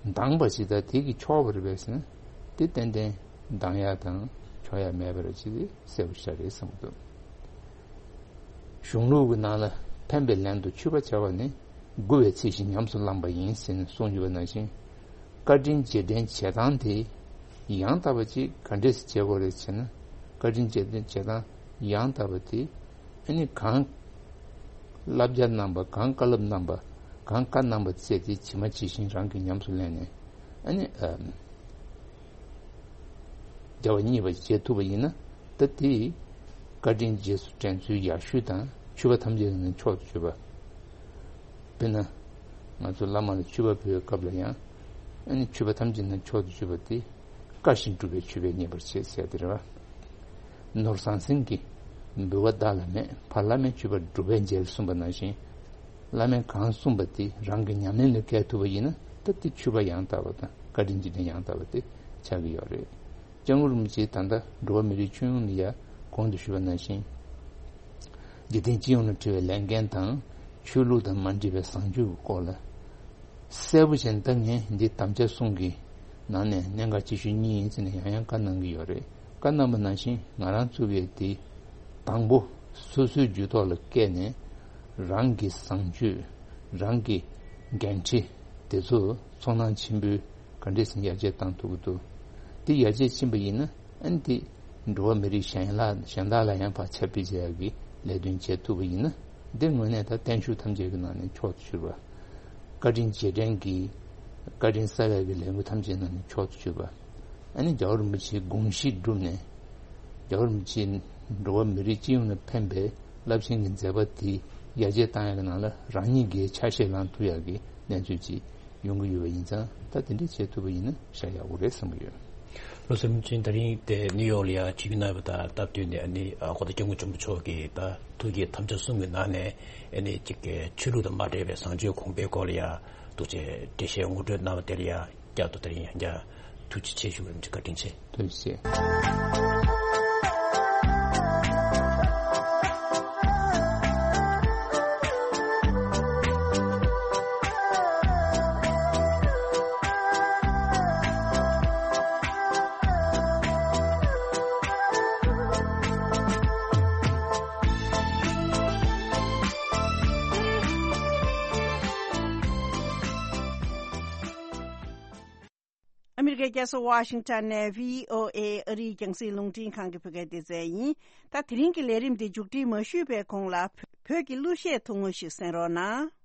འདང་བ་ཞིག་དང་དེ་གིས་ཆོག་པ་རེད་པས་ཟེར་ན་དེ་ཏན་ཏན་འདང་ཡག་དང་ཆོག་ཡག་མེད་པ་རེད། ཅི་དེ་གསལ་པོ་ཞེ་དྲག་རེད་བསམ་གྱི་འདུག་གཞུང་ལུགས་ཀྱི་ནང་ལ་ཕན་པའི་ལན་དུ་མཆོད་པ་བྱ་བ་ནི་མགུ་བའི་ཚིག་བཞིན་ཉམས་སུ་བླངས་པ་ཡིན་ཟེར་ནས་གསུངས་ཡོད་པ་ནང་བཞིན། བཀའ་དྲིན་རྗེས་དྲན་བྱེད་སྟངས་དེ་ཡང་དག་པ་ཅིག་ག་འདྲས་སེ་བྱེད་དགོས་རེད་ཟེར་ན། བཀའ་དྲིན་རྗེས་དྲན་བྱེད་སྟངས་ཡང་དག་པ་དེ་ཨ་ནི་གང་བསླབ་བྱ་གནང་པ། གང་བཀའ་སློབ་གནང་པ། གང་བཀའ་གནང་པ་བཙལ་ཏེ་ཇི་མ་ཇི་བཞིན་རང་གིས་ཉམས་སུ་ལེན་ནས་ཨ་ནི་ཨ་བྱ་བ་གཉིས་པ་བྱེད་ཐུབ་པ་ཡིན་ན་ད་དེ་བཀའ་དྲིན་རྗེས་སུ་དྲན་ཚུལ་ཡག་ཤོས་དང་མཆོད་པ་ཐམས་ཅད་ནི་མཆོག་ཏུ་གྱུར་པ། དཔེར་ན། ང་ཚོ་བླ་མ་ལ་མཆོད་པ་ཕུལ་བའི་སྐབས་ལ་ཡང་། ཨ་ནི་མཆོད་པ་ཐམས་ཅད་ནི་མཆོག་ཏུ་གྱུར་པ་དེ། བཀའ་བཞིན་སྒྲུབ་པའི་མཆོད་པས་མཉེས་པར་བྱེད་ཟེར་དེ་རེད་བ། ནོར་ཟང་ཟིང་གི་འབུལ་བ་བདག་ལ་མེད། ཕར་བླ་མའི་མཆོད་པ་སྒྲུབ་པས་མཇལ་གསུངས་པ་ནང་བཞིན། བླ་མས་གང་གསུངས་པ་དེ་རང་གི་ཉམས་ལེན་ལ་བཀལ་ཐུབ་པ་ཡིན་ན་ད་དེ་མཆོད་པ་ཡང་དག་པ་དང་བཀའ་དྲིན་རྗེས་དྲན་ཡང་དག་པ་དེ་ཆགས་ཀྱི་ཡོད་རེད། སྐྱབས་མགོན་རིན་པོ་ཆེས་ད་ལྟ་འགྲོ་བ་མི་རིགས་ཁྱོན་ཡོངས་ལ་ཡ་གོང་དུ་ཞུས་པ་ནང་བཞིན། འཇིག་རྟེན་སྤྱི་ཡོངས་ལ་འཁྲི་བའི་ལས་འགན་དང་ཆོས་ལུགས་དང་མ་འདྲེས་པའི་བཟང་སྤྱོད་ཀྱི་སྐོར་ལ། གསལ་པོ་བྱས་ནས་ད་ངས་འདི་དམ་བཅའ་གསུམ་གྱི་ནང་ནས་གནད་འགག་ཆེ་ཤོས་གཉིས་ཡིན་ཟེར་ནས་ཡང་ཡང་བཀའ་གནང་གི་ཡོད་རེད། བཀའ་གནང་པ་ནང་བཞིན་ང་རང་གཙོས་པའི་འདི་དང་པོ་སོ་སོའི་རྒྱུད་ཐོག་ལ་བཀལ་ནས་རང་གི་བཟང་སྤྱོད། རང་གི་འགན་འཁྲི་དེ་ཚོ་ཚོར་སྣང་ཆེན་པོས་ག་འདྲས་སེ་ཡར་རྒྱས་བཏང་ཐུབ་ཀྱི་འདུག་འདི་ཡར་རྒྱས་ཕྱིན་པ་ཡིན་ན་ཨ་ནི་འདི་འགྲོ་བ་མི་རིགས་གཞན་ལ་གཞན་དག་ལ་ཡང་ཕར་ཁྱབ་སྤེལ་བྱེད་ཡག་གི་ལས་དོན་བྱེད་ཐུབ་པ་ཡིན་ན་འདི་དངོས་གནས་ད་བརྟན་བཞུགས་ཐམས་ཅད་ཀྱི་ནང་ནས་མཆོག་ཏུ་གྱུར་པ། བཀའ་དྲིན་རྗེས་དྲན་གྱི་བཀའ་དྲིན་གསབ་ཡག་གི་ལས་འགུལ་ཐམས་ཅད་ནང་ནས་མཆོག་ཏུ་གྱུར་པ། ཨ་ནི་རྒྱལ་བ་རིན་པོ་ཆེའི་དགོངས་གཞི་བསྒྲུབས་ནས་རྒྱལ་བ་རིན་པོ་ཆེའི་འགྲོ་བ་མི་རིགས་སྤྱི་ཡོངས་ལ་ཕན་པའི་རླབས་ཆེན་གྱི་མཛད་པ་དེ་ཡར་རྒྱས་བཏང་ཡག་གི་ནང་ལ་རང་ཉིད་ཀྱིས་ཆ་ཤས་བླངས་ཐུབ་ཡག་གི་གནས་ཚུལ་ཅིག་ཡོང་གི་ཡོད་པ་ཡིན་ཙང་ད་དེ་འདྲ་བྱེད་ཐུབ་པ་ཡིན་ན་ཤ་ཡག་པོ་རེད་བསམ་གྱི་ཡོད། བློ་བཟང་རིན་པོ་ཆེ་ད་རིང་དེ་ནིའུ་ཡོག་ལ་ཡ་ཆིབས་བསྒྱུར་གནང་བ་དང་སྟབས་བསྟུན་ནས་ཨ་ནི་ཨ་གོང་ས་སྐྱབས་མགོན་ཆེན་པོ་མཆོག་གིས་ད་ཐུགས་ཀྱི་དམ་བཅའ་གསུམ་གྱི་ནང་ནས་ཨ་ནི་ཅིག་གི་ཆོས་ལུགས་དང་མ་འབྲེལ་བའི་བཟང་སྤྱོད་གོང་འཕེལ་སྐོར་ལ་ཡ་འདུག་ཅེས་འགྲེལ་བཤད་ངོ་སྤྲོད་གནང་བ་དེ་ལ་ཡ་བསྐྱར་དུ་ད་རིང་ཡང་བསྐྱར་ཐུགས་རྗེ་ཆེ་ཞུ་བར་བཀའ་དྲིན་ཆེ། ཐུགས་རྗེ་ཆེ། སྐད། རྒྱལ་ས་ཝ་ཤིང་ཊོན་ནས་བྷི་ཨོ་ཨེ་ཨ་རིའི་རྒྱང་སྲིང་རླུང་འཕྲིན་ཁང་གི་བོད་སྐད་སྡེ་ཚན་ཡིན། ད་དེ་རིང་གི་ལས་རིམ་འདི་མཇུག་སྒྲིལ་མ་ཞུས་པའི་གོང་ལ། བོད་ཀྱི་གླུ་གཞས་ཐུང་ངུ་ཞིག་གསན་རོགས་གནང་།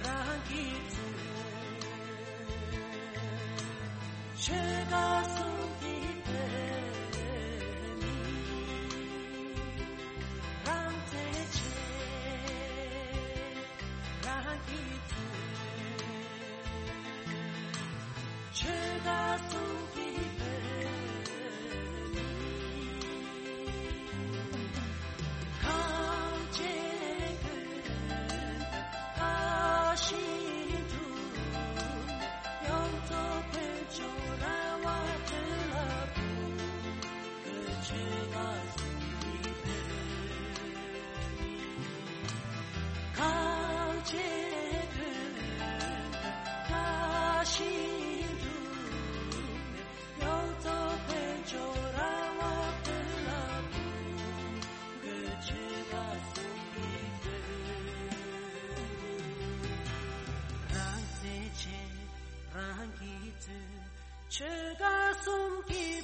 རང་གི་ཚུལ། ཆོས་བདག་གསུམ་གྱི་བོད་མི་ཁམས་ཀྱི་བོད་ཀ་ཤི་འདུག་ཡོངས་རྫོགས་དཔལ་འབྱོར་ར་བ་བོད་ལ་ཕུལ། ཆོས་བདག་གསུམ་གྱི་བོད་མི་ཁམས་ཀྱི་བོད་མི་ཁ་ཤི་འཁྲུག་ནས་ཡོངས་རྫོགས་དཔལ་འབྱོར་ར་བ་དེ་ལ་ཕུལ་གྱི་ཆོས་བདག་གསུམ་གྱི།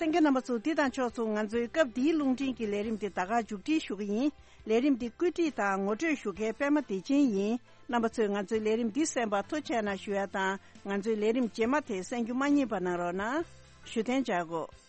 གསན་མཁན་རྣམ་པ་ཚོ། འདི་དང་ཕྱོགས་མཚུངས་ང་ཚོའི་སྐབས་འདིའི་རླུང་འཕྲིན་གྱི་ལས་རིམ་འདི་ད་ག་མཇུག་སྒྲིལ་ཞུ་གི་ཡིན། ལས་རིམ་འདི་བཀོད་སྒྲིག་དང་ངོ་སྤྲོད་ཞུ་མཁན་པད་མ་བདེ་ཆེན་ཡིན། རྣམ་པ་ཚོས་ང་ཚོའི་ལས་རིམ་འདི་གསན་པར་ཐུགས་རྗེ་གནང་ཞུ་ཡ་དང་། ང་ཚོའི་ལས་རིམ་རྗེས་མ་དེ་གསན་རྒྱུ་མ་བསྙེལ་བ་གནང་རོགས་གནང་། བཞུགས་གདན་འཇགས་དགོས།